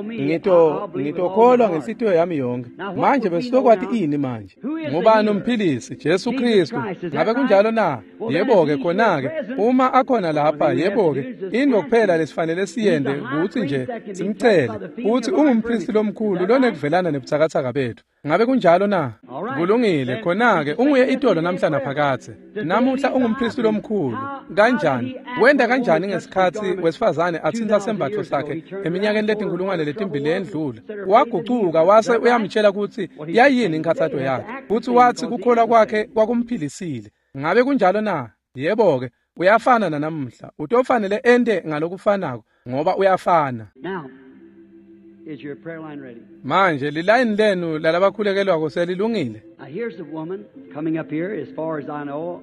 Speaker 2: ngitokholwa ngenhlitiyo yami yonke. Manje besizokwati ini manje? Ngubani umphilisi? Jesu Kristu. Ngabe kunjalo na? Yebo-ke, khona-ke uma akhona lapha, yebo-ke, into kuphela lesifanele siyende ukuthi nje simcele ukuthi ungumpristi lomkhulu lonekuvelana nebuthakathaka bethu. Ngabe kunjalo na? Kulungile, khona-ke unguye itolo namhla naphakadze. Namuhla ungumpristi lomkhulu. Kanjani? Wenda kanjani ngesikhatsi wesifazane athinta sembatfo sakhe eminyakeni letinkulungwane lendlula? Wagucuka wase uyamtshela ukuthi yayini inkhathato yakhe. Futhi wathi kukholwa kwakhe kwakumphilisile. Ngabe kunjalo na? Yebo-ke, uyafana nanamuhla. Utofanele ente ngalokufanako ngoba uyafana.
Speaker 1: Is your prayer line ready?
Speaker 2: Manje lilayini lenu lalabakhulekelwako selilungile.
Speaker 1: Now here's a woman coming up here, as far as I know.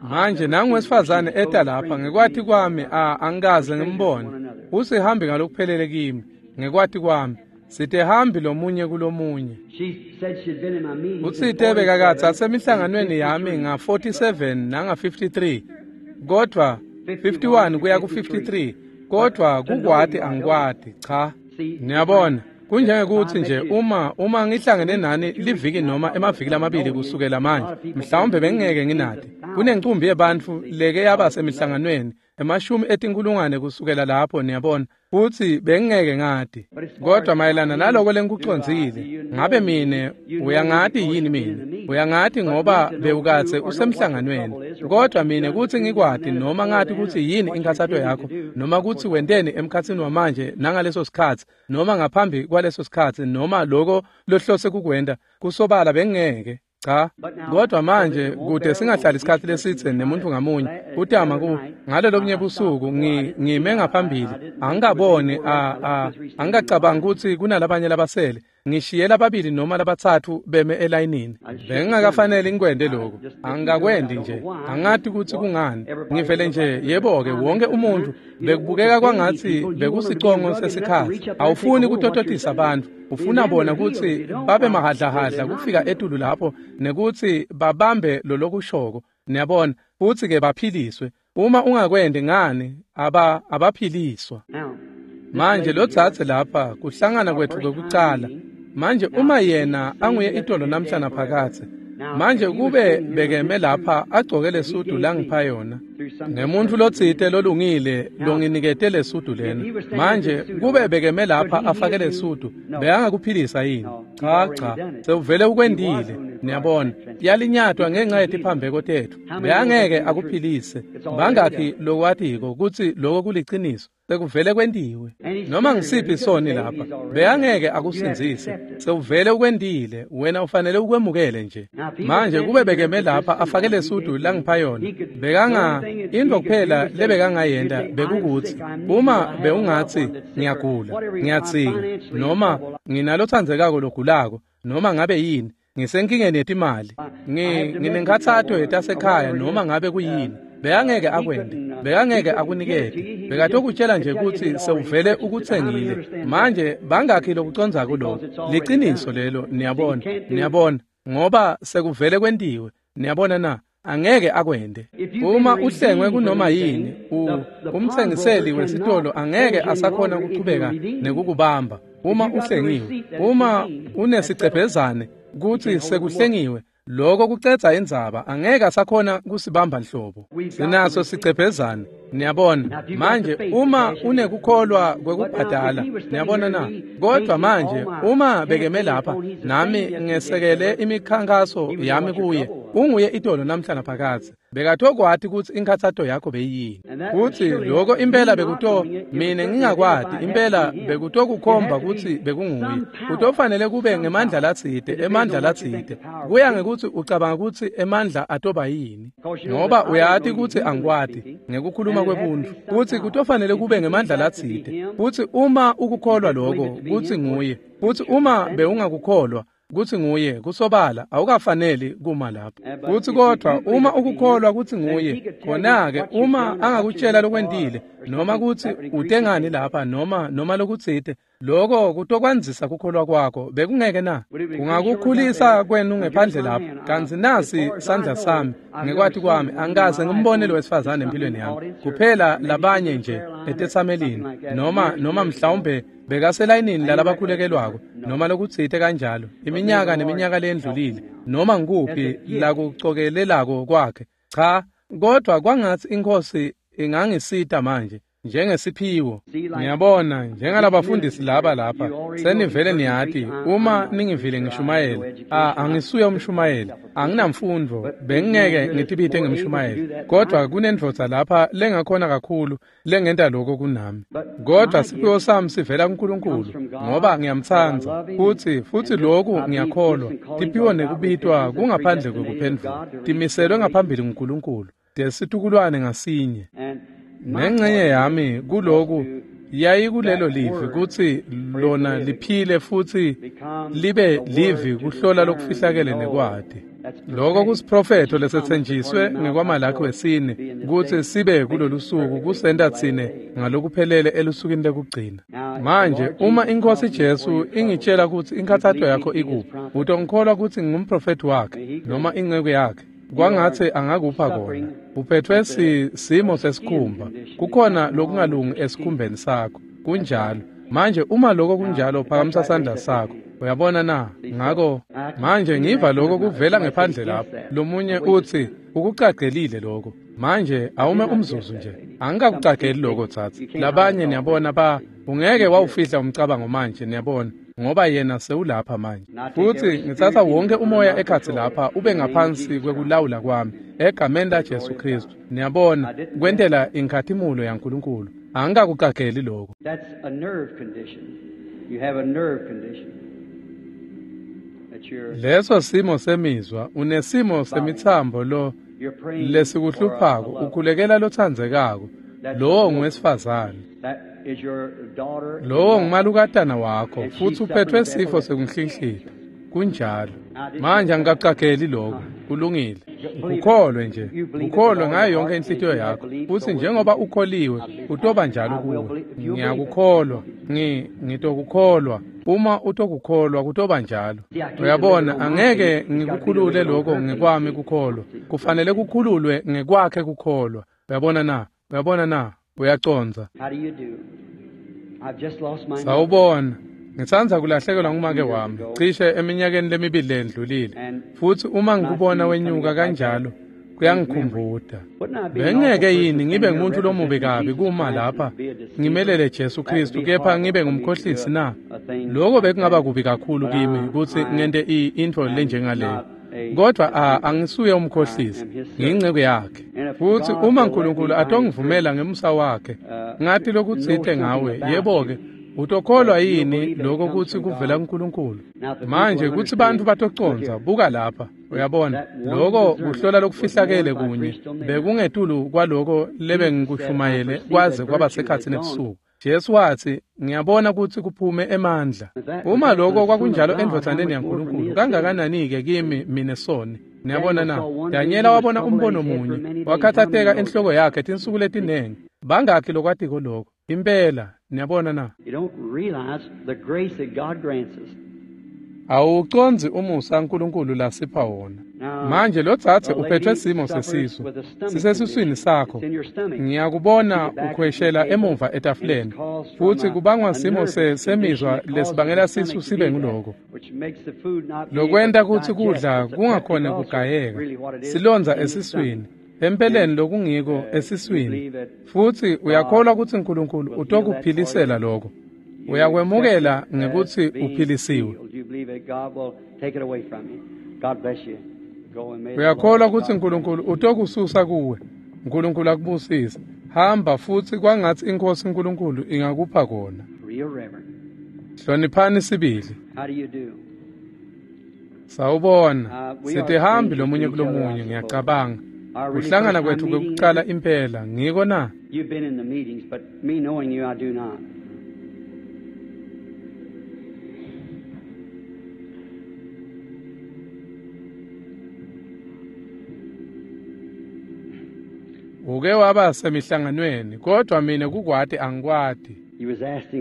Speaker 2: Manje nangu wesifazane eta lapha, ngekwati kwami angikaze ngimbone. Usihambi ngalokuphelele kimi, ngekwati kwami. Sitehambi lomunye kulomunye.
Speaker 1: She said she'd been in my meetings.
Speaker 2: Utsite bekakatsi asemihlanganweni yami nga-47 nanga-53, kodwa 51 kuya ku-53, kodwa kukwati angikwati, cha. Niyabona, kunjengekuthi nje uma ngihlangene nani liviki noma emaviki lamabili kusukela manje, mhlawumbe bengingeke nginati. Kunencumbi yebantfu leke yaba semihlanganweni 10,000 kusukela lapho, niyabona, futhi bengingeke ngati. Kodwa mayelana naloko lengikucondzile, ngabe mine uyangati yini mine? Uyangati ngoba bewukatse usemhlanganweni. Kodwa mine kutsi ngikwati noma ngati kutsi yini inkhathato yakho, noma kutsi wenteni emkhatsini wamanje nangaleso sikhatsi, noma ngaphambi kwaleso sikhatsi, noma loko lohlose kukwenta, kusobala bengingeke. Cha, kodwa manje kude singahlali isikhathi lesithe nemuntu ngamunye kutama ku ngalolobunye busuku ngime ngaphambili angikaboni angikacabangi ukuthi kunalabanye labasele ngishiye lababili noma labathathu beme elayinini. Bengingakafanele ngikwende lokho, angikakwendi nje, angathi ukuthi kungani ngivele nje. Yebo-ke, wonke umuntu bekubukeka kwangathi bekusicongo sesikhathi. Awufuni kutototisa abantu, ufuna bona ukuthi babe mahadlahadla kufika etulu lapho nekuthi babambe lolokushoko, niyabona, futhi-ke baphiliswe. Uma ungakwendi ngani abaphiliswa. Manje lo dzadze lapha kuhlangana kwethu kwekucala. Manje uma yena anguye itolo namhla naphakathe, manje kube bekeme lapha agcoke lesudu langipha yona ngemuntu lotsite lolungile longinikete lesudu lena. Manje kube bekeme lapha afake lesudu, bekangakuphilisa yini? Cha cha, sewuvele ukwendile. Niyabona, yalinyatwa ngenxa yetiphambeko tethu, bekangeke akuphilise. Bangakhi lokwatiko kutsi loko kuliciniso? Sekuvele kwentiwe. Noma ngisiphi soni lapha, bekangeke akusindzise, sewuvele ukwendile, wena ufanele ukwemukele nje. Manje kube bekeme lapha afake lesudu langipha yona, bekanga into kuphela lebekangayenta bekukuthi uma bewungathi ngiyagula, ngiyatsinga, noma nginalotsandzekako logulako, noma ngabe yini, ngisenkingeni yetimali, nginenkhatsato yetasekhaya, noma ngabe kuyini, bekangeke akwende, bekangeke akunikete, bekatokutshela nje ukuthi sewuvele ukutsengile. Manje bangakhi lokucondzako lokho? Liciniso lelo, niyabona, niyabona, ngoba sekuvele kwentiwe. Niyabona na? Angeke akwende. Uma uhlengwe kunoma yini, umthengiseli wesitolo angeke asakhona ukuchubeka nekukubamba. Uma uhlengiwe, uma unesicebhezane kuthi sekuhlengiwe, lokho kucedza indzaba, angeke asakhona kusibamba nhlobo. Sinaso sicebhezane, niyabona. Manje uma unekukholwa kwekubhadala, niyabona na? Kodwa manje uma bekeme lapha nami ngesekele imikhankaso yami kuye, unguye itolo namhla naphakathe, bekatokwati ukuthi inkhathato yakho beyiyini, kuthi lokho impela bekuto mina ngingakwati, impela bekutokukhomba ukuthi bekunguye. Kutofanele kube ngemandla latsite, emandla latsite, kuya ngekuthi ucabanga ukuthi emandla atoba yini, ngoba uyati ukuthi angikwati ngekukhuluma kwebuntu, kuthi kutofanele kube ngemandla latsite. Futhi uma ukukholwa lokho kuthi nguye, futhi uma bewungakukholwa kuthi nguye, kusobala awukafaneli kuma lapho. Kuthi kodwa uma ukukholwa kuthi nguye, khona-ke uma angakutshela lokwentile, noma kuthi utengani lapha, noma lokutsite, lokho kutokwandzisa kukholwa kwakho, bekungeke na? Kungakukhulisa kwenu ngephandle lapho. Kanti nasi sandla sami, ngekwati kwami angikaze ngimbone lo wesifazane empilweni yami, kuphela labanye nje etetsamelini, noma mhlawumbe bekaselayinini lalabakhulekelwako, noma lokutsite kanjalo, iminyaka neminyaka lendlulile, noma ngikuphi lakucokelelako kwakhe. Cha, kodwa kwangathi inkosi ingangisita manje njengesiphiwo. Ngiyabona njengalabafundisi laba lapha, senivele niyati uma ningivile ngishumayela, angisuye umshumayeli, anginamfundo, bengingeke ngitibite ngemshumayeli, kodwa kunendvodza lapha lengakhona kakhulu lengenta lokho kunami. Kodwa siphiwo sami sivela kuNkulunkulu, ngoba ngiyamtsandza, futhi lokhu ngiyakholwa. Tiphiwo nekubitwa kungaphandle kwekuphendvula, timiselwe ngaphambili nguNkulunkulu desitukulwane ngasinye. Nengxenye yami kuloku yayikulelo livi kutsi lona liphile futhi libe livi kuhlola lokufihlakele nekwati. Lokho kusiprofetho lesetsenjiswe ngekwaMalakhi wesine kutsi sibe kulolu suku kusenta tsine ngalokuphelele elusukwini lekugcina. Manje uma iNkosi Jesu ingitshela kutsi inkhathato yakho ikuphi, utongikholwa kutsi ngingumprofethi wakhe noma inceku yakhe? Kwangatsi angakupha kona. Uphethwe simo sesikhumba, kukhona lokungalungi esikhumbeni sakho. Kunjalo. Manje uma lokho kunjalo, phakamisa sandla sakho. Uyabona na? Ngako manje ngiva lokho kuvela ngephandle lapho. Lomunye uthi ukucagelile lokho. Manje awume umzuzu nje. Angikakucageli lokho tsatsi. Labanye niyabona ungeke wawufihla umcabango manje, niyabona, ngoba yena sewulapha manje. Futhi ngitsatsa wonke umoya ekhatsi lapha ube ngaphansi kwekulawula kwami egameni laJesu Kristu. Niyabona, kwentela inkhatimulo yaNkulunkulu. Angikakucageli lokho.
Speaker 1: That's a nerve condition. You have a nerve condition.
Speaker 2: Leso simo semizwa, unesimo semitsambo lo lesikuhluphako, ukhulekela lotsandzekako. Lowo ngowesifazane. Lowo ngumalukatana wakho, futhi uphethwe sifo sekunhlinhlita. Kunjalo. Manje angikacageli lokho. Kulungile. Ukholwe nje. Ukholwe ngayo yonke inhlitiyo yakho. Futhi njengoba ukholiwe, utoba njalo kuwe. Ngiyakukholwa. Ngitokukholwa. Uma utokukholwa kutoba njalo. Uyabona, angeke ngikukhulule lokho ngekwami kukholwa. Kufanele kukhululwe ngekwakhe kukholwa. Uyabona na? Uyabona na? Uyacondza. Sawubona. Ngitsandza kulahlekelwa ngumake wami cishe eminyakeni lemibili lendlulile, futhi uma ngikubona wenyuka kanjalo kuyangikhumbuta. Bengeke yini ngibe ngumuntu lomubi kabi kuma lapha ngimelele Jesu Kristu kepha ngibe ngumkhohlisi na? Lokho bekungaba kubi kakhulu kimi kutsi ngente intfo lenjengaleyo. Kodwa angisuye umkhohlisi, ngiyinceku yakhe. Futhi uma uNkulunkulu atongivumela ngemusa wakhe ngathi lokutsite ngawe, yebo-ke, utokholwa yini lokho kutsi kuvela kuNkulunkulu? Manje kutsi bantfu batocondza, buka lapha, uyabona, lokho kuhlola lokufihlakele kunye bekungetulu kwaloko lebengikushumayele kwaze kwaba sekhatsini ebusuku. Jesu watsi, ngiyabona kutsi kuphume emandla. Uma lokho kwakunjalo endvodzaneni yaNkulunkulu, kangakanani-ke kimi mine soni? Niyabona na? Danyela wabona umbono munye, wakhathateka enhloko yakhe tinsuku letinengi. Bangakhi lokwatiko lokho? Impela, niyabona na? Awucondzi umusa uNkulunkulu lasipha wona. Manje lo dzadze uphethwe simo sesisu, sisesiswini sakho. Ngiyakubona ukhweshela emuva etafuleni, futhi kubangwa simo semizwa lesibangela sisu sibe nguloko. Lokwenta kutsi kudla kungakhona kugayeka, silondza esiswini. Empeleni lokungiko esiswini. Futhi uyakholwa kutsi uNkulunkulu utokuphilisela lokho. Uyakwemukela ngekutsi uphilisiwe. Uyakholwa kutsi uNkulunkulu utokususa kuwe. uNkulunkulu akubusise. Hamba futhi kwangatsi iNkhosi uNkulunkulu ingakupha kona. Hloniphani sibili. Sawubona. Sitihambi lomunye kulomunye, ngiyacabanga. Kuhlangana kwethu kwekucala impela, ngiko na?
Speaker 1: You've been in the meetings, but me knowing you, I do not.
Speaker 2: Uke waba semihlanganweni, kodwa mina kukwati angikwati.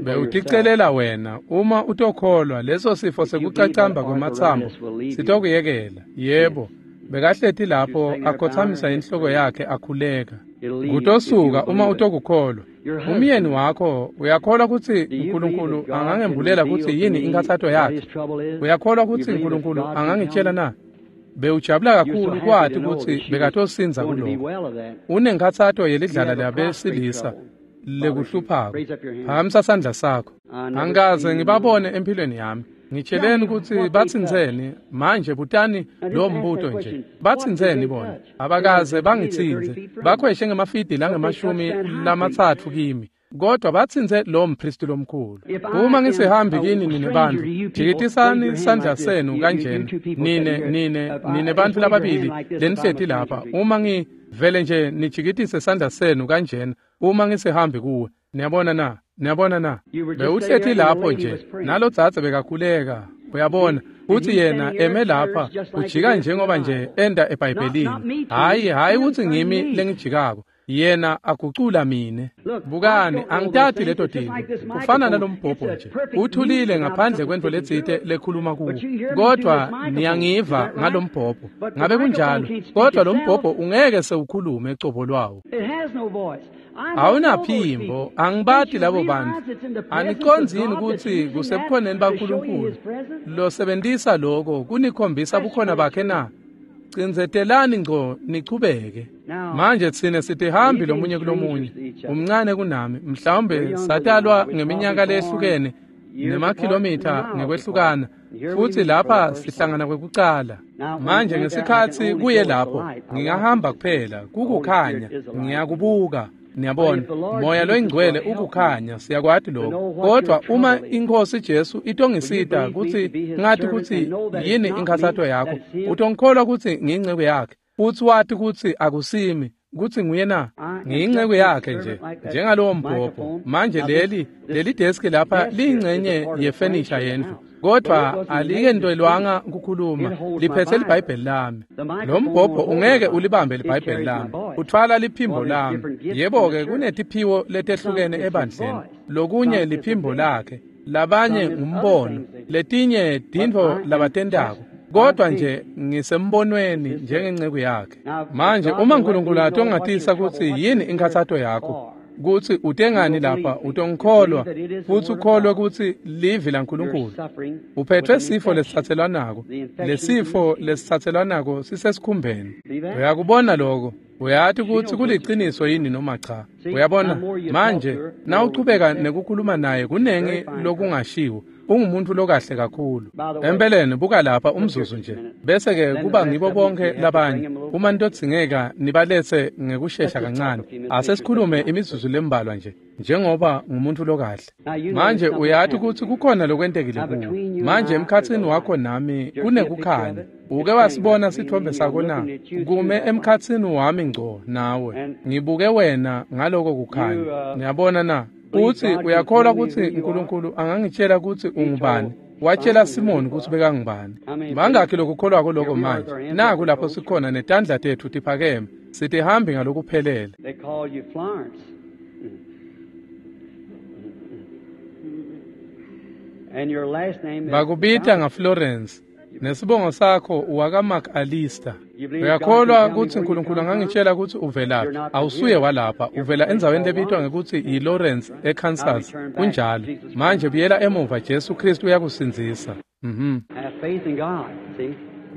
Speaker 2: Bewuticelela wena, uma utokholwa leso sifo sekucacamba kwematsambo sitokuyekela. Yebo. Bekahleti lapho akhothamisa inhloko yakhe akhuleka. Kutosuka uma utokukholwa. Umyeni wakho uyakholwa kutsi uNkulunkulu angangembulela kutsi yini inkhatsato yakhe? Uyakholwa kutsi uNkulunkulu angangitshela na? Bewujabula kakhulu kwati kutsi bekatosindza kuloko. Unenkhatsato yelidlala labesilisa lekuhluphako. Phakamisa sandla sakho. Angikaze ngibabone empilweni yami. Ngitsheleni kutsi batsintseni manje, butani lo mbuto nje. Batsintseni bona? Abakaze bangitsintse. Bakhweshe ngemafidi langama-30 kimi. Kodwa batsintse lo mpristi lomkhulu. Uma ngisihambi kini nine bantfu, jikitisani sandla senu kanjena. Nine bantfu lababili lenihleti lapha. Uma ngivele nje nijikitise sandla senu kanjena, uma ngisihambi kuwe. Niyabona na? Niyabona na? Bewuhleti lapho nje, nalo dzadze bekakhuleka. Uyabona, futhi yena eme lapha, ujika njengoba nje enda eBhayibhelini. Hhayi kutsi ngimi lengijikako. Yena agucula mine. Bukani, angitati leto tintfo. Kufana nalombhobho nje. Uthulile ngaphandle kwentfo letsite lekhuluma kuwo. Kodwa niyangiva ngalombhobho. Ngabe kunjalo? Kodwa lombhobho ungeke sewukhulume cobo lwawo. Awunaphimbo, angibati labo bantfu. Anicondzi yini kutsi kusebukhoneni baNkulunkulu losebentisa lokho kunikhombisa bukhona bakhe na? Cindzetelani ngco nichubeke. Manje tsine sitihambi lomunye kulomunye. Umncane kunami, mhlawumbe satalwa ngeminyaka lehlukene nemakhilomitha ngekwehlukana, futhi lapha sihlangana kwekucala. Manje ngesikhatsi kuye lapho, ngingahamba kuphela, kukukhanya, ngiyakubuka. Niyabona, Moya loyingcwele ukukhanya, siyakwati lokho. Kodwa uma iNkosi Jesu itongisita kutsi ngathi kutsi yini inkhatsato yakho, utongikholwa kutsi ngiyinceku yakhe, futsi wati kutsi akusimi, kutsi nguye na? Ngiyinceku yakhe nje, njengalowo mbhobho. Manje leli deski lapha liyingcenye yefenisha yendlu, kodwa alikentwelwanga kukhuluma, liphethe liBhayibheli lami. Lo mbhobho ungeke ulibambe liBhayibheli lami, uthwala liphimbo lami. Yebo-ke, kunetiphiwo letehlukene ebandleni. Lokunye liphimbo lakhe, labanye ngumbono, letinye tintfo labatentako. Kodwa nje ngisembonweni njengenceku yakhe. Manje uma uNkulunkulu atongatisa kutsi yini inkhatsato yakho, kutsi utengani lapha, utongikholwa futsi ukholwe kutsi livi laNkulunkulu. Uphethwe sifo lesitsatselwanako. Lesifo lesitsatselwanako sisesikhumbeni. Uyakubona lokho? Uyati kutsi kuliciniso yini noma cha? Uyabona? Manje nawuchubeka nekukhuluma naye kunengi lokungashiwo. Ungumuntu lokahle kakhulu. Empeleni buka lapha umzuzu nje, bese-ke kuba ngibo bonke labanye. Uma nitodzingeka nibaletse ngekushesha kancane. Asesikhulume imizuzu lembalwa nje, njengoba ngumuntu lokahle. Manje uyati kutsi kukhona lokwentekile kuwe. Manje emkhatsini wakho nami kunekukhanya. Uke wasibona sithombe sakho na? Kume emkhatsini wami ngco nawe. Ngibuke wena ngaloko kukhanya. Niyabona na? Utsi uyakholwa kutsi uNkulunkulu angangitshela kutsi ungubani? Watshela Simoni kutsi bekangubani. Bangakhi lokukholwako lokho manje? Naku lapho sikhona netandla tetfu tiphakeme, sitihambi ngalokuphelele.
Speaker 1: They call you Florence. And your last name is
Speaker 2: Bakubita ngaFlorence. Nesibongo sakho uwakaMcAllister. Uyakholwa kutsi uNkulunkulu angangitshela kutsi uvelaphi? Awusuye walapha, uvela endzaweni lebitwa ngekutsi yiLawrence eKansas. Kunjalo. Manje buyela emuva, Jesu Kristu uyakusindzisa.
Speaker 1: Have faith in God, see?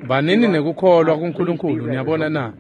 Speaker 2: Banini nekukholwa kuNkulunkulu, niyabona na?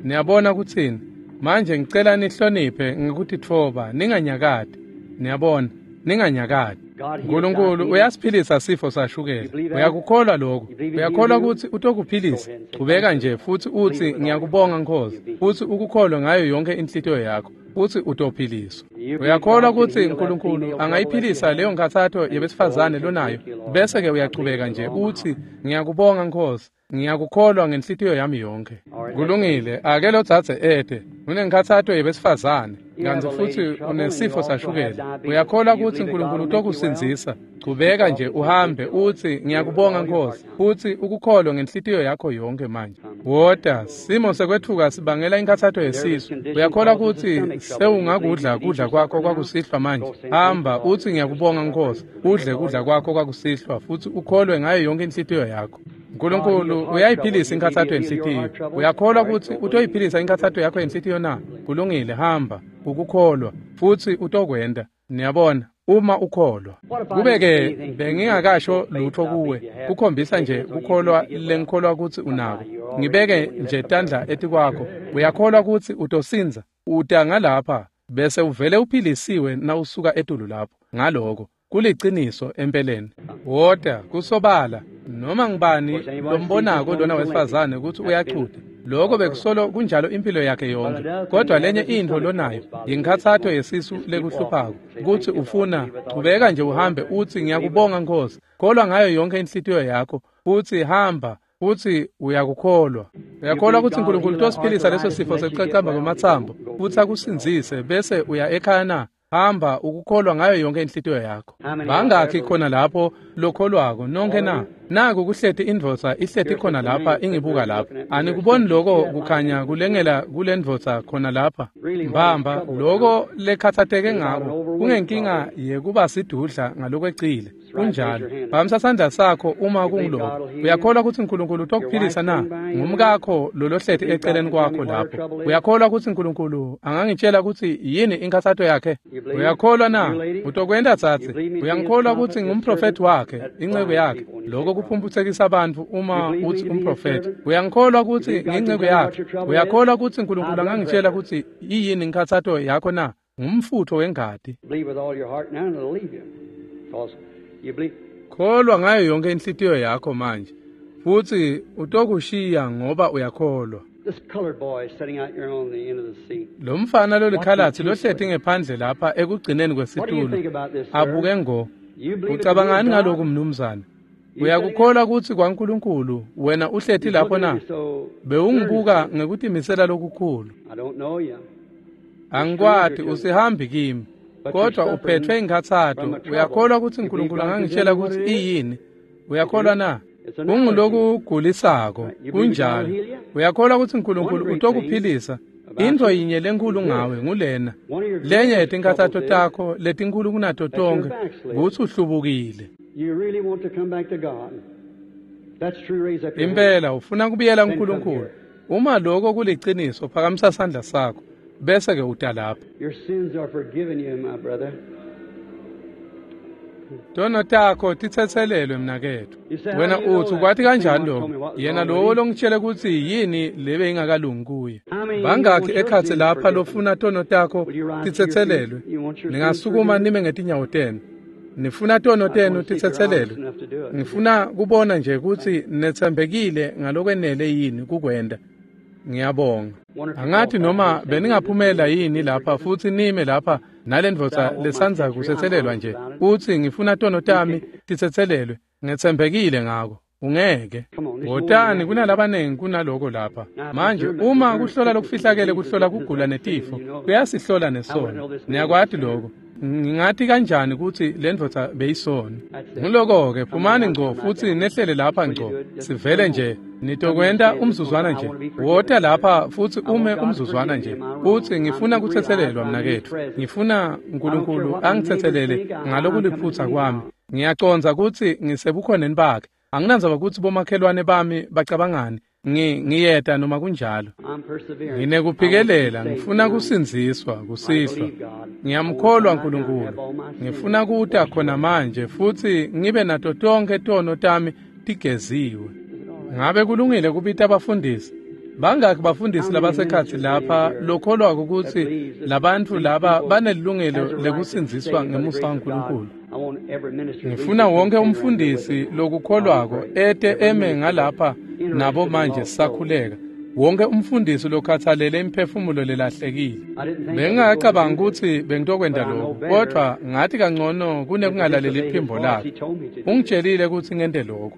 Speaker 2: Niyabona kutsini? Manje ngicela nihloniphe ngekutitfoba, ninganyakati. Niyabona, ninganyakati. uNkulunkulu uyasiphilisa sifo sashukela. Uyakukholwa lokho? Uyakholwa kutsi utokuphilisa? Chubeka nje futsi utsi ngiyakubonga Nkosi, futsi ukukholwe ngayo yonke inhlitiyo yakho, futsi utophiliswa. Uyakholwa kutsi uNkulunkulu angayiphilisa leyo nkhatsato yebesifazane lonayo, bese-ke uyachubeka nje utsi ngiyakubonga Nkosi, ngiyakukholwa ngenhlitiyo yami yonke. Kulungile, ake lo dzadze ete. Unenkhatsato yebesifazane, kantsi futsi unesifo sashukela. Uyakholwa kutsi uNkulunkulu utokusindzisa? Chubeka nje uhambe utsi ngiyakubonga Nkosi, futsi ukukholwe ngenhlitiyo yakho yonke manje. Wota, simo sekwetfuka sibangela inkhatsato yesisu. Uyakholwa kutsi sewungakudla kudla kwakho kwakusihlwa manje? Hamba utsi ngiyakubonga Nkosi, udle kudla kwakho kwakusihlwa futsi ukholwe ngayo yonke inhlitiyo yakho. uNkulunkulu uyayiphilisa inkhatsato yenhlitiyo. Uyakholwa kutsi utoyiphilisa inkhatsato yakho yenhlitiyo na? Kulungile, hamba ukukholwa futsi utokwenta. Niyabona, uma ukholwa. Kube-ke bengingakasho lutho kuwe, kukhombisa nje kukholwa lengikholwa kutsi unako. Ngibeke nje tandla etikwakho. Uyakholwa kutsi utosindza? Uta ngalapha bese uvele uphilisiwe nawusuka etulu lapho. Ngaloko kuliciniso empeleni. Wota kusobala, noma ngibani lombonako lona wesifazane kutsi uyachuta. Lokho bekusolo kunjalo impilo yakhe yonke. Kodwa lenye intfo lonayo yinkhatsato yesisu lekuhluphako, kutsi ufuna chubeka nje uhambe utsi ngiyakubonga Nkosi. Kholwa ngayo yonke inhlitiyo yakho futsi hamba futsi uyakukholwa. Uyakholwa kutsi uNkulunkulu utosiphilisa leso sifo sekucacamba kwematsambo futsi akusindzise bese uya ekhaya na? Hamba ukukholwa ngayo yonke inhlitiyo yakho. Bangakhi khona lapho lokholwako nonke na? Naku kuhleti indvodza ihleti khona lapha ingibuka lapha. Anikuboni lokho kukhanya kulengela kulendvodza khona lapha? Mbamba lokho lekhatsateke ngako kungenkinga yekuba sidudla ngalokwecile. Kunjalo. Phakamisa sandla sakho uma kunguloko. Uyakholwa kutsi uNkulunkulu utokuphilisa na? Ngumkakho lolohleti eceleni kwakho lapho. Uyakholwa kutsi uNkulunkulu angangitshela kutsi yini inkhatsato yakhe? Uyakholwa na? Utokwenta tsatsi. Uyangikholwa kutsi ngumprofethi wakhe, inceku yakhe. Lokho kuphumphutsekisa bantfu uma utsi umprofethi. Uyangikholwa kutsi ngiyinceku yakhe. Uyakholwa kutsi uNkulunkulu angangitshela kutsi iyini inkhatsato yakho na? Ngumfutho wengati.
Speaker 1: Believe with all your heart now and it'll leave you. Because you believe.
Speaker 2: Kholwa ngayo yonke inhlitiyo yakho manje, futsi utokushiya ngoba uyakholwa. Lo mfana lolikhalatsi lohleti ngephandle lapha ekugcineni kwesitulo abuke ngo. Ucabangani ngalokhu mnumzane? Uyakukholwa kutsi kwaNkulunkulu wena uhleti lapho na? Bewungibuka ngekutimisela lokukhulu. Angikwati, usihambi kimi, kodwa uphethwe inkhatsato. Uyakholwa kutsi uNkulunkulu angangitshela kutsi iyini? Uyakholwa na? Kungulokugulisako, kunjalo. Uyakholwa kutsi uNkulunkulu utokuphilisa? Intfo yinye lenkhulu ngawe ngulena. Lenye yetinkhatsato takho letinkhulu kunato tonkhe kutsi uhlubukile. Impela ufuna kubuyela kuNkulunkulu. Uma lokho kuliciniso, phakamisa sandla sakho bese ke uta lapha. Tono takho titsetselelwe mnaketfu. Wena utsi ukwati kanjani lokho? Yena lowo longitshele kutsi yini lebe ingakalungi kuye. Bangakhi ekhatsi lapha lofuna tono takho titsetselelwe? Ningasukuma nime ngetinyawo tenu. Nifuna tono tenu titsetselelwe? Ngifuna kubona nje kutsi netsembekile ngalokwenele yini kukwenta. Ngiyabonga. Angathi noma beningaphumela yini lapha futsi nime lapha nalendvodza lesandza kusetselelwa nje utsi ngifuna tono tami titsetselelwe, ngetsembekile ngako. Ungeke. Wotani, kunalabanengi kunaloko lapha. Manje uma kuhlola lokufihlakele kuhlola kugula netifo, kuyasihlola nesono. Niyakwati lokho. Ngingati kanjani kutsi lendvodza beyisona? Nguloko-ke, phumani ngco futsi nehlele lapha ngco. Sivele nje nitokwenta umzuzwana nje. Wota lapha futsi ume umzuzwana nje. Utsi ngifuna kutsetselelwa mnaketfu. Ngifuna uNkulunkulu angitsetselele ngalokuliphutsa kwami. Ngiyacondza kutsi ngisebukhoneni bakhe. Anginandzaba kutsi bomakhelwane bami bacabangani. Ngiyeta noma kunjalo. Nginekuphikelela, ngifuna kusindziswa kusihlwa. Ngiyamkholwa uNkulunkulu. Ngifuna kuta khona manje futsi ngibe nato tonkhe tono tami tigeziwe. Ngabe kulungile kubita abafundisi? Bangakhi bafundisi labasekhatsi lapha lokholwako kutsi labantfu laba banelilungelo lekusindziswa ngemusa waNkulunkulu? Ngifuna wonke umfundisi lokukholwako ete eme ngalapha nabo manje sisakhuleka. Wonke umfundisi lokhathalele imiphefumulo lelahlekile. Bengingacabanga kutsi bengitokwenta lokho, kodwa ngathi kangcono kunekungalaleli iphimbo lakhe. Ungitshelile kutsi ngente lokho.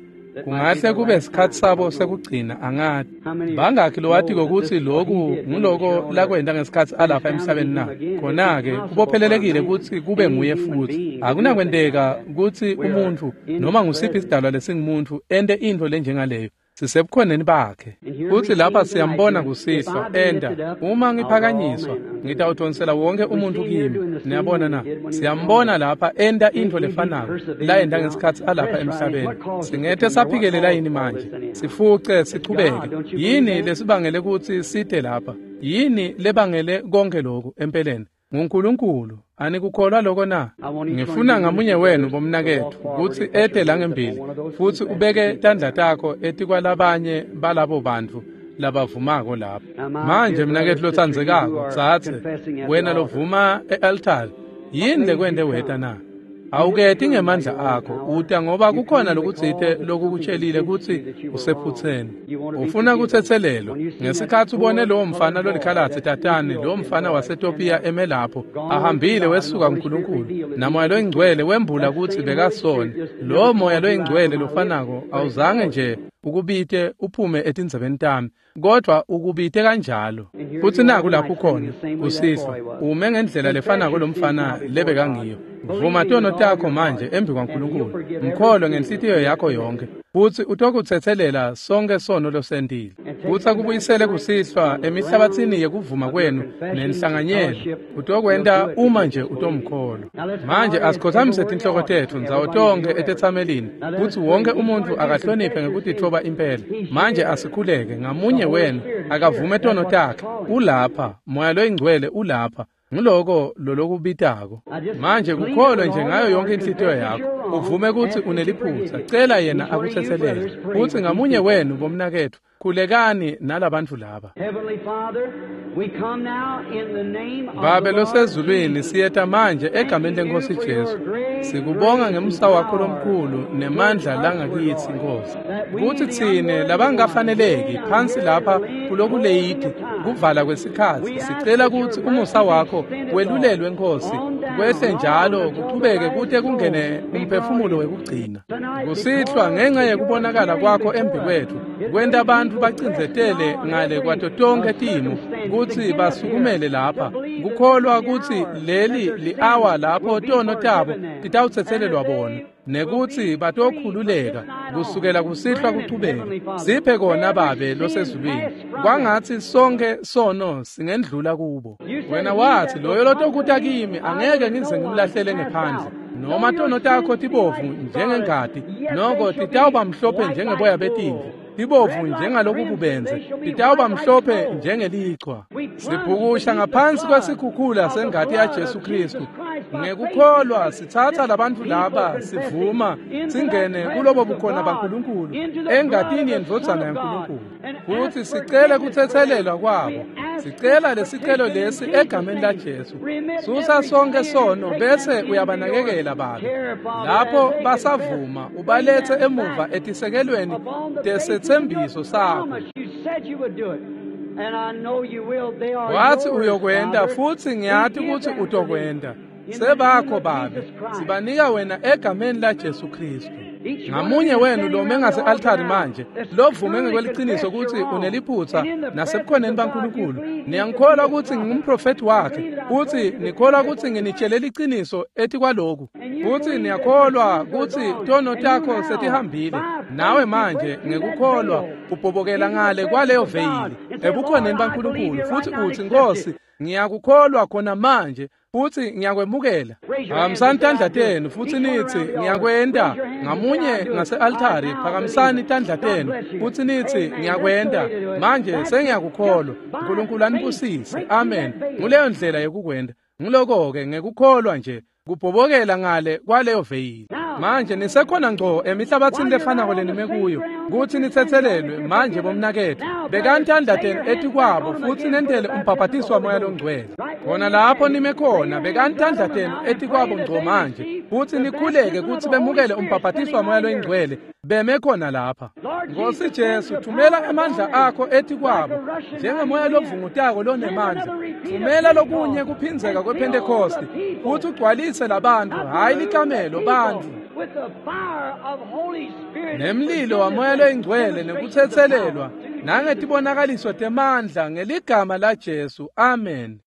Speaker 2: Kungahle kube sikhatsi sabo sekugcina, angati. Bangakhi lowatiko kutsi loku nguloko lakwenta ngesikhatsi alapha emhlabeni na? Khona-ke kubophelelekile kutsi kube nguye futsi. Akunakwenteka kutsi umuntfu noma ngusiphi isidalwa lesingumuntfu ente intfo lenjengaleyo. Sisebukhoneni bakhe. Futsi lapha siyambona kusihlwa enta. Uma ngiphakanyiswa, ngitawudonsela wonke umuntfu kimi. Niyabona na? Siyambona lapha enta intfo lefanako layenta ngesikhatsi alapha emhlabeni. Singete saphikelela yini manje? Sifuce sichubeke. Yini lesibangele kutsi site lapha? Yini lebangele konke lokhu empeleni? NguNkulunkulu. Anikukholwa lokho na? Ngifuna ngamunye wenu bomnaketfu kutsi ete langembili futsi ubeke tandla takho etikwalabanye balabo bantfu labavumako lapha. Manje mnaketfu lotsandzekako, tsatse wena lovuma e-altari, yini lekwente weta na? Awuketi ngemandla akho, uta ngoba kukhona lokutsite lokukutshelile kutsi usephutseni. Ufuna kutsetselelwa. Ngesikhatsi ubone lowo mfana lolikhalatsi tatane, lowo mfana waseTopiya eme lapho, ahambile wesuka kuNkulunkulu, naMoya loyiNgcwele wembula kutsi bekasona. Lowo Moya loyiNgcwele lofanako awuzange nje ukubite uphume etindzebeni tami, kodwa ukubite kanjalo. Futsi naku lapho ukhona kusihlwa, ume ngendlela lefanako lomfana lebekangiyo. Vuma tono takho manje embi kwaNkulunkulu, mkholwe ngenhlitiyo yakho yonke, futsi utokutsetselela sonke sono losentile. Futsi akubuyisele kusihlwa emihlabatsini yekuvuma kwenu nenhlanganyelo. Utokwenta uma nje utomkholwa. Manje asikhothamise tinhloko tetfu ndzawo tonkhe etetsamelini, kutsi wonke umuntfu akahloniphe ngekutitfoba impela. Manje asikhuleke, ngamunye wenu akavume tono takhe. Ulapha, Moya loyiNgcwele ulapha. Nguloko lolokubitako. Manje kukholwe nje ngayo yonke inhlitiyo yakho. Uvume kutsi uneliphutsa. Cela yena akutsetselele. Futsi ngamunye wenu bomnaketfu, Khulekani nalabantu laba. Babe losezulwini, siyeta manje egameni leNkosi Jesu. Sikubonga ngemusa wakho lomkhulu nemandla langakithi Nkosi. Kuthi tsine labangafaneleki phansi lapha kulokuleyidi kuvala kwesikhathi, sicela ukuthi umusa wakho welulelwe Nkosi, kwehle njalo kuchubeke kute kungene umphefumulo wekugcina. Kusihlwa ngenxa yekubonakala kwakho embi kwethu, kwenta abantu bacindzetele ngale kwato tonke timo kutsi basukumele lapha, kukholwa kutsi leli li-awa lapho tono tabo titawutsetselelwa bona, nekutsi batokhululeka kusukela kusihlwa kuchubeke. Siphe kona Babe losezulwini, kwangatsi sonke sono singendlula kubo. Wena wathi loyo lotokuta kimi angeke ngize ngimlahlele ngephandle. Noma tono takho tibovu njengengati, noko titawuba mhlophe njengeboya betimvu, tibovu njengalokububenze, titawuba mhlophe njengelichwa. Sibhukusha ngaphansi kwesikhukhula sengati ya Jesu Kristu. Ngekukholwa sithatha labantu laba sivuma singene kulobo bukhona baNkulunkulu engatini yendvodzana yaNkulunkulu, futhi sicele kutsetselelwa kwabo. Sicela lesicelo lesi egameni la Jesu. Susa sonke sono bese uyabanakekela Babe. Lapho basavuma ubalethe emuva etisekelweni tesetsembiso sakho. Wathi uyokwenda futhi ngiyati ukuthi utokwenda. Sebakho Babe, sibanika wena egameni la Jesu Kristu. Ngamunye wenu lo mengase-altari manje lovume ngekweliciniso ukuthi uneliphutha nasebukhoneni baNkulunkulu, niyangikholwa ukuthi ngingumprofethi wakhe, futhi nikholwa ukuthi nginitshele liciniso ethi kwaloku, futhi niyakholwa ukuthi tono takho setihambile nawe manje ngekukholwa ubhobokela ngale kwaleyo veyili ebukhoneni baNkulunkulu, futhi uthi Nkosi ngiyakukholwa khona manje futhi ngiyakwemukela. Phakamisani tandla tenu futhi nithi ngiyakwenda. Ngamunye ngase-altari phakamisani tandla tenu futhi nithi ngiyakwenda manje, sengiyakukholwa. uNkulunkulu anibusise. Amen. Nguleyo ndlela yokukwenda. Ngiloko-ke ngekukholwa nje kubhobokela ngale kwaleyo veyili. Manje nisekhona ngco emihlabathini lefanako lenime kuyo kuthi nitsetselelwe manje bomnakethu. Bekani tandla tenu etikwabo futhi nentele umbhabhatiso waMoya loNgcwele. Khona lapho nime khona, bekani tandla tenu etikwabo ngco manje futhi nikhuleke kuthi bemukele umbhabhatiso waMoya loNgcwele beme khona lapha. Nkosi Jesu, thumela emandla akho etikwabo njengemoya lovungutako lonemandla. Thumela lokunye kuphindzeka kwePhentekoste futhi ugcwalise labantu, hhayi likamelo, bantu nemlilo waMoya loyingcwele nekutsetselelwa nangetibonakaliso temandla ngeligama la Jesu. Amen.